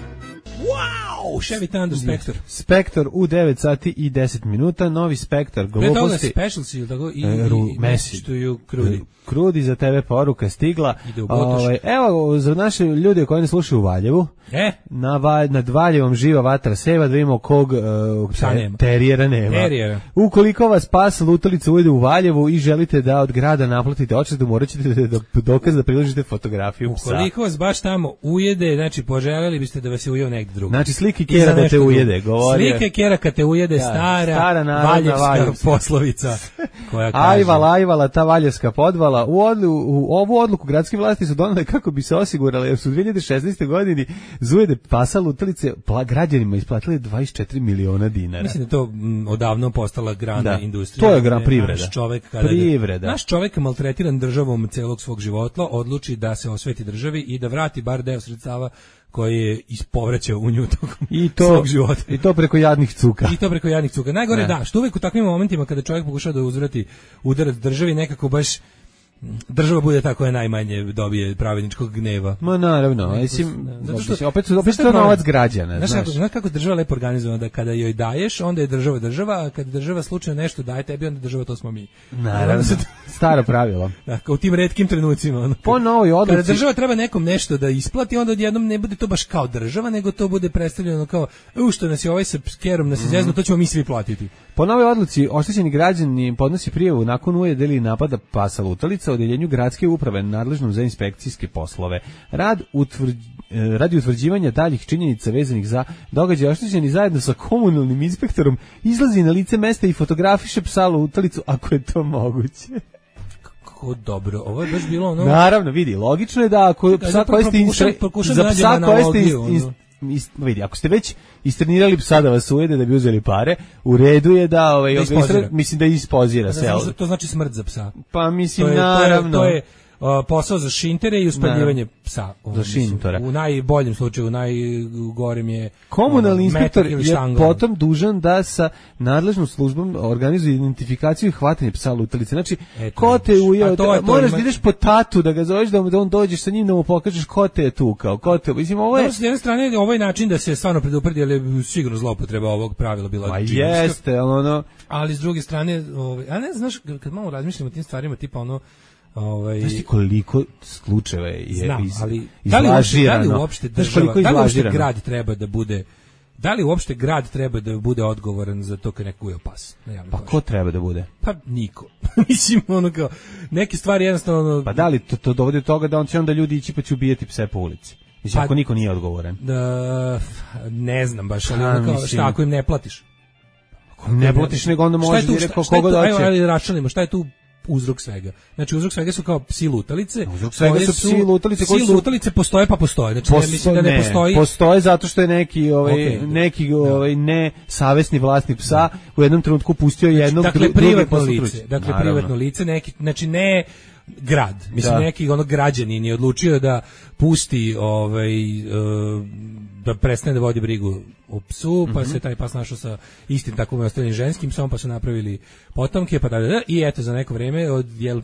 Wow, Chevy Thunder Spectre. Spectre u devet sati i deset minuta, novi Spectre gluposti. Special si, tako i, e, ru, i message to you, Krudi. Krudi, za tebe poruka stigla. Ovaj, evo, za naše ljude koji ne slušaju u Valjevu, e? na Valj, nad Valjevom živa vatra seva, da vidimo kog uh, te, terijera nema. Terijera. Ukoliko vas pas lutalica ujede u Valjevu i želite da od grada naplatite odštetu, morat ćete da, da dokaz da priložite fotografiju psa. Ukoliko vas baš tamo ujede, znači poželjeli biste da vas je ujeo negde drugo. Znači slike kera da te ujede, govori. Slike kera kad te ujede, ja, stara, stara valjevska poslovica. Koja kaže. Ajvala, ajvala, ta valjevska podvala. U, odlu, u ovu odluku gradske vlasti su donale kako bi se osigurali, jer su u dve hiljade šesnaestoj godini zujede pasa lutalice građanima isplatili dvadeset četiri miliona dinara. Mislim da to m, odavno postala grana da, industrija. To je gran privreda. Naš čovek, kada privreda. Naš čovek maltretiran državom celog svog života odluči da se osveti državi i da vrati bar deo sredstava koji je ispovraćao u nju tokom I to, svog života. I to preko jadnih cuka. I to preko jadnih cuka. Najgore ne. Da, što uvek u takvim momentima kada čovjek pokušava da uzvrati udarac državi, nekako baš država bude ta koja najmanje dobije pravedničkog gneva. Ma naravno, mislim, zato što opet opet to novac građana, znaš. Znaš kako, kako država lepo organizovana, da kada joj daješ, onda je država država, a kad država slučajno nešto daje tebi, onda država to smo mi. Naravno, staro pravilo. Da, kao u tim retkim trenucima. Ono, po novoj odluci. Kada država treba nekom nešto da isplati, onda odjednom ne bude to baš kao država, nego to bude predstavljeno kao, u što nas je ovaj sa skerom nas izjezno, to ćemo mi svi platiti. Po novoj odluci, oštećeni građani podnosi prijavu nakon ujede ili napada pasa lutalica odeljenju gradske uprave nadležnom za inspekcijske poslove. Rad utvrđ, radi utvrđivanja daljih činjenica vezanih za događaj, oštećeni zajedno sa komunalnim inspektorom izlazi na lice mesta i fotografiše psa lutalicu ako je to moguće. Kako dobro, ovo je baš bilo ono. Naravno, vidi, logično je da ako psa koji ste instre, za psa koji ste instre, Ist, vidi, ako ste već istrenirali psa da vas ujede da bi uzeli pare, u redu je da ovaj da istre, mislim da ispozira da, se. To znači smrt za psa. Pa mislim to je, naravno. To je, to je uh, posao za šintere i uspaljivanje Da. psa. Ovo, Za mislim, šintora. U najboljem slučaju, u najgorem je Komunalni ono, inspektor metak ili je štangla. potom dužan da sa nadležnom službom organizuje identifikaciju i hvatanje psa lutalice. Znači, Eto, ko te vidiš. ujeo, A to je da- to, moraš ima- da ideš po tatu, da ga zoveš, da, mu- da on dođeš sa njim, da mu pokažeš ko te je tukao, ko te, mislim, ovo je... Dobro, s jedne strane, ovaj način da se stvarno predupredi, ali je sigurno zloupotreba ovog pravila bila Ma džinovska. jeste, ono... Ali s druge strane, ovaj, a ne znaš, kad malo razmišljam o tim stvarima, tipa ono, ovaj, Znaš ti koliko slučajeva je znam, iz, ali da li uopšte, da li izlažirano? uopšte Znaš država, koliko je da li uopšte izlažirano? grad treba da bude, da li uopšte grad treba da bude odgovoran za to kad neko ujeo pas na javnoj Pa površini? ko treba da bude? Pa niko. Mislim, ono kao, neke stvari jednostavno, ono, Pa da li to, to dovodi do toga da on će onda ljudi ići pa će ubijati pse po ulici? Mislim, Pa- ako niko nije odgovoran. da, ne znam baš, ali Pa, ono kao, mislim- šta ako im ne platiš? Ako ne platiš, nego onda Šta je možeš tu- direktno šta- šta je koga tu- doće. Ajmo, ajde raščlanimo, šta je tu uzrok svega? Znači, uzrok svega su kao psi lutalice. Uzrok svega koje su psi lutalice koji Psi su- lutalice postoje pa postoje. Znači, ja mislim da ne, postoji... postoje zato što je neki ovaj Okej. neki ovaj ne savesni vlasnik psa u jednom trenutku pustio jednog Dakle, dru- drugi privatno posle lice. trući. Dakle, Naravno. privatno lice, neki, znači ne grad. Mislim, Da. neki ono građanin je odlučio da pusti ovaj, e, da prestane da vodi brigu o psu, pa Mhm. se taj pas našao sa istim takvom ostalim ženskim psom, pa su napravili potomke, pa da, da, da, i eto, za neko vreme od jel,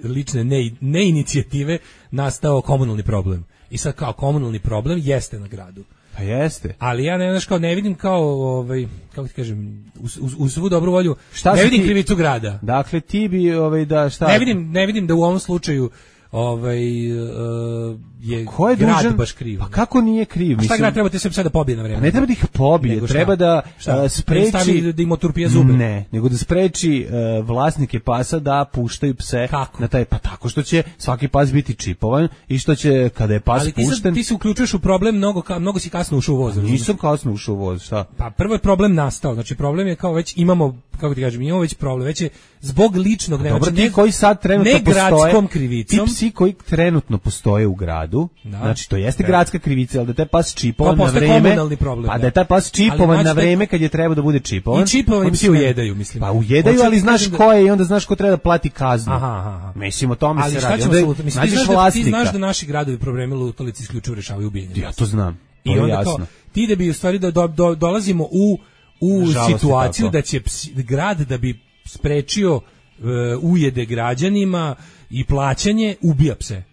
lične ne, ne inicijative nastao komunalni problem. I sad kao komunalni problem jeste na gradu. Pa jeste. Ali ja ne, znaš, kao ne vidim kao, ovaj, kako ti kažem, uz, uz, uz svu dobru volju, Šta ne si vidim ti- krivicu grada. Dakle ti bi ovaj da šta? Ne vidim, ne vidim da u ovom slučaju ovaj, uh, je, Ko je grad dužan? baš kriv. Pa kako nije kriv? A šta grad treba te sve sada pobije na vreme? Pa ne treba da ih pobije, Nego šta? treba da Šta? a, Da im spreči stavi, da im oturpije zube? Ne, nego da spreči e, vlasnike pasa da puštaju pse Kako? na taj, pa tako što će svaki pas biti čipovan i što će kada je pas Ali ti, sad, pušten. ti se uključuješ u problem, mnogo, ka, mnogo si kasno ušao u voz. razumeš? Nisam kasno ušao u voz, šta? Pa prvo je problem nastao, znači problem je kao već imamo, kako ti kažem, imamo već problem, već je zbog ličnog, ne, Dobro, znači, ti ne- koji sad trenutno ne postoje, gradskom krivicom, ti psi koji trenutno postoje u gradu, Da. znači to jeste Da. gradska krivica, ali da je taj pas čipovan To na postaje vreme, komunalni problem, pa da. da je taj pas Ali čipovan znači na da- vreme kad je treba da bude čipovan. I čipovani on psi će- ujedaju, mislim. Pa ujedaju, Hoću ali ti znaš kažem da- ko je i onda znaš ko treba da plati kaznu. Aha, aha, aha. Mislim, o tome Ali se šta radi. ćemo Onda sa lutalice? Mislim, ti nađeš znaš, da, ti vlasnika. znaš da naši gradovi probleme lutalice isključivo rešavaju ubijenjem. Ja to znam. To I je onda jasno. kao, ti da bi u stvari do, do, do- dolazimo u, u Nažalost je situaciju tako. da će psi- grad da bi sprečio e, ujede građanima i plaćanje ubija pse.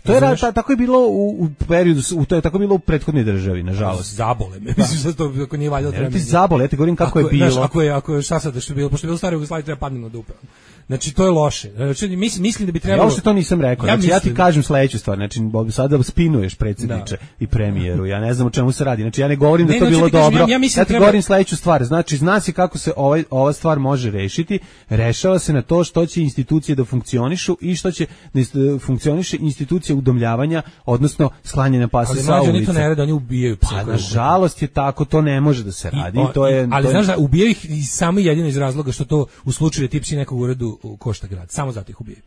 To je ra- Razumeš? ta- tako je bilo u, u periodu, s- u, to je tako bilo u prethodnoj državi, nažalost. Zabole me. Mislim da to ako nije valjda Ne, treba. ti zabole, ja ti govorim kako je Ako bilo. Znaš, ako je, ako je, šta sad, što je bilo, pošto je bilo staro Jugoslavije, treba padnem na dupe. Znači, to je loše. Znači, mislim, mislim da bi Ja trebalo... uopšte to nisam rekao. Ja Znači, ja ti mislim- kažem sledeću stvar. Znači, Bob, sada spinuješ predsjedniče i premijeru. Ja ne znam o čemu se radi. Znači, ja ne govorim da Ne, to znači, bilo ti kažem, dobro. ja- ja mislim Ja da ti treba- govorim sledeću stvar. Znači, zna se kako se ovaj, ova stvar može rešiti. Rešava se na to što će institucije da funkcionišu i što će da ist- funkcioniše institucija udomljavanja, odnosno sklanjanja pasa Ali sa mlađe, oni ulice. to ne rade, oni ubijaju pse. Pa, koje- nažalost je tako, to ne može da se radi. I- to je, ali to je- znaš da ubijaju ih i samo i jedino iz razloga što to u slučaju da ti psi nekog uredu košta grad. Samo zato ih ubijaju.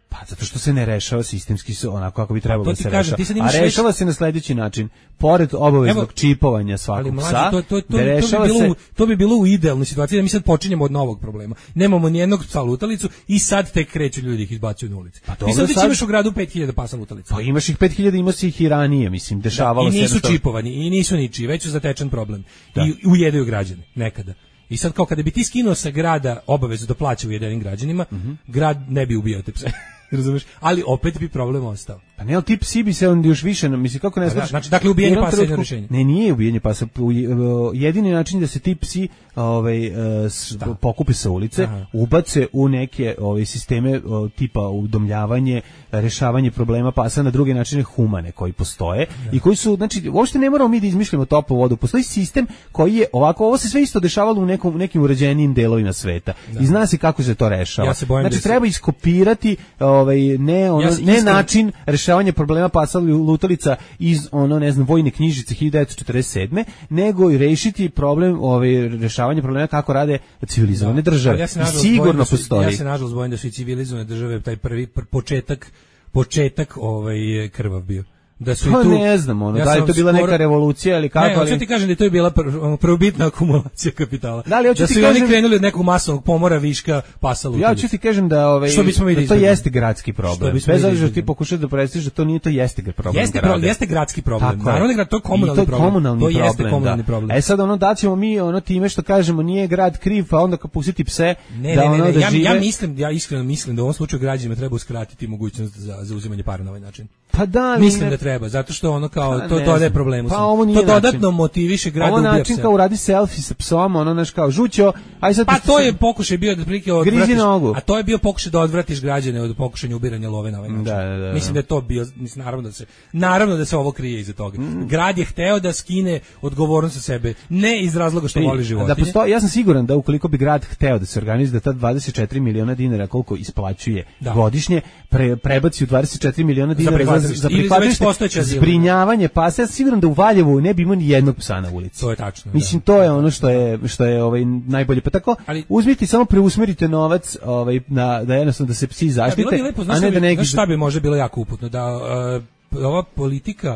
Pa zato što se ne rešava sistemski se onako kako bi trebalo to da ti se kažem, rešava. ti sad A imaš rešava se na sledeći način. Pored obaveznog Evo, čipovanja svakog Ali mlađe, psa, to, to, to, da to, bi rešava bilo, se... u- to bi bilo u idealnoj situaciji da mi sad počinjemo od novog problema. Nemamo ni jednog psa lutalicu i sad tek kreću ljudi ih izbacuju na ulici. Pa Ti dobro, sad već sad- imaš u gradu pet hiljada pasa lutalica. Pa imaš ih pet hiljada, ima se ih i ranije, mislim, dešavalo I se nisu jednostavno. čipovani, i nisu ničiji, već su zatečen problem. Da. I ujedaju građane, nekada. I sad kao kada bi ti skinuo sa grada obavezu da plaća ujedenim građanima, Mhm. grad ne bi ubijao te pse. Razumeš? Ali opet bi problem ostao. Pa ne, ali ti psi bi se onda još više, mislim, kako ne Pa da, znaš... znači, dakle, ubijanje u jednom pasa je jedno trenutku- rješenje. Ne, nije ubijanje pasa. u- u- Jedini način da se ti psi ovaj, e, s- pokupe sa ulice, Aha. ubace u neke ovaj, sisteme o, tipa udomljavanje, rešavanje problema pasa na druge načine humane koji postoje i koji su, znači, uopšte ne moramo mi da izmišljamo toplu vodu. Postoji sistem koji je ovako, ovo se sve isto dešavalo u nekom, u nekim uređenijim delovima sveta. I zna se kako se to rešava. Ja se bojim znači, da se- treba iskopirati ovaj, ne, ono, Ja se ne iskreno- način rešavanja problema pasa lutalica iz ono ne znam vojne knjižice hiljadu devetsto četrdeset sedme nego i rešiti problem ovaj rešavanje problema kako rade civilizovane države. Ali ja se I nažalost bojim sigurno da su- postoji. Ja se nažalost bojim da su i civilizovane države taj prvi pr- početak početak ovaj je krvav bio. da su Pa i tu ne znam, ono, ja da li je sam to bila skoro- neka revolucija ili kako, Ne, hoću ali... ti kažem da je to je bila pr- ono, prvobitna akumulacija kapitala. Da li hoću da ti su i oni kažem- krenuli od nekog masovnog pomora viška pasa lutalica. Ja ću ti kažem da ovaj Što bismo mi da da to izbjegnemo? jeste gradski Što problem. bismo mi Bez da obzira što ti izbjegnemo? pokušaš da predstaviš da to nije, to jeste problem. Jeste grada. pro, jeste gradski problem. Tako je. Naravno da je to komunalni I to je problem. komunalni to jeste problem, komunalni da. problem. E sad ono da ćemo mi ono time što kažemo nije grad kriv, pa onda kad pustiti pse Ne, da ne, ono ne, ne, da ja, žive. ja mislim, ja iskreno mislim da u ovom slučaju građanima treba uskratiti mogućnost za za uzimanje para na ovaj način. Pa da, ali Mislim ne- da treba, zato što ono kao Pa to ne dodaje znam. problemu. Pa samo. ovo nije to dodatno način. motiviše grad Ovo da ubija način pse. kao uradi selfie sa psom, ono naš kao žućo, aj sad Pa pošto to se- je pokušaj bio da otprilike Grizi odvratiš, nogu. a to je bio pokušaj da odvratiš građane od pokušanja ubiranja love na ovaj način. Da, da, da. Mislim da je to bio, mislim, naravno da se naravno da se ovo krije iza toga. Mm. Grad je hteo da skine odgovornost sa sebe, ne iz razloga što I- voli životinje. Da postoji, ja sam siguran da ukoliko bi grad hteo da se organizuje da ta dvadeset četiri miliona dinara koliko isplaćuje Da. godišnje pre, prebaci u dvadeset četiri miliona dinara za, prihvatilište. za Ili za već prihvatilište, postojeće azile. zbrinjavanje pasa. Ja sam siguran da u Valjevu ne bi imao ni jednog psa na ulici. To je tačno. Mislim to je ono što je što je ovaj najbolje. Pa tako Ali- uzmite samo preusmerite novac ovaj na da jednostavno da se psi Da, bilo zaštite, bi lepo, znaš a šta ne da bi, neki znaš šta bi možda bilo jako uputno, da uh, ova politika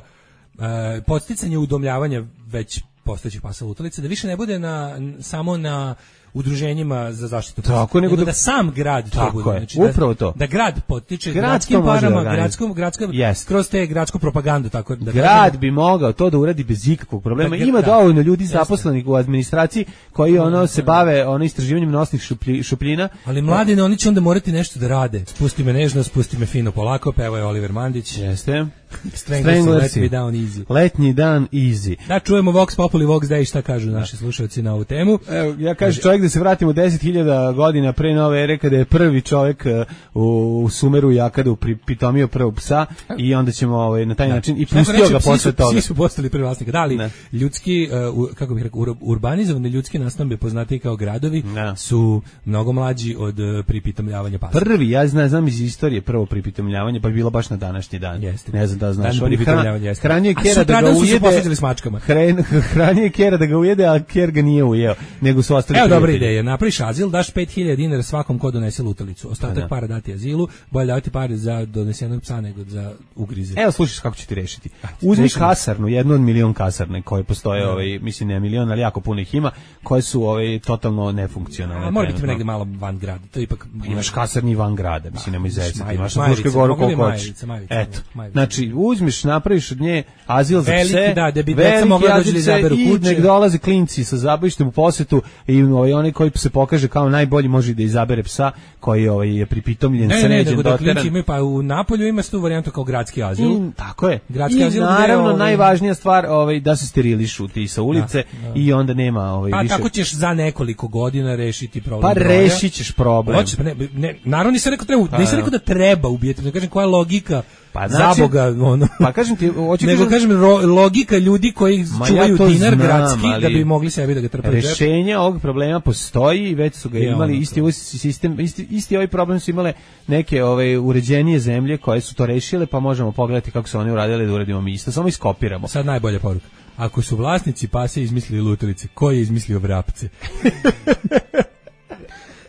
uh, podsticanje udomljavanja već postojećih pasa lutalica, da više ne bude na, n- samo na udruženjima za zaštitu pasa, Tako, nego nego da- da sam grad to Tako bude. je, Znači, da, upravo to. Da grad potiče Grad gradskim to može da parama, organizuje. gradskom, gradska, Jeste. kroz te gradsku propagandu. Tako, da Grad kažemo. bi mogao to da uradi bez ikakvog problema. Da, Ima da. dovoljno ljudi Jeste. zaposlenih u administraciji koji ono se bave ono istraživanjem nosnih šuplji, šupljina. Ali mladine, oni će onda morati nešto da rade. Spusti me nežno, spusti me fino polako, peva je Oliver Mandić. Jeste. Stranglersi, let Stranglersi. me down easy. Letnji dan easy. Da, čujemo Vox Populi, Vox Day, šta kažu naši slušalci na ovu temu. Evo, ja kažem čovjek da se vratimo deset hiljada godina pre nove ere kada je prvi čovjek uh, u, u Sumeru Jakadu pripitomio prvog psa i onda ćemo ovaj, na taj način i Neko pustio reče, ga psi posle su- toga. Psi su postali prvi vlasnik. Da li Ne. ljudski, uh, u- kako bih rekao, ur- urbanizovane ljudske nastambe poznatiji kao gradovi Ne. su mnogo mlađi od uh, pripitomljavanja pasa. Prvi, ja znam, znam iz istorije prvo pripitomljavanje, pa je bilo baš na današnji dan. Jeste. Ne znam da znaš. Dan On je pripitomljavanja, hran- jeste. hranio je A kera da ga sutradan su se ujede. posvađali s mačkama. Hran- hranio je kera da ga ujede, a ker ga nije ujeo, nego su ostali Evo dobra prijatelji. ideja, napraviš azil, daš pet hiljada dinara svakom ko donese lutalicu. Ostatak Pa da. para dati azilu, bolje davati pare za donesenog psa nego za ugrize. Evo slušaj kako ću ti rešiti. Uzmi slušam. kasarnu, jednu od milion kasarne koje postoje, ovaj, mislim ne milion, ali jako puno ih ima, koje su ovaj totalno nefunkcionalne. A mora biti trenutno. negde malo van grada. To je ipak Imaš kasarni van grada, mislim nemoj zezati, Majevica, imaš na Majevica, Fruškoj goru mogu li koliko hoćeš. Majevica, Majevica, Eto, Majevica. znači uzmeš, napraviš od nje azil za Veliki, pse, da, da bi deca veliki mogla da dođu azil da za- izaberu i kuće. nek dolaze klinci sa zabavištem u posetu i ovaj, onaj koji se pokaže kao najbolji može i da izabere psa koji ovaj, je pripitomljen, Ne, ne, ne, sređen, nego da doteran. klinci imaju, pa u Napolju ima se tu varijantu kao gradski azil. I, tako je. Gradski I azil gde, naravno ovaj, najvažnija stvar ovaj da se sterilišu ti sa ulice i onda nema ovaj Pa više. tako ćeš za nekoliko godina rešiti problem. Pa broja. rešit ćeš problem. Hoćeš, pa ne, ne, naravno nisam rekao treba, nisam da. rekao da treba ubijeti, ne kažem koja je logika. Pa za znači- Boga, ono. Pa kažem ti, hoću Nego kažem- kažem ro- logika ljudi koji Ma čuvaju ja to dinar znam, gradski ali da bi mogli sebi da ga trpaju. u džep. Rešenje ovog problema postoji i već su ga Je imali ono isti to. ovaj sistem, isti, isti ovaj problem su imale neke ove uređenije zemlje koje su to rešile, pa možemo pogledati kako su oni uradili da uradimo mi isto, samo iskopiramo. Sad najbolja poruka. Ako su vlasnici pase izmislili lutalice, ko je izmislio vrapce?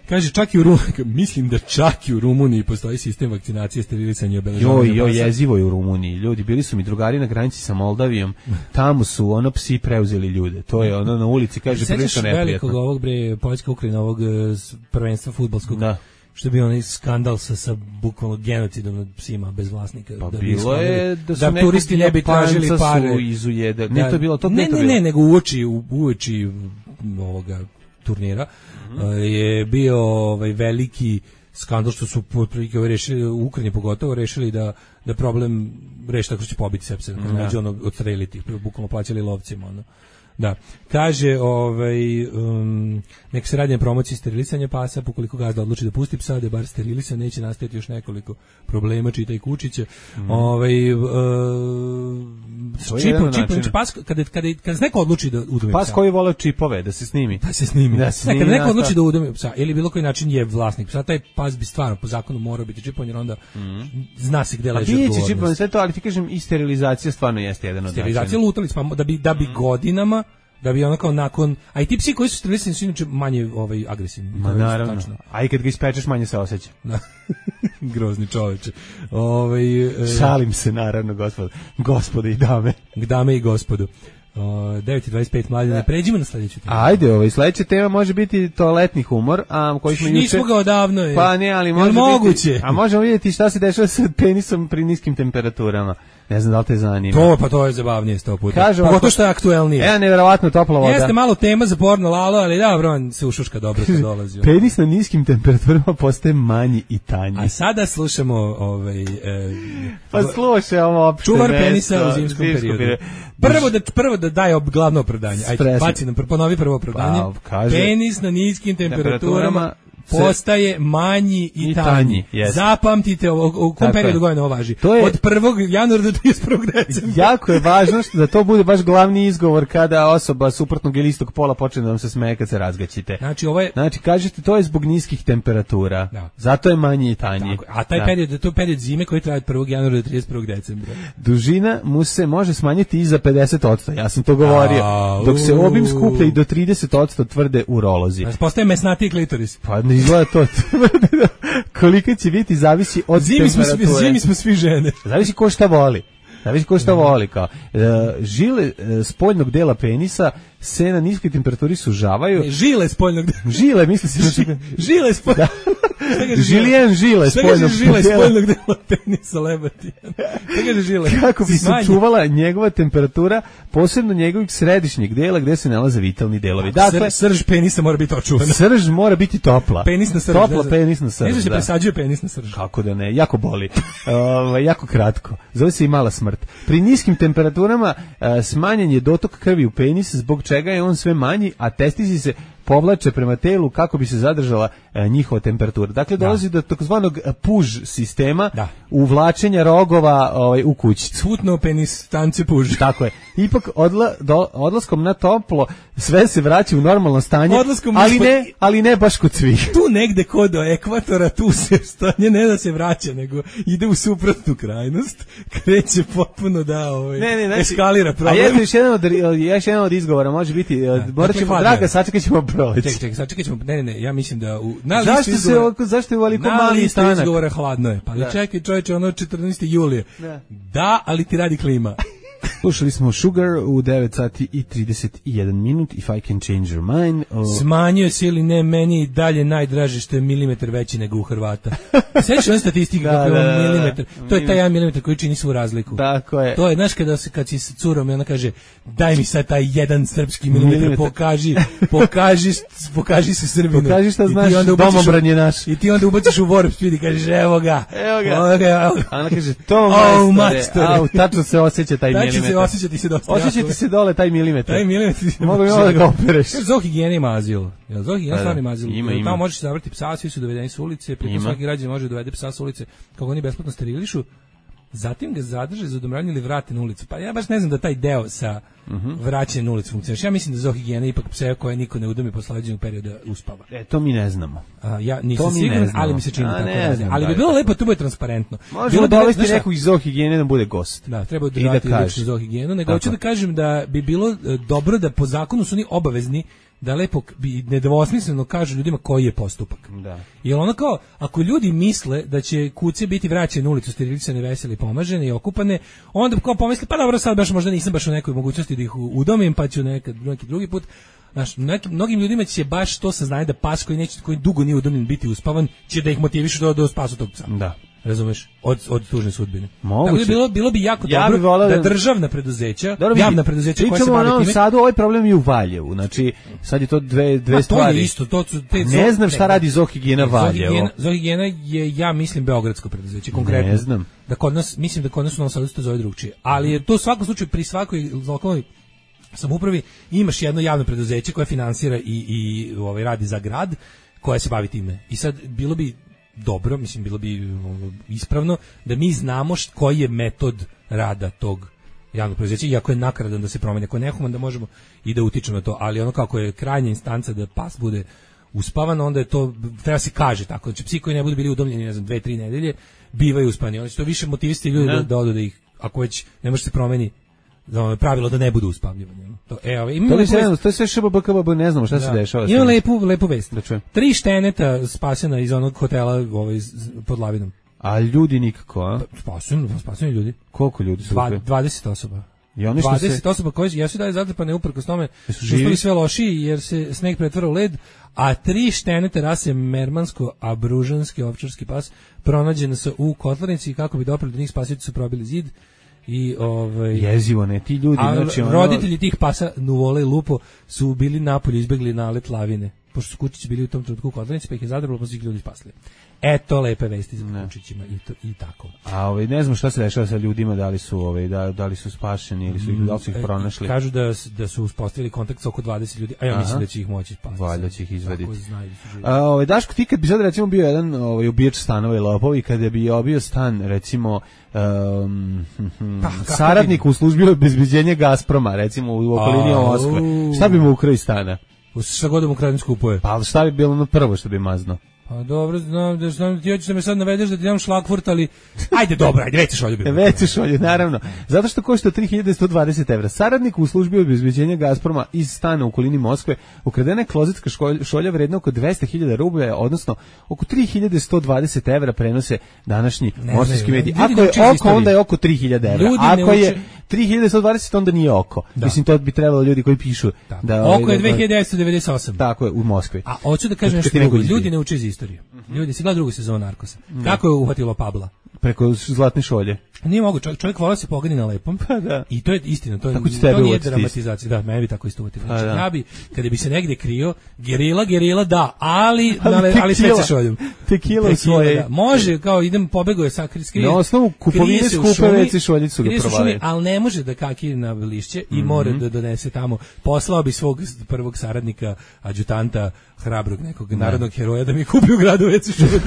Kaže, čak i u Rumuniji, mislim da čak i u Rumuniji postoji sistem vakcinacije, sterilisanja i obeležavanja Joj, joj, pasa. jezivo je u Rumuniji. Ljudi, bili su mi drugari na granici sa Moldavijom, tamo su ono psi preuzeli ljude. To je ono na ulici, kaže, Sećaš prilično velikog neprijatno. ovog bre, Poljska Ukrajina, ovog e, s- prvenstva fudbalskog, Da. što je bio onaj skandal sa, sa bukvalno genocidom nad psima bez vlasnika. Pa da bi bilo shvatili je da su da nekog turisti ne bi tražili Japanca pare. su izujede. Ne, Da, to je bilo, to ne, ne, to ne, bilo. ne, nego uoči, u- uoči m, ovoga turnira Mhm. e, je bio ovaj veliki skandal što su otprilike ovaj rešili, u Ukrajini pogotovo rešili da, da problem reši tako što će pobiti sepse, da neće ono odstreliti, bukvalno plaćali lovcima, ono. Da. Kaže, ovaj, um, nek se radi na promociji sterilisanja pasa, pokoliko gazda odluči da pusti psa, da je bar sterilisan, neće nastajati još nekoliko problema, čitaj kučiće. Mhm. Ovaj, uh, To je čipom, jedan čipom, način. pas, kada, kada, kada se neko odluči da udomi Pas psa, koji vole čipove, da se snimi. da se snimi. Da se Ne, kada snimi, neko da, odluči da. da udomi psa, ili bilo koji način je vlasnik psa, taj pas bi stvarno po zakonu morao biti čipovan, jer onda zna se gde A leži biće odgovornost. čipovan sve to, ali ti kažem i sterilizacija stvarno jeste jedan od Sterilizacija načina. lutalic, pa da bi, da bi godinama da bi ono kao nakon, a i ti psi koji su sterilisan su inače manje ovaj, agresivni. Ma naravno, tačno. A i kad ga ispečeš manje se osjeća. Da. Grozni čoveče. Ovaj, e... Šalim se naravno, gospod, gospode i dame. Dame i gospodu. Uh, devet i dvadeset pet mladine, pređimo na sledeću temu. Ajde, ovaj, sledeća tema može biti toaletni humor, a koji smo juče... Nismo ga odavno. Je. Pa ne, ali može moguće? biti... A možemo vidjeti šta se dešava sa penisom pri niskim temperaturama. Ne znam da li te zanima. To, pa to je zabavnije sto puta. Kaže, pogotovo što je aktuelnije. Evo, nevjerovatno topla voda. Jeste malo tema za porno lalo, ali da, bro, on se ušuška dobro kad dolazi. Penis na niskim temperaturama postaje manji i tanji. A sada slušamo ovaj... E, pa slušaj ovo opšte. Čuvar penisa u zimskom periodu. periodu. Prvo da, prvo da daje glavno opravdanje. Ajde, baci nam, ponovi prvo opravdanje. Pa, kaže, penis na niskim temperaturama postaje manji i, i tanji. tanji yes. Zapamtite ovo, u kom periodu godine ovo važi. To je, od prvog januara do trideset prvog decembra. Jako je važno što da to bude baš glavni izgovor kada osoba suprotnog ili istog pola počne da vam se smeje kad se razgaćite. Znači, ovo je... znači kažete to je zbog niskih temperatura. Da. Zato je manji i tanji. Tako, a taj da. period, to je period zime koji traje od prvog januara do trideset prvog decembra. Dužina mu se može smanjiti i za pedeset posto. Ja sam to govorio. A, dok se obim skuplja i do trideset posto tvrde urolozi. Postaje mesnatiji klitoris. Pa ne izgleda to. Koliko će biti zavisi od zimi temperature. Smo svi, zimi smo svi žene. Zavisi ko šta voli. Zavisi ko šta voli. Kao. E, žile e, spoljnog dela penisa se na niskoj temperaturi sužavaju. Ne, žile spoljnog dela. Žile, misli se. Na... žile spoljnog dela. Žilijen žile spoljnog dela. Žile spoljnog dela penisa lebati. Kaže žile. Kako bi se čuvala njegova temperatura, posebno njegovog središnjeg dela gde se nalaze vitalni delovi. Dakle, srž penisa mora biti očuvana. Srž mora biti topla. Penis na srž. Topla penis na srž. Ne znam se presađuje penis na srž. Kako da ne, jako boli. uh, jako kratko. Zove se i mala smrt. Pri niskim temperaturama uh, smanjen je dotok krvi u penis, zbog čega je on sve manji, a testisi se povlače prema telu kako bi se zadržala e, njihova temperatura. Dakle, dolazi da. do takozvanog puž sistema, da. uvlačenja rogova ovaj, u kućicu. Svutno penis, tance puž. Tako je. Ipak odla, do, odlaskom na toplo sve se vraća u normalno stanje, ali ne, ali ne baš kod svih. Tu negde kod do ekvatora, tu se stanje ne da se vraća, nego ide u suprotnu krajnost, kreće potpuno da ovaj, ne, ne, znači, eskalira problem. A još jedan od, još jedan od izgovora može biti, da, morat ćemo, dakle, draga, sačekat ćemo proleći. Čekaj, čekaj, sačekat ćemo, ne, ne, ne, ja mislim da u, na zašto listu izgovora, se, zašto je uvaliko mali stanak? Na listu izgovora hladno je, pa da. čekaj čovječe, ono četrnaestog julija. Da. da, ali ti radi klima. Slušali smo Sugar u devet sati i trideset jedan minut, If I Can Change Your Mind. O... Smanjuje se ili ne, meni dalje najdraže što je milimetar veći nego u Hrvata. Sveći on statistika da, kako je milimetar. To je taj jedan milimetar koji čini svu razliku. Tako je. To je, znaš, kada se, kad si s curom i ona kaže, daj mi sad taj jedan srpski milimetar, milimetar. pokaži, pokaži, pokaži se Srbinu. Pokaži šta znaš, domobran je naš. I ti onda ubaciš u Warp Speed i kažeš, evo ga. Evo ga. Evo ga. A ona kaže, to oh, majstore. Au, tačno se osjeća taj milimetar. Se osjećati se dosta. Osjećati se dole taj milimetar. Taj milimetar. Mogu mi ovo da ga opereš. Zohigijena ima azil. Jel Zohigijena stvarno ima azil? Ima, ima. Tamo možeš zavrti psa, svi su dovedeni s ulice, preko svaki građan može dovede psa s ulice, kako oni besplatno sterilišu. Zatim ga zadrže za odomravanje ili vrate na ulicu. Pa ja baš ne znam da taj deo sa uh-huh. vraćanjem na ulicu funkcioniše. Ja mislim da Zohigijena ipak pse koje niko ne udomi posle određenog perioda uspava. E, to mi ne znamo. A, ja nisam siguran, ali mi se čini A, tako ne znam, ali bi bilo lepo, to bude transparentno. Možemo dovesti nekog iz Zohigijene da bude gost. Da, treba održati da Zohigijenu. Nego hoću da kažem da bi bilo dobro da po zakonu su oni obavezni da lepo bi nedvosmisleno kažu ljudima koji je postupak. Da. Jer ono kao, ako ljudi misle da će kuce biti vraćene na ulicu, sterilisane, vesele, pomažene i okupane, onda kao pomisle, pa dobro, sad baš možda nisam baš u nekoj mogućnosti da ih udomim, pa ću nekad, neki drugi put. Znaš, nekim, mnogim ljudima će baš to saznanje da pas koji neće, koji dugo nije udomljen biti uspavan, će da ih motivišu da, da spasu tog psa. Da. Razumeš? Od od tužne sudbine. Moguće. Tako da bilo bilo bi jako ja dobro bi da državna preduzeća, dobro, javna preduzeća koja se bave time. Sad ovaj problem je u Valjevu. Znači sad je to dve dve pa, stvari. To je isto, to su te ne znam šta radi Zohigijena Valjevo. Zohigijena je, ja mislim, beogradsko preduzeće konkretno. Ne znam. Da kod nas, mislim da kod nas u Novom Sadu se to zove drugčije. Ali je to u svakom slučaju pri svakoj lokalnoj samoupravi imaš jedno javno preduzeće koje finansira i i ovaj radi za grad, koje se bavi time. I sad bilo bi dobro, mislim, bilo bi ispravno da mi znamo št, koji je metod rada tog javnog preduzeća, iako je nakaradan da se promeni, ako je nehuman da možemo i da utičemo na to, ali ono kako je krajnja instanca da pas bude uspavan, onda je to, treba se kaže tako, znači psi koji ne budu bili udomljeni, ne znam, dve, tri nedelje, bivaju uspani, oni su to više motivisti ljudi da, da odu da ih, ako već ne može se promeni pravilo da ne bude uspavljivanje. To, e, ove, to, je sve, to je sve šbbkbb, ne znamo šta da. se dešava. Ima lepu, lepu vest. Da Tri šteneta spasena iz onog hotela ovaj, pod Lavinom. A ljudi nikako, a? Spaseni, spaseni ljudi. Koliko ljudi su? Dva, dvadeset osoba. I oni što dvadeset se... osoba koje jesu dalje zatrpane uprkos tome što su bili sve lošiji jer se sneg pretvara u led, a tri štenete rase mermansko-abružanski ovčarski pas pronađene su u kotlarnici kako bi doprali do njih spasioci su probili zid i ovaj jezivo ne ti ljudi a, znači ono... roditelji tih pasa Nuvole i Lupo su bili napolju izbegli nalet lavine pošto su kučići bili u tom trenutku u kotlarnici pa ih je zadrbalo pa su ih ljudi spasili. Eto lepe vesti za kučićima i to i tako. A ovaj ne znam šta se dešava sa ljudima, da li su ovaj da da li su spašeni ili su ih da li su ih pronašli. Kažu da da su uspostavili kontakt sa oko dvadeset ljudi, a ja mislim da će ih moći spasiti. Valjda će ih izvaditi. A ovaj Daško, ti kad bi sad recimo bio jedan ovaj ubijač stanova i lopov i kada bi obio stan recimo um, pa, saradnik u službi obezbeđenja Gazproma recimo u okolini Moskve, šta bi mu ukrao iz stana? Šta god mu kradem skupuje. Pa šta bi bilo na prvo što bi mazno? Pa dobro, znam da znam ti hoćeš da me sad navedeš da ti dam šlagvurt, ali ajde dobro, ajde, veće šolje. Veće šolje, naravno. Zato što košta tri hiljade sto dvadeset evra. Saradnik u službi obezbeđenja Gazproma iz stana u okolini Moskve ukradena je klozetska šolja vredna oko dvesta hiljada rublja, odnosno oko tri hiljade sto dvadeset evra prenose današnji moskovski mediji. Ako je oko, onda je oko tri hiljade evra. Ljudi Ako je tri hiljade sto dvadeset, onda nije oko. Da. Mislim, to bi trebalo ljudi koji pišu. Tako. Da, oko je dve hiljade devetsto devedeset osam. Tako je, u Moskvi. A hoću da kažem nešto drugo. Ljudi ne uče iz istorije. Mm-hmm. Ljudi, si gleda drugu sezonu Narkosa. Mm. Kako je uhvatilo Pabla? Preko zlatne šolje. Nije mogu, čovjek, čovjek vola se pogani na lepom. Pa da. I to je istina, to je, to nije dramatizacija. Da, meni bi tako isto uvjetilo. Znači, ja bi, kada bi se negdje krio, gerila, gerila, da, ali, ali, ali sve se šoljom. Tekila u svoje. Da. Može, kao idem, pobego je sa skrije. Na osnovu kupovine skupe veci šoljicu ga provali. Ali ne može da kaki na lišće i mora da donese tamo. Poslao bi svog prvog saradnika, adjutanta, hrabrog nekog narodnog heroja da mi kupi u gradu veci šolju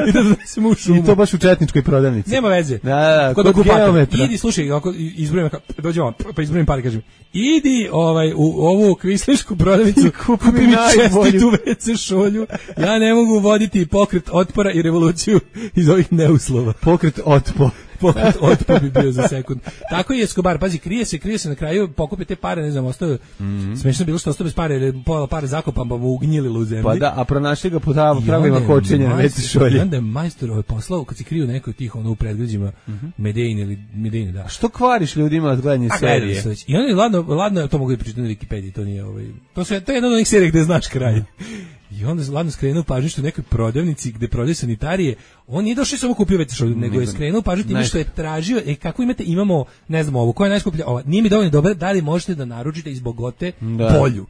i da donesemo u šumu. I to baš u četničkoj prodavnici. Nema veze. Da, da, kod geometra. Idi, slušaj, ako izbrojim, dođemo, pa izbrojim par, kažem, idi ovaj, u ovu kvislišku prodavnicu, kupi mi čestitu ve ce šolju, ja ne mogu voditi pokret otpora i revoluciju iz ovih neuslova. Pokret otpor. Pokret otpor bi bio za sekund. Tako je Escobar, pazi, krije se, krije se na kraju, pokupi te pare, ne znam, ostao, mm-hmm. smiješno bilo što ostao bez pare, ili pola pare zakopan, pa mu ugnjililo u zemlji. Pa da, a pronašli ga po pravima kočenja na ve ce šolje. I onda je majstor ovaj poslao, kad si kriju neko od tih ono u predgrađima, mm-hmm. Medejn ili Medejn, da. Što kvariš ljudima od gledanja serije? I onda je ladno, ladno, to mogu i pričati na Wikipediji, to nije ovaj, to, su, to je jedna od onih serija gde znaš kraj. I onda je ladno skrenuo pažnju što u nekoj prodavnici gde prodaje sanitarije, on nije došao samo kupio ve ce šolju, nego je skrenuo pažnju time što je tražio, e kako imate, imamo, ne znam ovo, koja je najskuplja, ova, nije mi dovoljno dobra, da li možete da naručite iz Bogote da. Polju.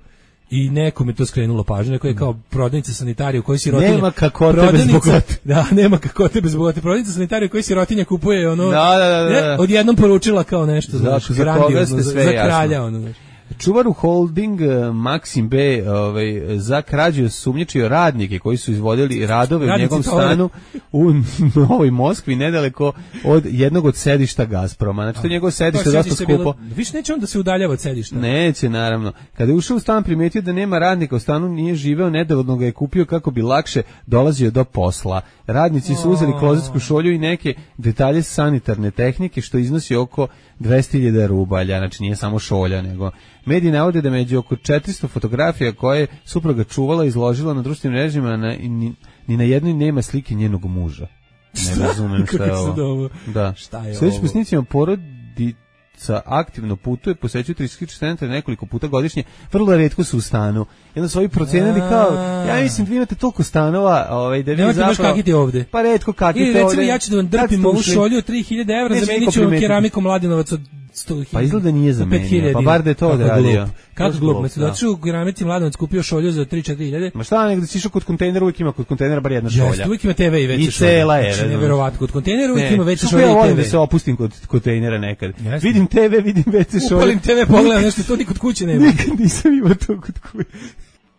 I neko mi to skrenulo pažnju, neko je kao prodavnica sanitarije u kojoj sirotinja... Nema kakote bez Bogote. Da, nema kakote bez Bogote. Prodavnica sanitarije u kojoj sirotinja kupuje ono... Da, da, da. Ne, odjednom poručila kao nešto, znaš, za, za, za, za kralja, ono, znaš. Čuvar u holding Maxim B ovaj, za krađu sumnjičio radnike koji su izvodili radove Radnici u njegovom stanu u Novoj Moskvi, nedaleko od jednog od sedišta Gazproma. Znači to je njegovo sedište dosta skupo. Bilo, više neće on da se udaljava od sedišta. Neće, naravno. Kada je ušao u stan, primetio da nema radnika u stanu, nije živeo, nedovoljno ga je kupio kako bi lakše dolazio do posla. Radnici su uzeli klozetsku šolju i neke detalje sanitarne tehnike, što iznosi oko dvesta hiljada rubalja. Znači nije samo šolja, nego... Mediji navode da među oko četiristo fotografija koje je supruga čuvala i izložila na društvenim mrežama, na, ni, ni na jednoj nema slike njenog muža. Ne razumem šta je ovo. Da. Šta je Sljedeći po snicima porodica aktivno putuje, posećuju turistički centre nekoliko puta godišnje, vrlo retko su u stanu. Jedno su ovi procenili kao, ja mislim, vi imate toliko stanova, ovaj, da vi nemate zapravo... Nemate baš kakiti ovde. Pa retko kakiti ovde. Ili recimo, ja ću da vam drpim ovu šolju od tri hiljade evra, zamenit ću vam keramikom Mladenovac od sto hiljada. Pa izgleda nije zamenio, pa bar da je to odradio. Kako glup, me se došao u keramici Mladenovac, kupio šolju za tri četiri hiljade. Ma šta, nego da si išao kod kontejnera, uvijek ima kod kontejnera bar jedna šolja. Jeste, uvijek ima te ve i ve ce šolja. I cela je. Znači, neverovatno, kod kontejnera uvijek ima ve ce šolja i te ve. Ja volim da se opustim kod kontejnera nekad. Vidim te ve, vidim ve ce šolja. Upalim te ve, pogledam nešto, to ni kod kuće nema. Nikad nisam imao to kod kuće.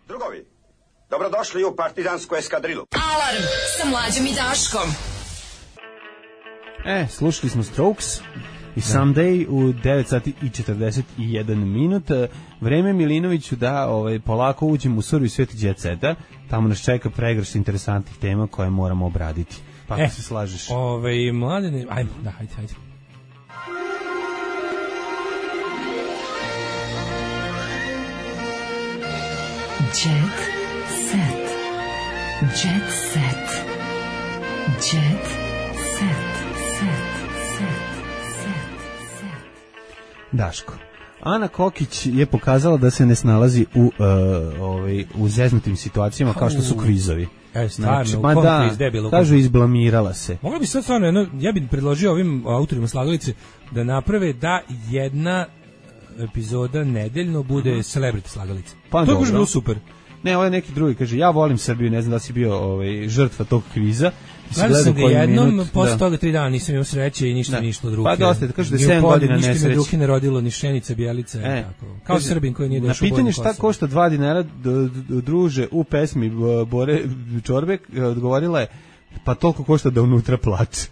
Drugovi, dobrodošli u partizansku eskadrilu. Alarm sa Mlađom i Daškom. E, slušali smo Strokes i Someday u devet sati i četrdeset jedan minut. Vreme Milinoviću da ovaj, polako uđemo u survi sveti jet seta. Tamo nas čeka pregršt interesantnih tema koje moramo obraditi. Pa e, se slažeš. Ovaj, mladene, ajmo, da, hajde, hajde. Jet set. Jet set. Jet set. Set. Set. Set. Daško. Ana Kokić je pokazala da se ne snalazi u, uh, ovaj, u zeznutim situacijama kao što su kvizovi. E, stvarno, znači, u ma kom da, kviz, debilo, kažu izblamirala se. Mogla bi sad stvarno, jedno, ja bih predložio ovim autorima slagalice da naprave da jedna epizoda nedeljno bude uh-huh. celebrity slagalice. Pa to je baš bilo dobro. super. Ne, ovo je neki drugi, kaže, ja volim Srbiju, ne znam da si bio ovaj, žrtva tog kviza. Gledao sam ga jednom, posle toga tri dana nisam imao sreće i ništa da. mi išlo od ruke. Pa dosta, kaže da je sedam godina nesreće. Ništa mi od ruke ne rodilo, ni šenica, bijelica, e, tako. Kao kaže, Srbin koji nije došao u na pitanje šta košta dva dinara druže u pesmi Bore Čorbek, odgovorila je, pa toliko košta da unutra plače.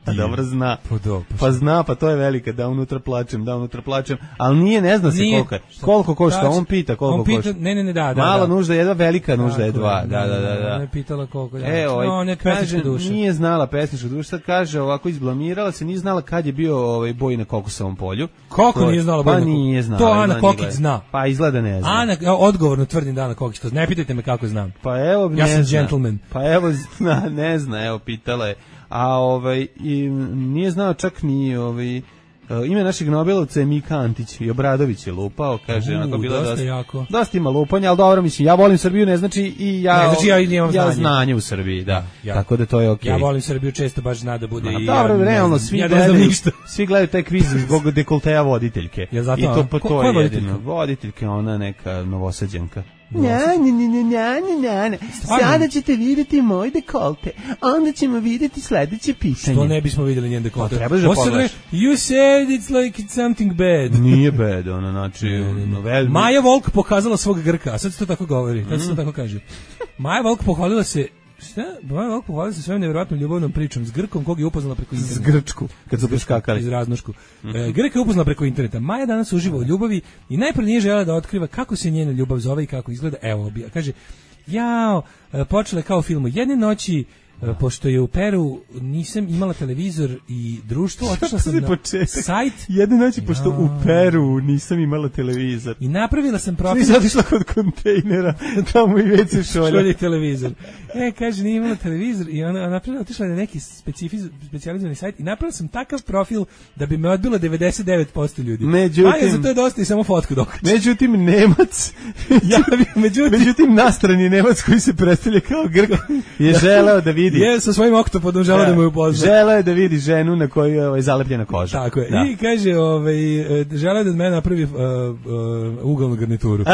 A dobro zna. Pa, do, pa, pa zna, pa to je velika, da unutra plačem, da unutra plačem, ali nije, ne zna se nije, koliko je. Koliko košta, da, on pita koliko on pita, košta. Ne, ne, ne, da, da. Mala da. nužda je jedna, velika nužda je dva. Je, da, da, da, da. Ona je pitala koliko. Da. E, ovaj, no, kaže, nije znala pesnička duša, sad kaže, ovako izblamirala se, nije znala kad je bio ovaj boj na Kokosovom polju. Kako to, nije znala boj pa na nije znala. To Ana Kokić zna. Pa izgleda ne zna. Ana, ja odgovorno tvrdim da Ana Kokić to zna. Ne pitajte me kako znam. Pa evo, ne ja sam zna. Gentleman. Pa evo, zna, ne zna, evo, pitala je. A ovaj i nije znao čak ni ovaj ime našeg Nobelovca je Mika Antić i Obradović je lupao, kaže, onako bilo dosta dosta, jako. dosta ima lupanja, al dobro, mislim, ja volim Srbiju, ne znači i ja ne znači ja imam ja znanje. znanje u Srbiji, da. Ja. Tako da to je okej. Okay. Ja volim Srbiju, često baš zna da bude. Ma, i dobro, ja, realno svi ja gledaju, svi gledaju taj kviz zbog dekolteja voditeljke. Ja zato, i to po ko, to je jedino. Voditeljka, ona neka Novosađanka. Nja, nja, nja, nja, nja, nja. Sada ćete vidjeti moj dekolte, onda ćemo vidjeti sledeće pitanje. Što ne bismo vidjeli njen dekolte? Pa trebaš da pogledaš. You said it's like it's something bad. Nije bad, ono, znači... Novel... Maja Volk pokazala svog Grka, a sad se to tako govori, sad se to tako kaže. Maja Volk pohvalila se Šta? Maja Volk pohvalila se svojom nevjerojatnom ljubavnom pričom s Grkom, kog je upoznala preko interneta. S Grčku, kad su preskakali. Iz Raznošku. Mm-hmm. E, Grka je upoznala preko interneta. Maja danas uživa u ljubavi i najprije nije želela da otkriva kako se njena ljubav zove i kako izgleda. Evo, obija. Kaže, jao, počela je kao u filmu. Jedne noći, pošto je u Peru nisam imala televizor i društvo, otišla sam na sajt. Jedne noći, pošto u Peru nisam imala televizor. I napravila sam profil. Nisam otišla kod kontejnera, tamo i već se šolja. Šolje televizor. E, kaže, nije imala televizor i ona napravila, otišla na neki specijalizovani sajt i napravila sam takav profil da bi me odbilo devedeset devet posto ljudi. Međutim, a ja za to je dosta i samo fotku dokače. Međutim, Nemac, ja, međutim, međutim, nastrani Nemac koji se predstavlja kao Grk je da, želeo da vidi. Je sa svojim oktopodom želeo da, da mu upozna. Želeo je da vidi ženu na kojoj je ovaj, zalepljena koža. Tako je. Da. I kaže, ovaj, želeo je da od mene napravi uh, uh, ugalnu garnituru.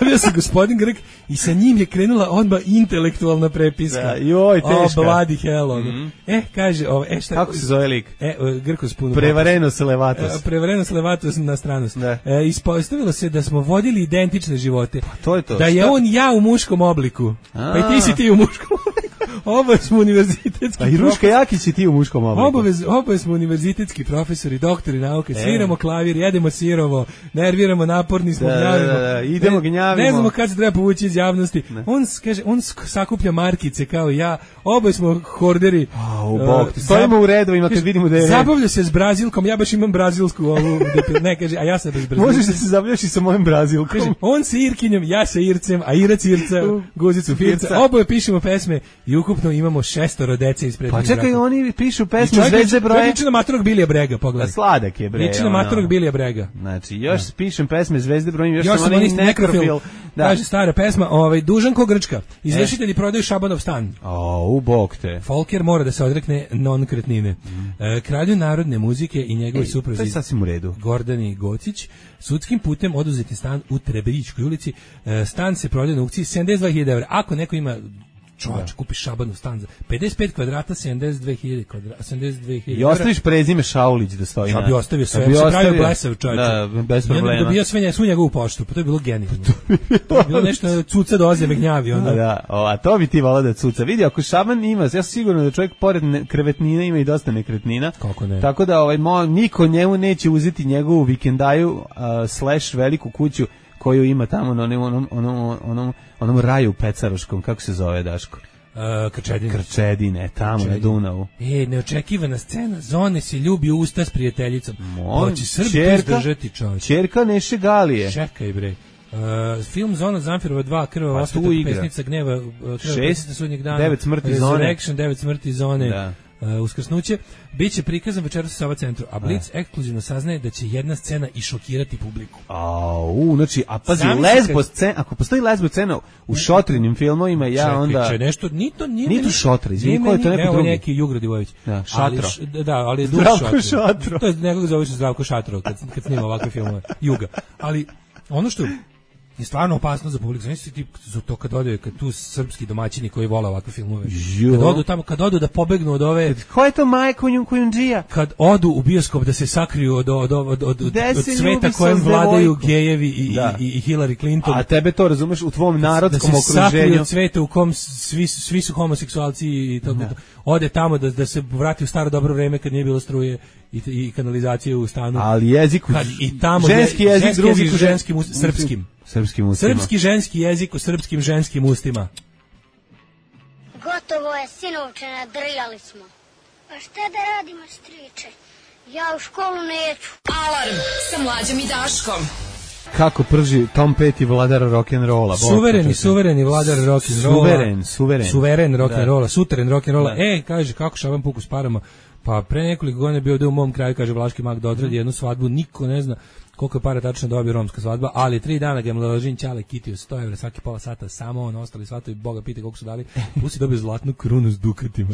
Javio se gospodin Grk i sa njim je krenula odmah intelektualna prepiska. Da, joj, teška. O, bloody hell. Mm-hmm. E, kaže, ovaj, e, šta... Kako se zove lik? E, Grkos puno... Prevarenos levatos. E, prevarenos levatos na stranost. Da. E, ispostavilo se da smo vodili identične živote. Pa to je to. Da je šta? On ja u muškom obliku. A. Pa i ti si ti u muškom obliku. Oba smo univerzitetski. Pa i Ruška Jakić i ti u muškom obliku. Obavez, oba smo univerzitetski profesori, doktori nauke, sviramo klavir, jedemo sirovo, nerviramo, naporni smo, da, gnjavimo. Da, da, idemo, gnjavimo. Ne znamo kad se treba povući iz javnosti. Ne. On kaže, on sakuplja markice kao i ja. Oba smo horderi. Oh, bog, uh, stojimo u redovima kad vidimo da je. Zabavlja se s Brazilkom, ja baš imam brazilsku ovu, ne kaže, a ja sam bez Brazilkom. Možeš da se zabavljaš i sa mojim Brazilkom. Kaže, on sa Irkinjom, ja sa Ircem, a Irac Irca, guzicu Firca. Oboje pišemo pesme i ukupno imamo šestoro dece ispred. Pa čekaj, braka. Oni pišu pesme Zvezde broje. Liči na matorog Bilija Brega, pogledaj. Sladak je bre. Liči na matorog Bilija Brega. Znači, još ja. Pišem pesme Zvezde broje, još, još sam oni nekrofil. Da. Kaže stara pesma, ovaj Dužan ko Grčka. Izvršitelji e. prodaju Šabanov stan. O, u bok te. Folker mora da se odrekne non-kretnine. Mm. E, kralju narodne muzike i njegovi supruzi. To je sasvim u redu. Gordani Gocić. Sudskim putem oduzeti stan u Trebejičkoj ulici. E, stan se prodaje na aukciji sedamdeset dva hiljade evra. Ako neko ima čovječ, da. Kupiš Šabanov stan za pedeset pet kvadrata, sedamdeset dve hiljade kvadrata, sedamdeset dve hiljade. I ostaviš prezime Šaulić da stoji. Ja bi ostavio sve, bi se ostavio, pravio blesav čovječ. Da, bez problema. Ja dobio sve, svu njegovu poštu, pa to je bilo genijalno. To je bilo nešto cuca doze me gnjavi. Onda. Da, o, a to bi ti volao da cuca. Vidi, ako Šaban ima, ja sam sigurno da čovjek pored ne, krevetnina ima i dosta nekretnina. Kako ne? Tako da ovaj, mo, niko njemu neće uzeti njegovu vikendaju uh, slash veliku kuću koju ima tamo na onom, onom, onom, onom, onom raju pecaroškom, kako se zove, Daško? Uh, Krčedine. Krčedine, tamo Krčedine. Na Dunavu. E, neočekivana scena, Zone se ljubi u usta s prijateljicom. Hoće Srbi izdržati čovječ. Čerka Neše Galije. Čekaj bre. Uh, film Zona Zamfirova dva, Krvava Pa osveta, Pesnica gneva, Krvava pesnica sudnjeg dana, devet smrti zone, Resurrection, devet smrti zone, da. Uh, uskrsnuće, bit će prikazan večeras u Sava centru, a Blic ekskluzivno saznaje da će jedna scena i šokirati publiku. Au, znači, a pazi, Zamisli lesbo kad- scena, ako postoji lesbo scena u Šotrinim filmovima, ja Čekaj, onda... če, nešto, ni to, nije Nije to meni- Šotra, izvini, nije ko je to meni- neko evo drugi? neki Jugo Radivojević. Da, Ali Šatro. š- da, ali je Duš Zdravko Šatro. Šatro. To je nekog zove se Zdravko Šatro kad, kad snima ovakve filmove. Juga. Ali ono što je stvarno opasno za publiku. Znači ti za to kad ode, kad tu srpski domaćini koji vole ovakve filmove. Jo. Kad odu tamo, kad odu da pobegnu od ove, Ko je to Majko Kujundžija? kad odu u bioskop da se sakriju od od od od, od, Gde od se sveta ljubi kojem sa vladaju devojkom? gejevi i, Da. i, i Hillary Clinton. A tebe to razumeš u tvom narodskom da se sakriju okruženju. od sveta u kom svi su- svi su homoseksualci i to, Da. ode tamo da da se vrati u staro dobro vreme kad nije bilo struje i, i kanalizacije u stanu. Ali jezik u- Kad i tamo ženski je- jezik, ženski drugi jezik u žen- ženskim us- srpskim. Srpskim ustima. Srpski ženski jezik u srpskim ženskim ustima. Gotovo je, sinovče, nadrljali smo. Pa šta da radimo, striče? Ja u školu neću. Alarm sa Mlađom i Daškom. Kako prži Tom Petty vladar rock'n'rolla. Suvereni, suvereni vladar rock'n'rolla. Suveren, suveren. Suveren rock'n'rolla, Da. suteren rock'n'rolla. Da. E, kaže, kako Šaban Puku s parama. Pa pre nekoliko godina je bio da u mom kraju, kaže Vlaški mag, da odradi jednu svadbu, niko ne zna koliko je para tačno dobio romska svadba, ali tri dana ga je mladožin Ćale kitio sto evra svaki pola sata, samo on, ostali svatovi, Boga pite koliko su dali, plus je dobio zlatnu krunu s dukatima.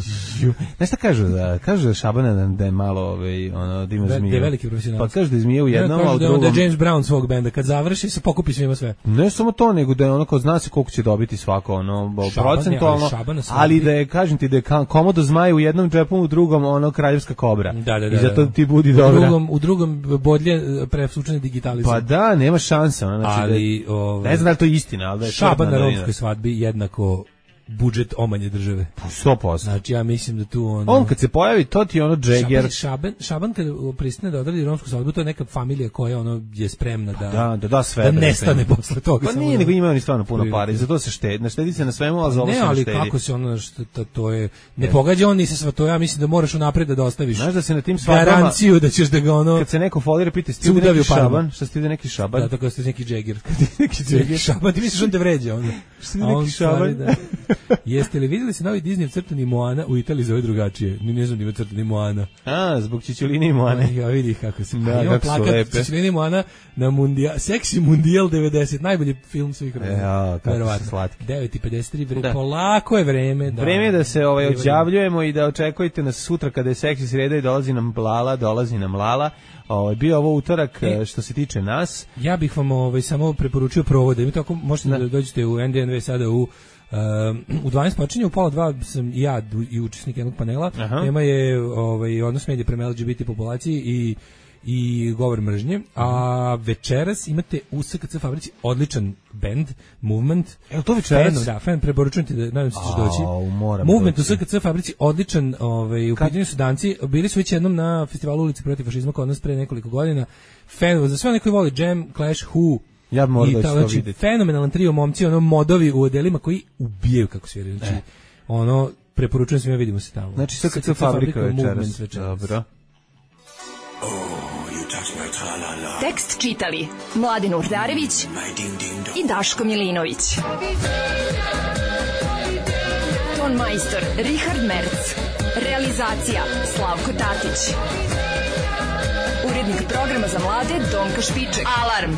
Znaš šta kažu da, kažu da Šabana da, da je malo ovaj, ono, da ima Da- da je zmiju. veliki profesionalac. Pa kažu da je zmije u jednom, Kažu a u da je on- drugom... da je James Brown svog benda, kad završi se pokupi svima sve. Ne samo to, nego da je ono kao zna se koliko će dobiti svako, ono, bo- Šaban je, procentualno, ali Šaban na svadbi- ali da je, kažem ti, da je ka- komodo zmaj u jednom džepu, u drugom, ono, kraljevska kobra. Da, da, da. I zato da. ti budi u dobra. drugom, u drugom bodlje presučene digitalizam. Pa da, nema šanse. Ono, znači Ali, da, ovaj, ne znam da li to je istina, ali da je Šaban tvrdna na novina. romskoj svadbi jednako budžet omanje države. sto posto. Znači ja mislim da tu ono... On kad se pojavi, to ti je ono Jagger. Šaban, Šaban, Šaban kad pristane da odradi romsku svadbu, to je neka familija koja ono je spremna da Da, da, da sve. da bre, nestane sve. posle toga. Pa samo nije, da- nego imaju oni stvarno puno Prilike. para i zato se štedi. Ne štedi se na svemu, ali za ovo Ne, se ne ali štedi. kako se ono što to, to je ne pogađa on ni se sva to, ja mislim da moraš unapred da dostaviš. Znaš da se na tim svadbama, garanciju da ćeš da ga ono kad se neko folira, pita sti ovdje Cudavi neki u parama. Šaban, šta sti ovdje neki Šaban? da tako ste neki džegir. neki Neki Šaban, ti misliš on te vređa onda. Šta ti A on neki stvari, Šaban? da. Jeste li vidjeli se novi Disney crtani Moana u Italiji zove drugačije? Ni ne znam da ima crtani Moana. A, zbog Čičulini i Moane. Ja vidi kako se. Da, Ima kako su plakat lepe. Čičulini Moana na mundijal, Seksi Mundijal devedeset, najbolji film svih vremena. Ja, kako su Verovatno. slatki. devet i pedeset tri, vre, Da. polako je vreme. Da, Vreme je da se ovaj Vreme. odjavljujemo i da očekujete nas sutra kada je seksi sreda i dolazi nam Lala, dolazi nam Lala. Ovaj bio ovo utorak E. e, što se tiče nas. Ja bih vam ovaj samo preporučio provode. Mi tako možete da, Da. dođete u N D N V sada u Um, u dvanaest počinje, u pola dva sam i ja du- i učesnik jednog panela. Aha. Tema je ovaj, odnos medija prema L G B T populaciji i i govor mržnje, a večeras imate u S K C fabrici odličan band, Movement. Evo to večeras? Fan, da, fan, preporučujem ti da nadam se ćeš Au, doći. moram Movement doći. u S K C fabrici odličan, ovaj, u Kad- pitanju su danci, bili su već jednom na festivalu Ulici protiv fašizma kod nas pre nekoliko godina. Fan, za sve one koji voli Jam, Clash, Who, Ja bi morao i da ću ta- to znači, vidjeti. fenomenalan trio momci, ono modovi u odelima koji ubijaju kako sviraju. Znači, E. ono, preporučujem svima, vidimo se tamo. Znači S K C fabrika večeras. Dobro. Tekst čitali Mladin Urdarević i Daško Milinović. Ton majstor Richard Merc. Realizacija Slavko Tatić. Urednik programa za mlade Donka Špiček. Alarm!